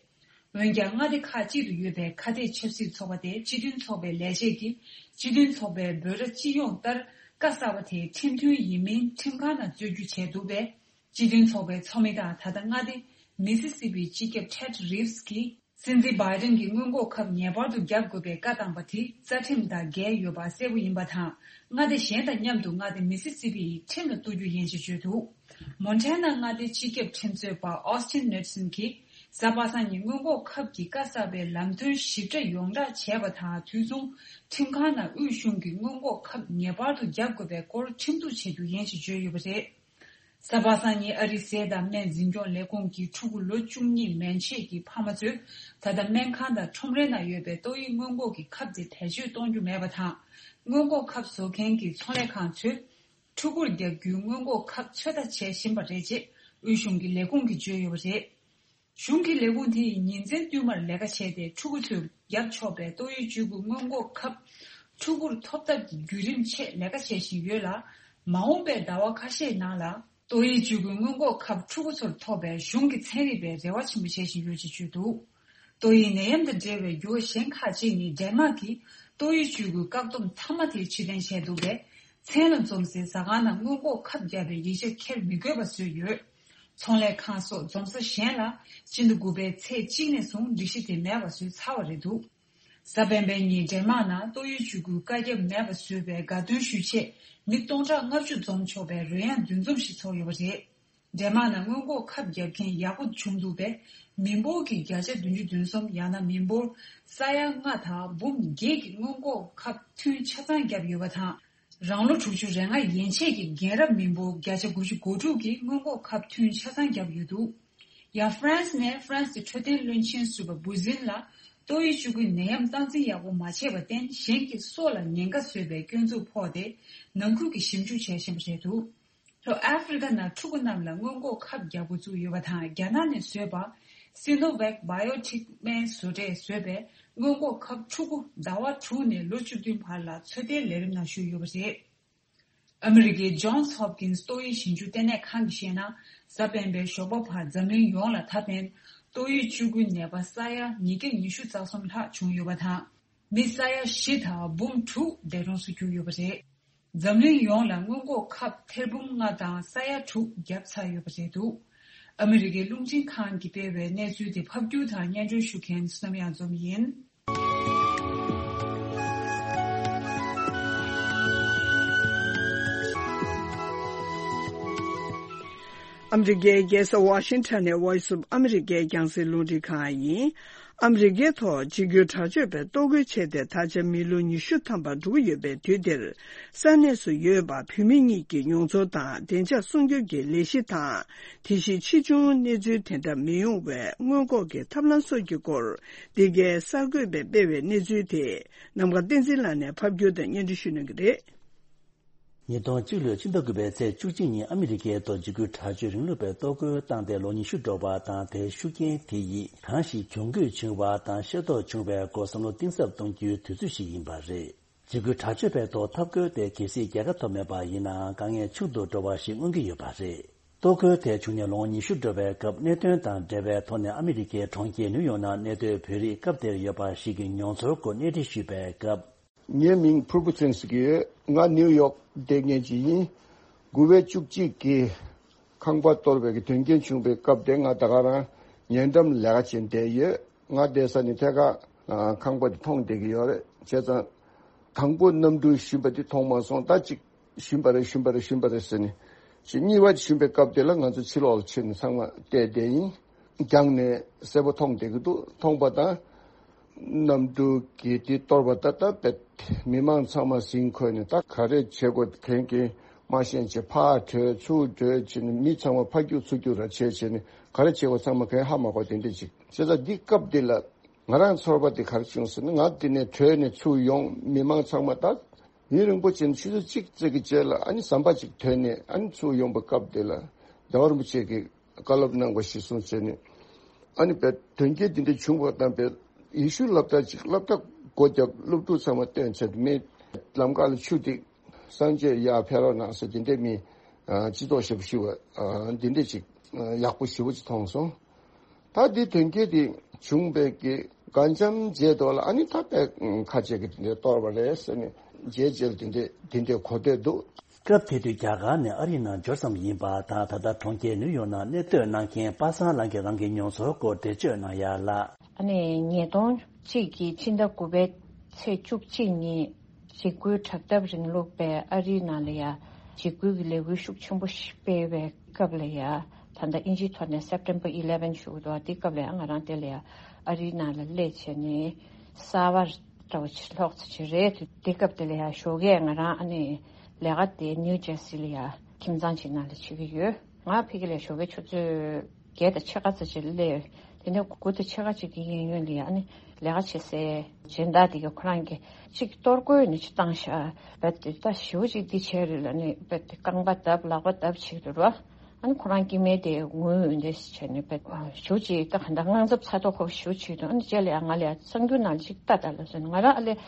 པ་རེད། འོན་ཀྱང་མངའ་སྡེ་ཁག་ཅིག་ཏུ་ཡོད་པའི་ཁ་གཏད་ཆབ་སྲིད་ཚོགས་པ་དེ་སྤྱི་མཐུན་ཚོགས་པའི་ལས་བྱེད་ཀྱིས་སྤྱི་མཐུན་ཚོགས་པའི་འབོད་སྒྲ་སྤྱི་ཡོངས་ལྟར་བཀའ་གསར་པ་དེ་ཁྲིམས་མཐུན་ཡིན་མིན་ཁྲིམས་ཁང་ནང་རྩོད་རྒྱུ་བྱས་འདུག་པས། སྤྱི་མཐུན་ཚོགས་པའི་ཚོགས་མི་དང་ད་ལྟ་མངའ་སྡེ་མི་སི་སི་པིའི་སྤྱི་ཁྱབ་Ted Reeves་གྱིས་སྲིད་འཛིན་བྷའི་ཌེན་གྱིས་སྔོན་འགོག་ཁབ་ངེས་པར་དུ་བརྒྱབ་དགོས་པའི་བཀའ་བཏང་པ་དེ་རྩ་ཁྲིམས་དང་འགལ་ཡོད་པ་གསལ་པོ་ཡིན་པ་དང་། མངའ་སྡེ་གཞན་དང་མཉམ་དུ་མངའ་སྡེ་མི་སི་སི་པི་ཡིས་ཁྲིམས་ལ་གཏུག་རྒྱུ་ཡིན་ཅེས་བརྗོད་འདུག། མོན་ཊ་ན་མངའ་སྡེའི་སྤྱི་ཁྱབ་ཁྲིམས་རྩོད་པ་Austin Knudsen་གྱིས་ གཟའ་པ་སངས་ཉིན་སྔོན་འགོག་ཁབ་ཀྱི་བཀའ་གསར་པའི་ལམ་སྟོན་ཞིབ་ཕྲ་ཡོངས་བསྒྲགས་བྱས་པ་དང་དུས་མཚུངས། ཁྲིམས་ཁང་ནང་དབུས་གཞུང་གིས་སྔོན་འགོག་ཁབ་ངེས་པར་དུ་བརྒྱབ་དགོས་པའི་སྐོར་ཁྲིམས་གཏུག་བྱེད་རྒྱུ་ཡིན་ཞེས་བརྗོད་ཡོད་པ་རེད། གཟའ་པ་སངས་ཉིན་ཨ་རིའི་ཟས་དང་སྨན་འཛིན་སྐྱོང་ལས་ཁུངས་ཀྱིས་ཕྲུ་གུ་ལོ་བཅུ་གཉིས་མན་ཆད་ཀྱི་ཕ་མ་ཚོས་ད་ལྟ་སྨན་ཁང་དང་ཁྲོམ་རའི་ནང་ཡོད་པའི་ཏོག་དབྱིབས་སྔོན་འགོག་གི་ཁབ་དེ་བེད་སྤྱོད་གཏོང་རྒྱུ་མེད་པ་དང་། སྔོན་འགོག་ཁབ་བཟོ་མཁན་གྱི་ཚོང་ལས་ཁང་ཚོས་ཕྲུ་གུར་བརྒྱབ་རྒྱུའི་སྔོན་འགོག་ཁབ་ཚོད་ལྟ་བྱེད་བཞིན་པ་རེད་ཅེས་དབུས་གཞུང་གི་ལས་ཁུངས་ཀྱིས་བརྗོད་ཡོད་པ་རེད། གཞུང་གི་ལས་ཁུངས་དེ་ཡིས་ཉིན་མཚན་བསྟུད་མར་ལས་ཀ་བྱས་ཏེ། ཕྲུ་གུ་ཚོས་བརྒྱབ་ཆོག་པའི་ཏོག་དབྱིབས་བཅུ་དགུ་སྔོན་འགོག་ཁབ་ཕྲུ་གུར་ཐོབ་ཐབས་ཀྱི་བརྒྱུད་རིམ་ཆེད་ལས་ཀ་བྱེད་བཞིན་ཡོད་ལ། མ་འོངས་པའི་ཟླ་བ་ཁ་ཤས་ནང་ལ་ཏོག་དབྱིབས་བཅུ་དགུ་སྔོན་འགོག་ཁབ་ཕྲུ་གུ་ཚོར་ཐོབ་པའི་གཞུང་གིས་ཚན་རིག་པས་རེ་བ་ཆེན་པོ་བྱེད་བཞིན་ཡོད་ཅེས་བརྗོད་འདུག་ཏོག་དབྱིབས་ནད་ཡམས་དང་འབྲེལ་བའི་འགྱུར་བ་གཞན་ཁག་ཅིག་ནི། ཌེན་མཱག་གིས་ཏོག་དབྱིབས་བཅུ་དགུའི་བཀག་སྡོམ་མཐའ་མ་དེ་ཕྱིར་འཐེན་བྱས་འདུག་པས། མཚན་ལ་འཛོམས་སའི་ཟ་ཁང་ནང་སྔོན་འགོག་ཁབ་བརྒྱབ་པའི་ཡིག་ཆ་འཁྱེར་མི་དགོས་པ་བཟོས་ཡོད། ཚོང་ལས་ཁང་སོགས་འཛོམས་ས་གཞན་ལ་སྤྱི་ཟླ་དགུ་པའི་ཚེས་གཅིག་ནས་བཟུང་སྒྲིག་གཞི་དེ་མེད་པ་བཟོས་ཚར་བ་རེད་འདུག་གཟའ་སྤེན་པའི་ཉིན་ཌེན་མཱག་ནང་ཏོག་དབྱིབས་བཅུ་དགུའི་བཀའ་ཁྱབ་མེད་པ་བཟོས་པའི་དགའ་སྟོན་ཞུ་ཆེད་མི་སྟོང་ཕྲག་ལྔ་བཅུ་འཛོམས་ཆོག་པའི་རོལ་དབྱངས་འདུ་འཛོམས་ཤིག་ཚོགས་ཡོད་པ་རེད། ཌེན་མཱག་ནང་སྔོན་འགོག་ཁབ་བརྒྱབ་མཁན་ཡག་པོ་བྱུང་འདུག་པས། མི་འབོར་གྱི་བརྒྱ་ཆ་བདུན་ཅུ་དོན་གསུམ། ཡང་ན་མི་འབོར་ས་ཡ་ལྔ་དང་འབུམ་བརྒྱད་ཀྱིས་སྔོན་འགོག་ཁབ་ཐུན་ཆ་ཚང་བརྒྱབ་ཡོད་པ་དང་། རང་ལོ་དྲུག་ཅུ་རེ་ལྔ་ཡན་ཆད་ཀྱི་རྒན་རབས་མི་འབོར་བརྒྱ་ཆ་དགུ་བཅུ་གོ་དྲུག་གིས་སྔོན་འགོག་ཁབ་ཐུན་ཆ་ཚང་བརྒྱབ་ཡོད་འདུག་ཡང་ཧྥ་རན་སི་ནས་ཧྥ་རན་སིའི་འཕྲོད་བསྟེན་བློན་ཆེན་ཟུར་པ་བུ་ཟིན་ལ་ཏོག་དབྱིབས་བཅུ་དགུའི་ནད་ཡམས་སྟངས་འཛིན་ཡག་པོ་མ་བྱས་པར་བརྟེན། གཞན་གྱི་སྲོག་ལ་ཉེན་ཁ་བཟོས་པའི་སྐྱོན་འཛུགས་ཕོག་སྟེ། ནང་ཁུལ་གྱི་ཞིབ་འཇུག་བྱེད་བཞིན་པ་རེད་འདུག་ལྷོ་ཨ་ཧྥེ་རི་ཁ་ནང་ཕྲུ་གུ་རྣམས་ལ་སྔོན་འགོག་ཁབ་རྒྱག་འགོ་བཙུགས་ཡོད་པ་དང་། རྒྱ་ནག་ནས་བཟོས་པ་སི་ནོ་ཝེག་བྷ་ཡོ་ཊེག་སྨན་བཟོ་གྲས་བཟོས་པའི་སྔོན་འགོག་ཁབ་ཕྲུ་གུ་ཟླ་བ་དྲུག་ནས་ལོ་བཅུ་བདུན་བར་ལ་ཚོད་ལྟའི་ལས་རིམ་ནང་ཞུགས་ཡོད་པ་རེད། ཨ་མི་རི་ཀའི་ཇོན་སི་ཧོབ་ཀིན་སི་ཏོག་དབྱིབས་ཞིབ་འཇུག་ལྟེ་གནས་ཁང་གིས་བཤད་ན། གཟའ་སྤེན་པའི་ཞོགས་པ་བར་འཛམ་གླིང་ཡོངས་ལ་ད་ཕན་ཏོག་དབྱིབས་བཅུ་དགུའི་ནད་པ་ས་ཡ་ཉིས་བརྒྱ་ཉི་ཤུ་རྩ་གསུམ་ལྷག་བྱུང་ཡོད་པ་དང་། མི་ས་ཡ་བཞི་དང་འབུམ་དྲུག་འདས་གྲོངས་སུ་གྱུར་ཡོད་པ་རེད། འཛམ་གླིང་ཡོངས་ལ་སྔོན་འགོག་ཁབ་ཐེར་འབུམ་ལྔ་དང་ས་ཡ་དྲུག་བརྒྱབ་ཚར་ཡོད་པ་རེད་འདུག་ཨ་མི་རི་ཀའི་རླུང་འཕྲིན་ཁང་གིས་སྤེལ་བའི་གནས་ཚུལ་དེ་ཕབ་སྒྱུར་དང་སྙན་སྒྲོན་ཞུ་མཁན་བསོད་ནམས་གཡང་འཛོམས་ཡིན། ཨ་མི་རི་ཀའི་རྒྱལ་ས་ཝ་ཤིང་ཊོན་ནས་Voice of America རྒྱང་སྲིང་རླུང་འཕྲིན་ཁང་ཡིན། ཨ་མི་རི་ཀའི་ཐོག་འཇིགས་སྐུལ་དྲག་སྤྱོད་པས་གཏོར་རྒོལ་བྱས་ཏེ། ད་ཆ་མི་ལོ་ཉི་ཤུ་ཐམ་པ་འགྲོ་གི་ཡོད་པའི་དུས་འདིར། ས་གནས་སུ་ཡོད་པ་བོད་མི་གཉིས་ཀྱི་མྱོང་ཚོར་དང་བདེ་འཇགས་སྲུང་སྐྱོབ་ཀྱི་ལས་གཞི་དང་། དེ་བཞིན་ཕྱིས་འབྱུང་གནས་ཚུལ་དེ་འདྲ་མི་ཡོང་བའི་སྔོན་འགོག་གི་ཐབས་ལམ་སོགས་ཀྱི་སྐོར། འདི་གའི་གསར་འགོད་པས་སྤེལ་བའི་གནས་ཚུལ་དེ། ནམ་མཁའ་བསྟན་འཛིན་ལགས་ནས་ཕབ་སྒྱུར་དང་སྙན་སྒྲོན་ཞུ་གནང་གི་རེད། ཉིས་སྟོང་གཅིག་ལོའི་ཕྱི་ཟླ་དགུ་པའི་ཚེས་བཅུ་གཅིག་ཉིན་ཨ་མི་རི་ཀའི་ཐོག་འཇིགས་སྐུལ་དྲག་སྤྱོད་རིང་ལུགས་པས་གཏོར་རྒོལ་བཏང་སྟེ་ལོ་ཉི་ཤུ་འགྲོ་བ་དང་། དེའི་ཤུགས་རྐྱེན་དེ་ཡིས་གང་ཞིག་གྱོང་གུད་བྱུང་བ་དང་ཤེས་རྟོགས་བྱུང་བའི་སྐོར་བསམ་བློ་གཏིང་ཟབ་གཏོང་རྒྱུའི་དུས་ཚོད་ཞིག་ཡིན་པ་རེད། འཇིགས་སྐུལ་དྲག་སྤྱོད་པའི་ཐོག་འཐབ་རྒོལ་དེ་གལ་སྲིད་རྒྱལ་ཁ་ཐོབ་མེད་པ་ཡིན་ནའང་། དཀའ་ངལ་ཆུང་དུ་འགྲོ་བ་ཞིག་མངོན་གྱི་ཡོད་པ་རེད། གཏོར་རྒོལ་དེ་བྱུང་ནས་ལོ་ངོ་ཉི་ཤུ་འགྲོ་བའི་སྐབས། གནད་དོན་དང་འབྲེལ་བའི་ཐོག་ནས་ཨ་མི་རི་ཀའི་གྲོང་ཁྱེར་ནིའུ་ཡོག་ནང་གནས་སྡོད་བོད་རིགས་སྐབས་དེར་ཡོད་པ་ཞིག་གི་མྱོང་ཚོར་སྐོར་གནས་འདྲི་ཞུས་པའི་སྐབས། ངའི་མིང་ཕུར་བུ་ཚེ་རིང་ཟེར་གྱི་ཡོད། ང་ནིའུ་ཡོག་བསྡད་མཁན་ཅིག་ཡིན། དགུ་པའི་བཅུ་གཅིག་གི་ཁང་པ་གཏོར་བའི་གི་དོན་རྐྱེན་བྱུང་བའི་སྐབས་དེ། ང་ད་ག་རང་ཉེ་འགྲམ་ལས་ཀ་བྱེད་བསྡད་ཡོད། ང་བསྡད་ས་ནི་ཐད་ཀར་ཁང་པ་དེ་མཐོང་བསྡད་ཀྱི་ཡོད་རེད། བྱས་ཙང་དང་པོ་གནམ་གྲུ་ཞོན་པ་དེ་མཐོང་མ་སོང་། ད་ཅིག་ཞོན་པ་རེད། ཞོན་པ་རེད། ཞོན་པ་རེད་ཟེར་ནས། ཅིག་གཉིས་པ་ཞོན་པའི་སྐབས་དེ་ལ་ང་ཚོ་ཕྱི་ལོགས་ལ་ཕྱིན་ནས་ཚང་མ་བལྟས་བསྡད་ཡིན། རྒྱང་ནས་གསལ་པོ་མཐོང་བསྡད་ཀྱི་འདུག་མཐོང་པ་དང་། གནམ་གྲུ་གི་དེ་གཏོར་བ་ད་ལྟ་བས་མི་མང་ཚང་མ་ཟིན་འཁོད་ནས། ད་ག་རེ་བྱེད་དགོས་མཁན་གྱི་མ་ཤེས་བྱས་ཕར་བྲོས་ཚུར་བྲོས་བྱས་ནས། མི་ཚང་མ་ཕར་རྒྱུག་ཚུར་རྒྱུག་ར་བྱས་བྱས་ནས། ག་རེ་བྱེད་དགོས་ཚང་མ་གང་ཧ་མ་གོ་དེ་འདྲ་ཅིག་བྱས་ཙང་འདི་སྐབས་འདི་ལ་ང་རང་ཚོར་བ་དེ་ག་རེ་བྱུང་ཟེར་ན། ང་འདི་ནས་བྲོས་ནས་ཚུར་ཡོང་། མི་མང་ཚང་མ་ད་ཡུན་རིང་པོ་ཕྱིན། ཆུ་ཚོད་གཅིག་ཙམ་གྱི་རྗེས་ལ་ཨ་ནི་ཟམ་པ་ཅིག་ཐོན་ནས། ཨ་ནི་ཚུར་ཡོང་པའི་སྐབས་དེ་ལ་རྒྱལ་བ་རིན་པོ་ཆེ་གིས་བཀའ་སློབ་གནང་བ་གཞིར་བཟུང་བྱས་ནས། ཨ་ནི་བས་དོན་རྐྱེན་འདི་འདྲ་བྱུང་བ་དང་། བས་ཡེ་ཤུ་སློབ་གྲྭ་ཅིག་སློབ་གྲྭ་སྒོ་བརྒྱབ། སློབ་ཕྲུག་ཚང་མ་བཏོན་བྱས། མི་ལམ་ཁ་ལ་ཆུ་ཐིགས། སངས་རྒྱས་ཡར་ཕེབས་རོགས་གནང་ཟེར། འདི་འདྲའི་མི་སྤྱི་ཚོགས་ཞེ་པོ་ཞིག་བ་འདི་འདྲ་ཅིག་ཡག་པོ་ཞེ་པོ་ཅིག་མཐོང་སོང་། ད་འདི་དོན་རྐྱེན་འདི་བྱུང་བའི་གི་དགའ་འཇམ་རྗེས་ཐོག་ལ། ཨ་ནི་ད་བས་ཁ་ཆེ་གི་དེ་འདྲའི་གཏོར་བ་རེད་ཟེར་ནས་རྗེས་རྗེས་ལ་དེ་འདྲའི་དེ་འདྲའི་གོ་ཐོས་འདུག་སྐབས་དེ་དུས་རྒྱ་གར་ནས་ཨ་རིའི་ནང་འབྱོར་ཙམ་ཡིན་པ་དང་། ད་ལྟ་གྲོང་ཁྱེར་ནིའུ་ཡོག་ནང་གནས་སྡོད་གནང་མཁན་པ་སངས་ལགས་ཀྱིས་རང་གི་མྱོང་ཚོར་སྐོར་འགྲེལ་བརྗོད་གནང་ཡ་ལ། ཨ་ནི་ཉིས་སྟོང་གཅིག་གི་ཕྱི་ཟླ་དགུ་པའི་ཚེས་བཅུ་གཅིག་ཉིན། འཇིགས་སྐུལ་དྲག་འཐབ་རིང་ལུགས་པས་ཨ་རིའི་ནང་ལ་ཡ་འཇིགས་སྐུལ་གྱི་ལས་འགུལ་ཤུགས་ཆེན་པོ་ཞིག་སྤེལ་བའི་སྐབས་ལ་ཡ། ད་ལྟ་དབྱིན་ཇིའི་ཐོག་ནས་September eleven ཞུ་གི་འདུག་དེ་སྐབས་ལ་ཡང་ང་རང་དེ་ལ་ཡང་ཨ་རིའི་ནང་ལ་སླེབས་བྱས་ནས་གསར་པ་འདྲ་བོ་ཅིག་ལྷོག་ཙམ་ཅིག་རེད། དེ་སྐབས་དེ་ལ་ཡང་ཞོགས་ཀས་ང་རང་ཨ་ནི་ལས་ཀ་དེ་New Jersey ལ་ཡང་ཁྱིམ་ཚང་ཅིག་ནང་ལ་བྱེད་ཀྱི་ཡོད། ང་ཕ་གི་ལ་ཞོགས་ཀས་ཆུ་ཚོད་བརྒྱད་དང་ཕྱེད་ཀ་ཙམ་ཅིག་སླེབས། དེ་ནས་དགུ་དང་ཕྱེད་ཀ་ཅིག་གི་གཡས་གཡོན་ལ་ཡ་ཨ་ནི་ལས་ཀ་བྱེད་སའི་སྦྱིན་བདག་དེ་གིས་ཁོ་རང་གིས་ཅིག་གཏོར་རྒོལ་ནས་ཅིག་བཏང་ཤག་བས་དེ་ད་ཞེ་པོ་ཅིག་འདི་བྱས་རེད་ལབ་ནས་བས་དེ་རྐང་པ་བརྡབ་ལག་པ་བརྡབ་བྱེད་རེད་རོ། ཨ་ནི་ཁོ་རང་སྐྱེ་དམན་དེ་ངུ་འདི་བྱས་ནས་བས་ཞེ་པོ་ཅིག་ད་ག་འདྲ་དངངས་འཚབ་ཚ་དོག་ཁོ་ཞེ་པོ་ཅིག་འདུག་ཨ་ནི་རྗེས་ལ་ཡ་ང་ལ་ཡ་གསར་འགྱུར་ནང་ཅིག་ལྟ་ད་ལབ་སོང་། ང་རང་ཨ་ལས་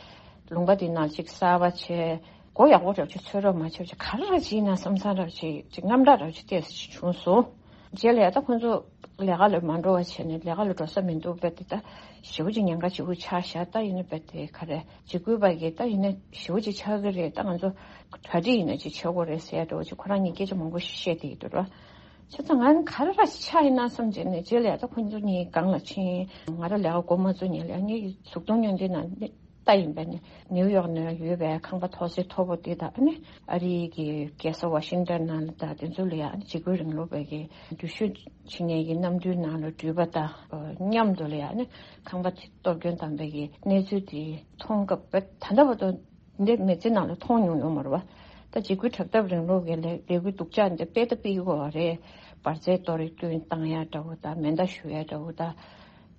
ལུང་པ་དེ་ནང་ཅིག་གསར་པ་བྱས། མགོ་ཡག་པོ་རབ་ཅིག་ཚོད་རོགས་མ་བྱེད་ཅིག་ག་རེ་ར་བྱེད་ན་བསམ་བསམ་རབ་ཅིག་ཅིག་དངངས་སྐྲག་རབ་ཅིག་ཏོག་ཙམ་ཅིག་བྱུང་སོང་། རྗེས་ལ་ཡ་ད་ཁོང་ཚོ་ལས་ཀ་ལ་མ་འགྲོ་བ་བྱས་ནས་ལས་ཀ་ལ་འགྲོ་ས་མི་འདུག་པས་དེ་ད་ཞེ་པོ་ཅིག་ཉེན་ཁ་ཆེ་པོ་ཆགས་ཤག་ད་ཡིན་ན་བས་དེ་ག་རེ་འཇིགས་སྐུལ་པ་གིས་ད་ཡིན་ན་ཞེ་པོ་ཅིག་ཆགས་ཀྱི་རེད། ད་ང་ཚོ་གྲ་སྒྲིག་ཡིན་ན་ཅིག་བྱེད་དགོས་རེད་ཟེར་འདྲ་བོ་ཅིག་ཁོ་རང་གཉིས་སྐད་ཆ་མང་པོ་ཞིག་བཤད་བསྡད་ཀྱི་འདུག་ར། བྱས་ཙང་ང་ག་རེ་ར་ཅིག་ཆགས་ཡིན་ན་བསམ་བྱས་ནས་རྗེས་ལ་ཡ་ད་ཁོང་ཚོ་གཉིས་སྒང་ལ་ཕྱིན། ང་རང་ལས་ཀ་འགོ་མ་བཙུགས་ཉིན་ལ་ངའི་གཟུགས་མཐོང་སྙིང་རྗེ་ན། ལྟ་ཡིན་པས་ནི་ནིའུ་ཡོག་ནང་ཡོད་པའི་ཁང་པ་ཐོག་སེ་མཐོ་པོ་དེ་དང་ཨ་ནི་ཨ་རིའི་གི་རྒྱལ་ས་ཝ་ཤིང་ཏན་ནང་ལ་དང་དེ་ཚོ་ལ་ཡང་ཨ་ནི་འཇིགས་སྐུལ་རིང་ལུགས་པའི་གི་འགྲུལ་བཞུད་བྱེད་མཁན་གྱི་གནམ་གྲུའི་ནང་ལ་འགྲུལ་པ་དང་མཉམ་དུ་ལ་ཡང་ཨ་ནི་ཁང་པ་དེ་གཏོར་སྐྱོན་བཏང་པའི་གི་གནས་ཚུལ་དེ་མཐོང་སྐབས་ད་ལྟ་བར་དུ་འདི་མི་ཚེ་ནང་ལ་མཐོང་མྱོང་ཡོད་མ་རེད་བ། ད་འཇིགས་སྐུལ་དྲག་འཐབ་རིང་ལུགས་ཀྱི་ལས་ལས་འགུལ་སྡུག་ཅག་འདི་སྤེལ་ད་སྤེལ་གྱི་ཡོད་རེད། འབར་རྫས་གཏོར་སྐྱོན་བཏང་ཡ་འདྲ་བོ་དང་མེ་མདའ་གཞུ་ཡ་འདྲ་བོ་དང་།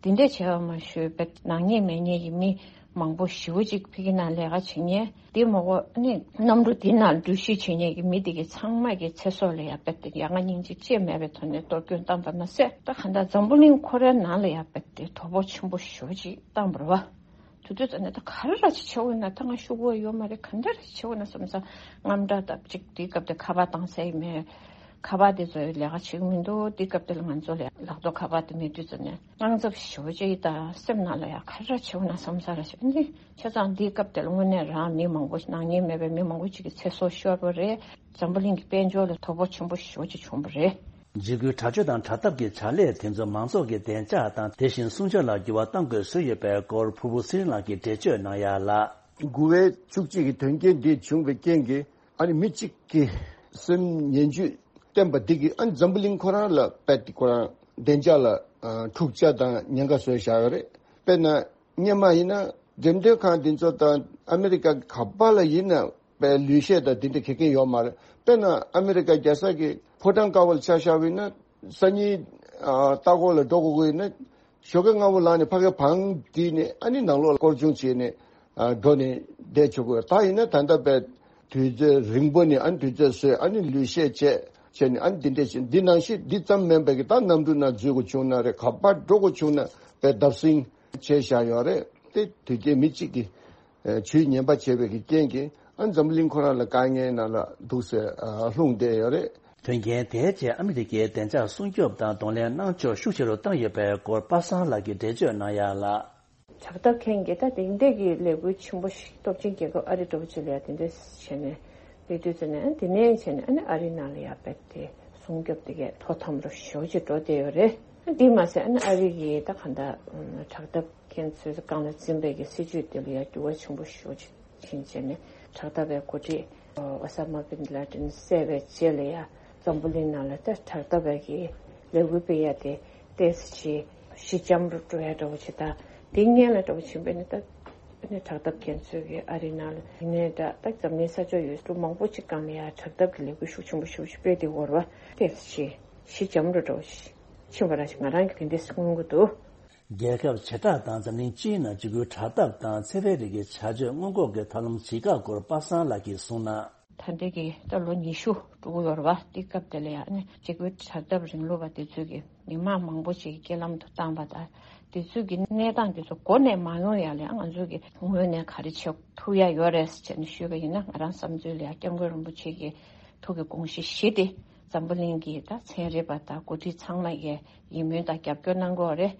དེ་འདྲས་བྱས་པ་མ་ཞུས་པའི་ནག་ཉེས་མེད་ཉེས་ཀྱི་མི་མང་པོ་ཞེ་པོ་ཅིག་ཕ་གི་ནང་ལས་ཀ་བྱེད་མཁན་དེ་མ་གོ་ནི་གནམ་གྲུ་དེ་ནང་འགྲུལ་བཞུད་བྱེད་མཁན་གྱི་མི་དེ་གའི་ཚང་མ་གི་ཚེ་སྲོག་ལ་ཡ་དཔེ་དེ་ཡ་ང་སྙིང་རྗེ་ཅེས་མེད་པའི་ཐོག་ནས་གཏོར་སྐྱོན་བཏང་པ་མ་ཟད་ད་ག་འདྲ་འཛམ་བུ་གླིང་ཁོ་རའི་ནང་ལ་ཡ་དཔེ་དེ་དོ་ཕོག་ཆེན་པོ་ཞེ་པོ་ཅིག་བཏང་བ་རེད་བ། དུས་ཚོད་ཙམ་ནས་ད་ག་རེ་ར་ཅིག་བྱེད་འོས་ན་ད་ང་ཤུགས་པོ་ཡོད་མ་རེད། ག་འདྲ་ར་ཅིག་བྱེད་འོས་ན་བསམ་ས་དངངས་སྐྲག་དང་ཅིག་དེའི་སྐབས་དེ་ཁ་པར་བཏང་ས་ཡི་མེད། ཁ་པར་དེ་ཚོ་ལས་ཀ་བྱེད་ཀྱི་མི་འདུག་དེའི་སྐབས་དེ་ལ་ང་ཚོ་ལ་ལག་ཐོག་ཁ་པར་དེ་མེད་དུས་ཙམ་ནས་དངངས་འཚབ་ཞེ་པོ་ཅིག་དང་སེམས་ནང་ལ་ཡང་ག་རེ་ར་བྱེད་འོས་ན་བསམ་ས་ར་ཞིག་འདི་བྱས་ཙང་དེའི་སྐབས་དེ་ལ་དངོས་གནས་རང་མི་མང་པོ་ནག་ཉེས་མེད་པའི་མི་མང་པོ་ཅིག་གི་ཚེ་སྲོག་ཤོར་བ་རེད། འཛམ་བུ་གླིང་གི་དཔལ་འབྱོར་ལ་དོ་ཕོག་ཆེན་པོ་ཞེ་པོ་ཅིག་བྱུང་བ་རེད། འཇིགས་སྐུལ་དྲག་སྤྱོད་དང་དྲག་འཐབ་ཀྱི་བྱ་ལས་དེ་ཚོ་མང་ཚོགས་ཀྱི་བདེ་འཇགས་དང་དེ་བཞིན་སྲུང་སྐྱོབ་ལ་འགྱུར་བ་གཏང་དགོས་བཟོས་ཡོད་པའི་སྐོར་ཕུར་བུ་ཚེ་རིང་ལགས་ཀྱིས་འགྲེལ་བརྗོད་གནང་ཡ་ལ། དགུ་པའི་བཅུ་གཅིག་གི་དོན་རྐྱེན་འདི་བྱུང་བའི་རྐྱེན་གྱིས་ཨ་ནི་མི་གཅིག་གི་སེམས་ངན་ཇུས་བསྟན་པ་འདི་གིས་ཨ་ནི་འཛམ་བུ་གླིང་ཁོ་རང་ལ་དཔེ་དེ་ཁོ་རང་བདེ་འཇགས་ལ་འཁྲུག་ཆ་དང་ཉེན་ཁ་བཟོས་བཞག་ཡོད་རེད། དཔེར་ན། སྔོན་མ་ཡིན་ན་འགྲེམས་སྟོན་ཁང་འདི་ཚོ་དང་ཨ་མེ་རི་ཀ་ག་པ་ལ་ཡིན་ན་དཔེ་ལུས་ཤེད་དང་འདི་འདྲ་གེ་གེ་ཡོད་མ་རེད། དཔེར་ན་ཨ་མེ་རི་ཀ་རྒྱལ་ས་གི་ཕོ་བྲང་དཀར་པོ་ལ་ཆ་བཞག་པ་ཡིན་ན་སང་ཉིན་ཨ་ལྟ་སྐོར་ལ་འགྲོ་དགོས་ཀྱི་ཡིན་ན་ཞོགས་ཀས་སྔ་པོ་ལངས་ནས་ཕ་གིའི་བང་བསྒྲིགས་ནས་ཨ་ནི་ནང་ལོགས་ལ་སྐོར་སྦྱོང་བྱས་ནས་ཨ་འགྲོ་ནས་བསྡད་ཆོག་གི་ཡོད། ད་ཡིན་ན་ད་ལྟ་དཔེ་དུས་ཚོད་རིང་པོ་ནས་ཨ་ནི་དུས་ཚོད་བཟོས་ཨ་ནི་ལུས་ཤེད་བྱས་བྱས་ནས་ཨ་ནི་འདི་འདྲ་བྱས་འདི་ནང་བཞིན་འདི་ཙམ་མིན་པའི་གི་ད་གནམ་གྲུ་ནང་འཛུལ་དགོས་བྱུང་ན་རེད། ག་པར་འགྲོ་དགོས་བྱུང་ན་དཔེ་བརྡབ་གསིག་བྱས་བཞག་ཡོད་རེད། དེ་དུས་རྒྱུན་མི་གཅིག་གིས་ཨ་ཇུས་ངན་པ་བྱས་པའི་གི་རྐྱེན་གྱིས་ཨ་འཛམ་བུ་གླིང་ཁོ་རང་ལ་དཀའ་ངལ་ནང་ལ་འདུག་སེ་ཨ་ལྷུང་བསྡད་ཡོད་རེད། དོན་རྐྱེན་དེའི་རྗེས་ཨ་མི་རི་ཀའི་བདེ་འཇགས་སྲུང་སྐྱོབ་དང་གདོང་ལེན་གནང་ཕྱོགས་ཤུགས་ཆེ་རུ་བཏང་ཡོད་པའི་སྐོར་པ་སངས་ལགས་ཀྱིས་འགྲེལ་བརྗོད་གནང་ཡ་ལ། དྲག་འཐབ་མཁན་གྱིས་ད་དེ་འདྲས་ཀྱི་ལས་འགུལ་ཆེན་པོ་ཞིག་སྟོབས་ཆེན་རྒྱལ་ཁབ་ཨ་རི་འདྲ་བོ་ཅིག་ལ་ཡ་དེ་འདྲས་བྱས་ནས་སླེབས་དུས་ཙམ་ནས་ཨ་དེ་ནས་བྱས་ནས་ཨ་ནི་ཨ་རིའི་ནང་ལ་ཡ་རྦད་དེ་སྲུང་སྐྱོབ་དེ་གས་དོ་དམ་རུ་ཞེ་པོ་ཅིག་འགྲོ་བསྡད་ཡོད་རེད། དེ་མ་ཟད་ཨ་ནི་ཨ་རི་གི་ད་གང་ལྟར་དྲག་འཐབ་མཁན་ཚོའི་སྒང་ལ་འཛིན་པའི་གི་སྲིད་ཇུས་དེ་ལ་ཡང་འགྱུར་བ་ཆེན་པོ་ཞེ་པོ་ཅིག་ཕྱིན་བྱས་ནས་དྲག་འཐབ་པའི་འགོ་ཁྲིད་ཨོ་ས་མ་བིན་ལ་ཏིན་བསད་པའི་རྗེས་ལ་ཡང་འཛམ་བུ་གླིང་ནང་ལ་ད་དྲག་འཐབ་པའི་གི་ལས་འགུལ་སྤེལ་ཡ་དེ་ཏོག་ཙམ་ཞི་འཇམ་རུ་འགྲོ་ཡ་འདྲ་བོ་ཅིག་དང་དེ་སྔོན་ལ་འདྲ་བོ་ཕྱིན་པས་ནི་ད་ཨ་ནི་དྲག་འཐབ་མཁན་ཚོའི་གི་ཨ་རི་ནང་ལ་ཡིན་ནའི་འདྲ་ད་འཛམ་གླིང་ས་ཕྱོགས་ཡུལ་གྲུ་མང་པོ་ཅིག་སྒང་ལ་ཡང་དྲག་འཐབ་ཀྱི་ལས་འགུལ་ཤུགས་ཆེན་པོ་ཞེ་པོ་ཅིག་སྤེལ་ཏེ་ཡོད་རེད་བ། ཏོག་ཙམ་ཞི་འཇམ་རུ་འགྲོ་ཕྱིན་པ་ར་ཞིག་ང་རང་གི་དེ་འདྲས་མངོན་གྱི་འདུག་རྒྱལ་ཁབ་བྱེ་བྲག་དང་འཛམ་གླིང་སྤྱིའི་ནང་འཇིགས་སྐུལ་དྲག་འཐབ་དང་འཚེ་བའི་རིགས་ཀྱི་བྱ་སྤྱོད་སྔོན་འགོག་གི་ཐབས་ལམ་ཇི་དགར་སྐོར་པ་སངས་ལགས་ཀྱིས་གསུངས་ན། ད་ལྟའི་གི་ད་ལོ་ཉི་ཤུ་འགྲོ་གི་ཡོད་རེད་བ། དེ་སྐབས་དེ་ལ་ཡང་ནི་འཇིགས་སྐུལ་དྲག་འཐབ་རིང་ལུགས་པ་དེ་ཚོས་ཀྱི་མི་མང་མང་པོ་ཞིག་གི་རྐྱེན་ལམ་དུ་བཏང་བ་དང་དེ་ཚོས་ཀྱི་གནས་སྟངས་དེ་ཚོ་འགོ་ནས་མ་ཡོང་ཡ་ལ་ཡང་ང་ཚོས་ཀྱི་ངོས་ནས་ག་རེ་བྱེད་ཐུབ་ཡ་ཡོད་རེད་ཟེར་ནས་ཞུས་པ་ཡིན་ན་ང་རང་བསམ་ཚུལ་ལ་ཡང་སྐྱབས་མགོན་རིན་པོ་ཆེ་གི་ཐུགས་ཀྱི་དགོངས་གཞི་བཞི་དེ་འཛམ་བུ་གླིང་གི་ད་ཚན་རིག་པ་དང་འགོ་ཁྲིད་ཚང་མ་གིས་ཡིད་སྨོན་དང་རྒྱབ་སྐྱོར་གནང་དགོས་རེད།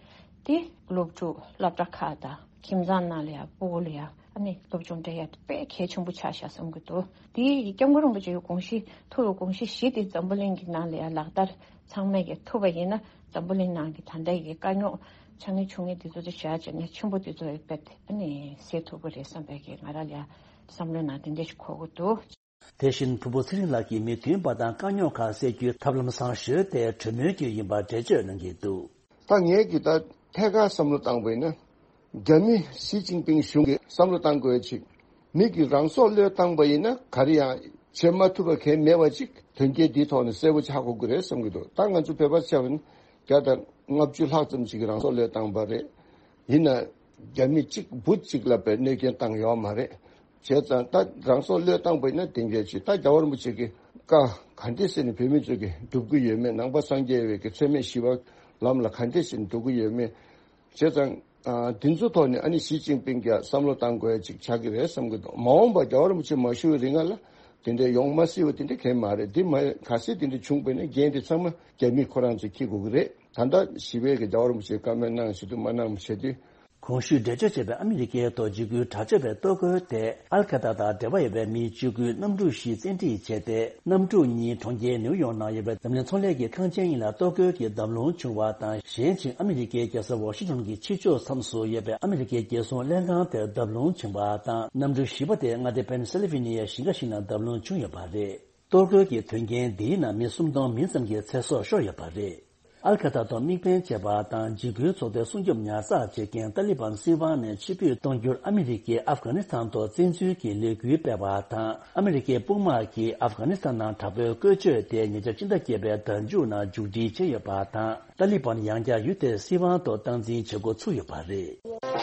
དེ་སློབ་ཕྲུག་སློབ་གྲྭ་ཁག་དང་ཁྱིམ་ཚང་ནང་ལ་ཡང་སྤུ་གུ་ལ་ཡང་ཨ་ནི་སློབ་སྦྱོང་སྤྲད་ཡ་དེ་དཔེ་གལ་ཆེན་པོ་ཆགས་ཤག་བསམ་གྱི་འདུག་དེ་ཡི་སྐྱབས་མགོན་རིན་པོ་ཆེའི་དགོངས་གཞི་ཐུགས་ཀྱི་དགོངས་གཞི་བཞི་དེ་འཛམ་བུ་གླིང་གི་ནང་ལ་ཡང་ལག་བསྟར་ཚང་མས་ཀྱིས་ཐུབ་པ་ཡིན་ན་འཛམ་བུ་གླིང་ནང་གི་ད་ལྟ་ཡི་དཀའ་རྙོག་ཆེ་ངེས་ཆུང་ངེས་དེ་ཚོ་དེ་བཞག་བྱས་ནས་ཆེན་པོ་དེ་ཚོ་ཡི་དཔེ་དེ་ཨ་ནི་སེལ་ཐུབ་ཀྱི་རེད་བསམ་པའི་གི་ང་རང་ལ་ཡང་བསམ་བློའི་ནང་དེ་འདྲ་ཞིག་འཁོར་གྱི་འདུག་དེ་བཞིན་ཕུར་བུ་ཚེ་རིང་ལགས་ཀྱིས་མི་མཐུན་པ་དང་དཀའ་རྙོག་ཁག་སེལ་རྒྱུའི་ཐབས་ལམ་བཟང་ཤོས་དེ་གྲོས་མོལ་བརྒྱུད་ཡིན་པར་འགྲེལ་བརྗོད་གནང་གི་འདུག་ད་ངས་ཀྱི་ད་ཐད་ཀར་བསམ་བློ་བཏང་བ་ཡིན་ན། རྒྱ་མི་ཞི་ཅིན་ཕིང་གཞུང་གིས་བསམ་བློ་བཏང་དགོས་ཅིག་མི་གིས་རང་སྲོག་བློས་བཏང་པ་ཡིན་ན་ག་རེ་ཡང་བྱེད་མ་ཐུབ་པ་གང་མེད་པ་ཅིག་དོན་རྐྱེན་འདིའི་ཐོག་ནས་གསལ་པོ་ཆགས་དགོས་ཀྱི་རེད་བསམ་གྱི་འདུག་ད་ང་ཚོ་བོད་པ་ཆ་བཞག་ན་བརྒྱ་དང་ལྔ་བཅུ་ལྷག་ཙམ་ཅིག་གིས་རང་སྲོག་བློས་བཏང་པ་རེད། ཡིན་ན་རྒྱ་མི་གཅིག་བུ་གཅིག་ལ་བས་གནོད་སྐྱོན་བཏང་ཡོད་མ་རེད། བྱས་ཙང་ད་རང་སྲོག་བློས་བཏང་པ་ཡིན་ན་དེ་འདྲ་ཅིག་ད་རྒྱལ་བ་རིན་པོ་ཆེ་གི་བཀའ་ག་འདྲས་ཟེར་ནས་བོད་མི་ཚོ་གི་སྒྲུབ་ཀྱི་ཡོད་མེད། ནང་པ་སངས་རྒྱས་པའི་གི་འཚེ་མེད་ཞི་བ་ལམ་ལ་ག་འདྲས་ཟེར་ནས་འགྲོ་གི་ཡོད་མེད། བྱས་ཙང་། ཨ། འདི་ཚོ་ཐོག་ནས་ཨ་ནི་ཞི་ཅིན་ཕིང་གིས་བསམ་བློ་བཏང་དགོས་ཡ་ཅིག་ཆགས་ཀྱི་རེད་བསམ་གྱི་འདུག་མ་འོངས་པ་རྒྱལ་བ་རིན་པོ་ཆེ་མ་བཞུགས་པའི་རིང་ལ་དེ་འདྲའི་ཡོང་མ་སྲིད་པ་དེ་འདྲ་གང་མ་རེད། འདི་མ་གལ་སྲིད་དེ་འདྲ་བྱུང་པ་ཡིན་ན་འགན་དེ་ཚང་མ་རྒྱ་མི་ཁོ་རང་ཚོས་འཁྱེར་དགོས་ཀྱི་རེད། ད་ལྟ་ཞི་བའི་གི་རྒྱལ་བ་རིན་པོ་ཆེས་བཀའ་མོལ་གནང་བྱེད་དུ་མ་གནང་བྱེད་དུས། གོང་ཞུས་འགྲེལ་བརྗོད་བྱས་པའི་ཨ་མི་རི་ཀའི་ཐོག་འཇིགས་སྐུལ་དྲག་སྤྱོད་པའི་གཏོར་རྒོལ་དེ་ཨལ་ཁ་ད་དང་འབྲེལ་བ་ཡོད་པའི་མིའི་སྤྱོད་སྒོའི་གནམ་གྲུ་ཞིག་བཙན་ཁྲིད་བྱས་ཏེ། གནམ་གྲུ་གཉིས་གྲོང་ཁྱེར་ནེའུ་ཡོག་ནང་ཡོད་པའི་འཛམ་གླིང་ཚོང་ལས་ཀྱི་ཁང་ཆེན་གཉིས་ལ་གཏོར་རྒོལ་གྱི་བརྡབ་ལྷུང་བྱུང་བ་དང་། གཞན་ཕྱིར་ཨ་མི་རི་ཀའི་རྒྱལ་ས་ཝ་ཤིང་ཊོན་གྱི་ཕྱི་ཕྱོགས་མཚམས་སུ་ཡོད་པའི་ཨ་མི་རི་ཀའི་རྒྱལ་སྲུང་ལྷན་ཁང་དེར་བརྡབ་ལྷུང་བྱུང་བ་དང་། གནམ་གྲུ་བཞི་པ་དེ་མངའ་སྡེ་པེན་སིལ་ཝེ་ནི་ཡའི་ཞིང་ཁ་ཞིག་ནང་བརྡབ་ལྷུང་བྱུང་ཡོད་པ་རེད། གཏོར་རྒོལ་གྱི་དོན་རྐྱེན་འདིའི་ནང་མི་སུམ་སྟོང་མིན་ཙམ་གྱི་ཚེ་སྲོག་ཤོར་ཡོད་པ་རེད། ཨལ་ཁ་ད་ཐོག་དམིགས་འབེན་བྱས་པ་དང་འཇིགས་སྐུལ་ཚོགས་པའི་སྲུང་སྐྱོབ་ཉར་ཚགས་བྱེད་མཁན་ཏཱ་ལི་བན་སྲིད་དབང་ནས་ཕྱིར་འབུད་གཏོང་རྒྱུར་ཨ་མི་རི་ཀས་ཨབ་གྷ་ནི་སི་ཐན་ཐོག་བཙན་འཛུལ་གྱི་ལས་འགུལ་སྤེལ་བ་དང་། ཨ་མི་རི་ཀའི་དཔུང་དམག་གིས་ཨབ་གྷ་ནི་སི་ཐན་ནང་དྲག་པོའི་བཀོལ་སྤྱོད་དེ་ཉེ་ཆར་ཕྱི་ཟླ་བརྒྱད་པའི་ཟླ་མཇུག་ནང་མཇུག་སྒྲིལ་བྱས་ཡོད་པ་དང་། ཏཱ་ལི་བན་ཡང་བསྐྱར་ཡུལ་དེར་སྲིད་དབང་ཐོག་སྟངས་འཛིན་བྱེད་འགོ་ཚུགས་ཡོད་པ་རེད།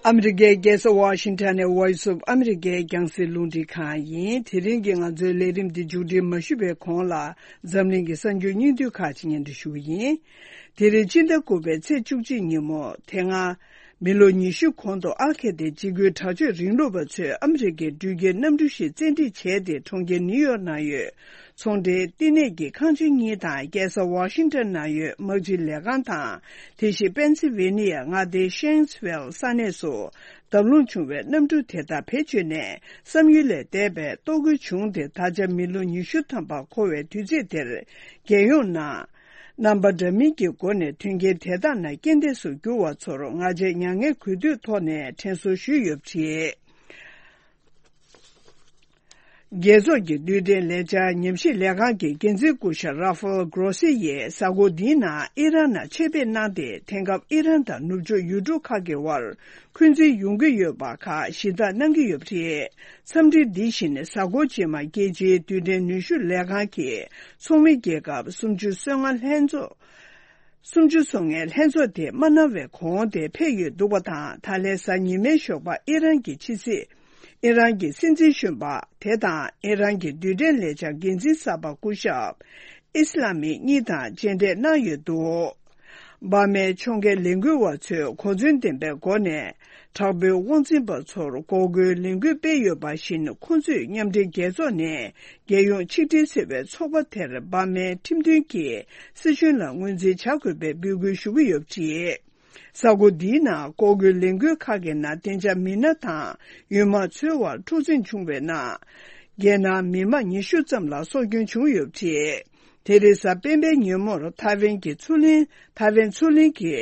ཨ་མི་རི་ཀའི་རྒྱལ་ས་ཝ་ཤིང་ཊོན་ནས་Voice of America་རྒྱང་སྲིང་རླུང་འཕྲིན་ཁང་ཡིན། དེ་རིང་གི་ང་ཚོའི་ལས་རིམ་འདི་མཇུག་སྒྲིལ་མ་ཞུས་པའི་གོང་ལ་འཛམ་གླིང་གི་གསར་འགྱུར་སྙིང་བསྡུས་ཁག་ཅིག་སྙན་སྒྲོན་ཞུ་གི་ཡིན། དེ་རིང་ཕྱི་ཟླ་དགུ་པའི་ཚེས་བཅུ་གཅིག་ཉིན་མོ་དེ་སྔ། མི་ལོ་ཉི་ཤུ་གོང་དུ་ཨལ་ཁེ་ཏའི་འཇིགས་སྐུལ་དྲག་སྤྱོད་རིང་ལུགས་པ་ཚོས་ཨ་མི་རི་ཀའི་འགྲུལ་སྐྱེལ་གནམ་གྲུ་ཞིག་བཙན་ཁྲིད་བྱས་ཏེ། གྲོང་ཁྱེར་ནིའུ་ཡོག་ནང་ཡོད་ཚོང་འབྲེལ་བསྟི་གནས་ཀྱི་ཁང་ཆེན་གཉིས་དང་། རྒྱལ་ས་ཝ་ཤིང་ཊོན་ནང་ཡོད་དམག་སྤྱི་ལས་ཁང་དང་། དེ་བཞིན་པེན་སི་ཝེ་ནི་ཡ་མངའ་སྡེའི་ཤེངས་ཝེལ་ས་གནས་སུ་བརྡབ་ལྷུང་བྱུང་བའི་གནམ་གྲུ་དེ་དག་བེད་སྤྱོད་ནས་བསམ་ཡུལ་ལས་འདས་པའི་གཏོར་རྒོལ་བྱུང་སྟེ། ད་ཆ་མི་ལོ་ཉི་ཤུ་ཐམ་པ་འཁོར་བའི་དུས་ཚིགས་དེར། རྒྱལ་ཡོངས་ནང་རྣམ་པ་འདྲ་མིན་གྱི་སྒོ་ནས་དོན་རྐྱེན་དེ་དག་ནང་རྐྱེན་འདས་སུ་གྱུར་བ་ཚོར་ང་རྒྱལ་མྱ་ངན་གུས་འདུད་ཐོག་ནས་དྲན་གསོ་ཞུས་ཡོད་པ་རེད། རྒྱལ་ཚོགས་ཀྱི་རྡུལ་ཕྲན་ལས་འཆར་ཉམས་ཞིབ་ལས་ཁང་གི་འགན་འཛིན་སྐུ་ཞབས་ར་ཧྥེལ་གྷོ་སི་ཡིས་གཟའ་འཁོར་འདིའི་ནང་ཨི་རན་ནང་ཆེད་ཕེབས་གནང་སྟེ། དེང་སྐབས་ཨི་རན་དང་ནུབ་ཕྱོགས་ཡུལ་གྲུ་ཁག་གི་དབར་འཁོན་འཛིན་ཡོང་གི་ཡོད་པ་ཁག་ཞི་དག་གནང་གི་ཡོད་པ་རེད། འཚམས་འདྲི་འདི་བཞིན་གཟའ་འཁོར་རྗེས་མ་རྒྱལ་སྤྱིའི་རྡུལ་ཕྲན་ནུས་ཤུགས་ལས་ཁང་གི་ཚོགས་མི་རྒྱལ་ཁབ་སུམ་ཅུ་སོ་ལྔ་ལྷན་ཚོགས། སུམ་ཅུ་སོ་ལྔའི་ལྷན་ཚོགས་དེ་མ་གནང་བའི་གོང་དེ་ཕེབས་ཡོད་འདུག་པ་དང་། ད་ལན་གཟའ་ཉི་མའི་ཞོགས་པ་ཨི་རན་གྱི་ཕྱི་སྲིད། ཨི་རན་གྱི་སྲིད་འཛིན་གཞོན་པ་དེ་དང་ཨི་རན་གྱི་རྡུལ་ཕྲན་ལས་འཆར་འགན་འཛིན་གསར་པ་སྐུ་ཞབས་ཨི་སི་ལ་མི་གཉིས་དང་མཇལ་འཕྲད་གནང་ཡོད་འདུག་འབར་མའི་ཕྱོགས་འགལ་ལས་འགུལ་བ་ཚོས་གོ་མཚོན་ལྡན་པའི་སྒོ་ནས་དྲག་པོའི་དབང་འཛིན་པ་ཚོར་འགོག་རྒོལ་ལས་འགུལ་སྤེལ་ཡོད་པ་བཞིན། ཁོང་ཚོས་མཉམ་འབྲེལ་རྒྱལ་ཚོགས་ནས་རྒྱལ་ཡོངས་ཆིག་སྒྲིལ་ཟེར་བའི་ཚོགས་པ་དེར་འབར་མའི་ཁྲིམས་མཐུན་གྱི་སྲིད་གཞུང་ལ་ངོས་འཛིན་བྱ་དགོས་པའི་འབོད་སྐུལ་ཞུ་གི་ཡོད་པ་རེད། གཟའ་འཁོར་འདིའི་ནང་ལྐོག་རྒོལ་ལས་འགུལ་ཁག་གི་ནང་བདེ་འཇགས་མི་སྣ་དང་ཡུལ་དམག་ཚོའི་དབར་འཁྲུག་འཛིང་བྱུང་བའི་ནང་། རྒྱལ་ནང་མི་དམངས་ཉི་ཤུ་ཙམ་ལ་སྲོག་སྐྱོན་བྱུང་ཡོད་པ་རེད། དེ་རིང་གཟའ་སྤེན་པའི་ཉིན་མོར་ཐའེ་ཝན་གྱི་མཚོ་གླིང་། ཐའེ་ཝན་མཚོ་གླིང་གི་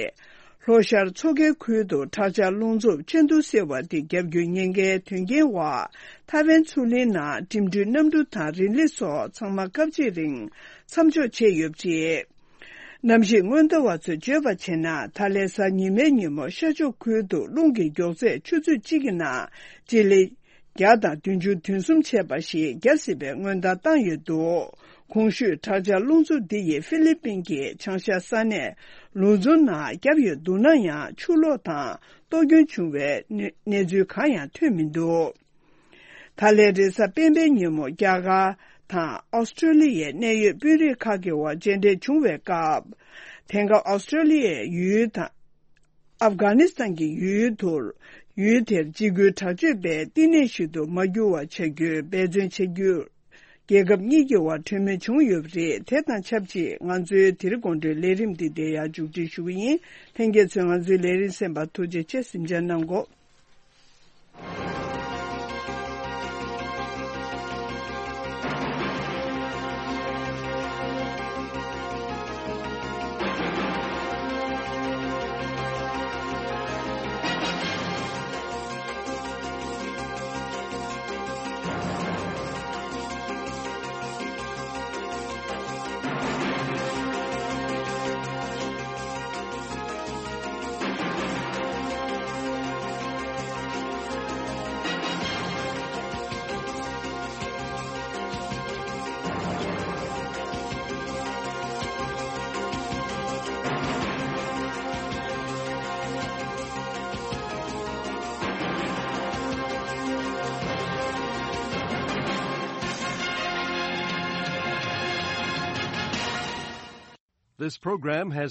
ལྷོ་ཤར་མཚོ་ཁའི་ཁུལ་དུ་དྲག་ཆར་རླུང་འཚུབ་ཆེན་ཏུའུ་ཟེར་བ་དེ་བརྒྱབ་རྒྱུའི་ཉེན་ཁའི་དོན་རྐྱེན་འོག་ཐའེ་ཝན་མཚོ་གླིང་ནང་འགྲིམ་འགྲུལ་གནམ་གྲུ་དང་རི་ལི་སོགས་ཚང་མ་སྐབས་གཅིག་རིང་མཚམས་འཇོག་བྱས་ཡོད་པ་རེད། གནམ་གཤིས་སྔོན་བརྡ་བ་ཚོས་བརྗོད་པར་བྱས་ན། ད་ལན་གཟའ་ཉི་མའི་ཉིན་མོ་ཤར་ཕྱོགས་ཁུལ་དུ་རླུང་གི་མགྱོགས་ཚད་ཆུ་ཚོད་གཅིག་གི་ནང་སྤྱི་ལེ་བརྒྱ་དང་བདུན་ཅུ་དོན་གསུམ་བྱས་པ་ཞིག་བརྒྱབ་སྲིད་པའི་སྔོན་བརྡ་བཏང་ཡོད་འདུག་གོང་ཞུས་དྲག་ཆར་རླུང་འཚུབ་འདི་ཡིས་ཧྥི་ལི་པིན་གྱི་བྱང་ཤར་ས་གནས་ལུ་ཛོན་ནང་བརྒྱབ་ཡོད་འདུག་ན་ཡང་། ཆུ་ལོག་དང་གཏོར་སྐྱོན་བྱུང་བའི་གནས་ཚུལ་གང་ཡང་ཐོན་མི་འདུག་ད་ལན་རེས་གཟའ་སྤེན་པའི་ཉིན་མོ་རྒྱ་གར་དང་ཨོ་སི་ཀྲོ་ལི་ཡའི་གནད་ཡོད་དཔོན་རིགས་ཁག་གི་དབར་མཇལ་འཕྲད་བྱུང་བའི་སྐབས། དེང་སྐབས་ཨོ་སི་ཀྲོ་ལི་ཡའི་ཡུལ་དང་ཨབ་གྷ་ནི་སི་ཐན་གྱི་ཡུལ་དུ། ཡུལ་དེར་འཇིགས་སྐུལ་དྲག་སྤྱོད་པའི་བསྟི་གནས་ཤིག་ཏུ་མ་གྱུར་བ་བྱ་རྒྱུའི་འབད་བརྩོན་བྱ་རྒྱུར། རྒྱལ་ཁབ་གཉིས་ཀྱི་དབར་གྲོས་མོལ་བྱུང་ཡོད་པ་རེད། དེ་དང་ཆབས་ཅིག་ང་ཚོའི་དེ་རིང་དགོང་དྲོའི་ལས་རིམ་འདི་འདིར་ཡང་མཇུག་སྒྲིལ་ཞུ་གི་ཡིན། ལྷན་རྒྱས་ཚོས་ང་ཚོའི་ལས་རིམ་གསན་པར་ཐུགས་རྗེ་ཆེ། གཟིམ་འཇག་གནང་གོ། This program has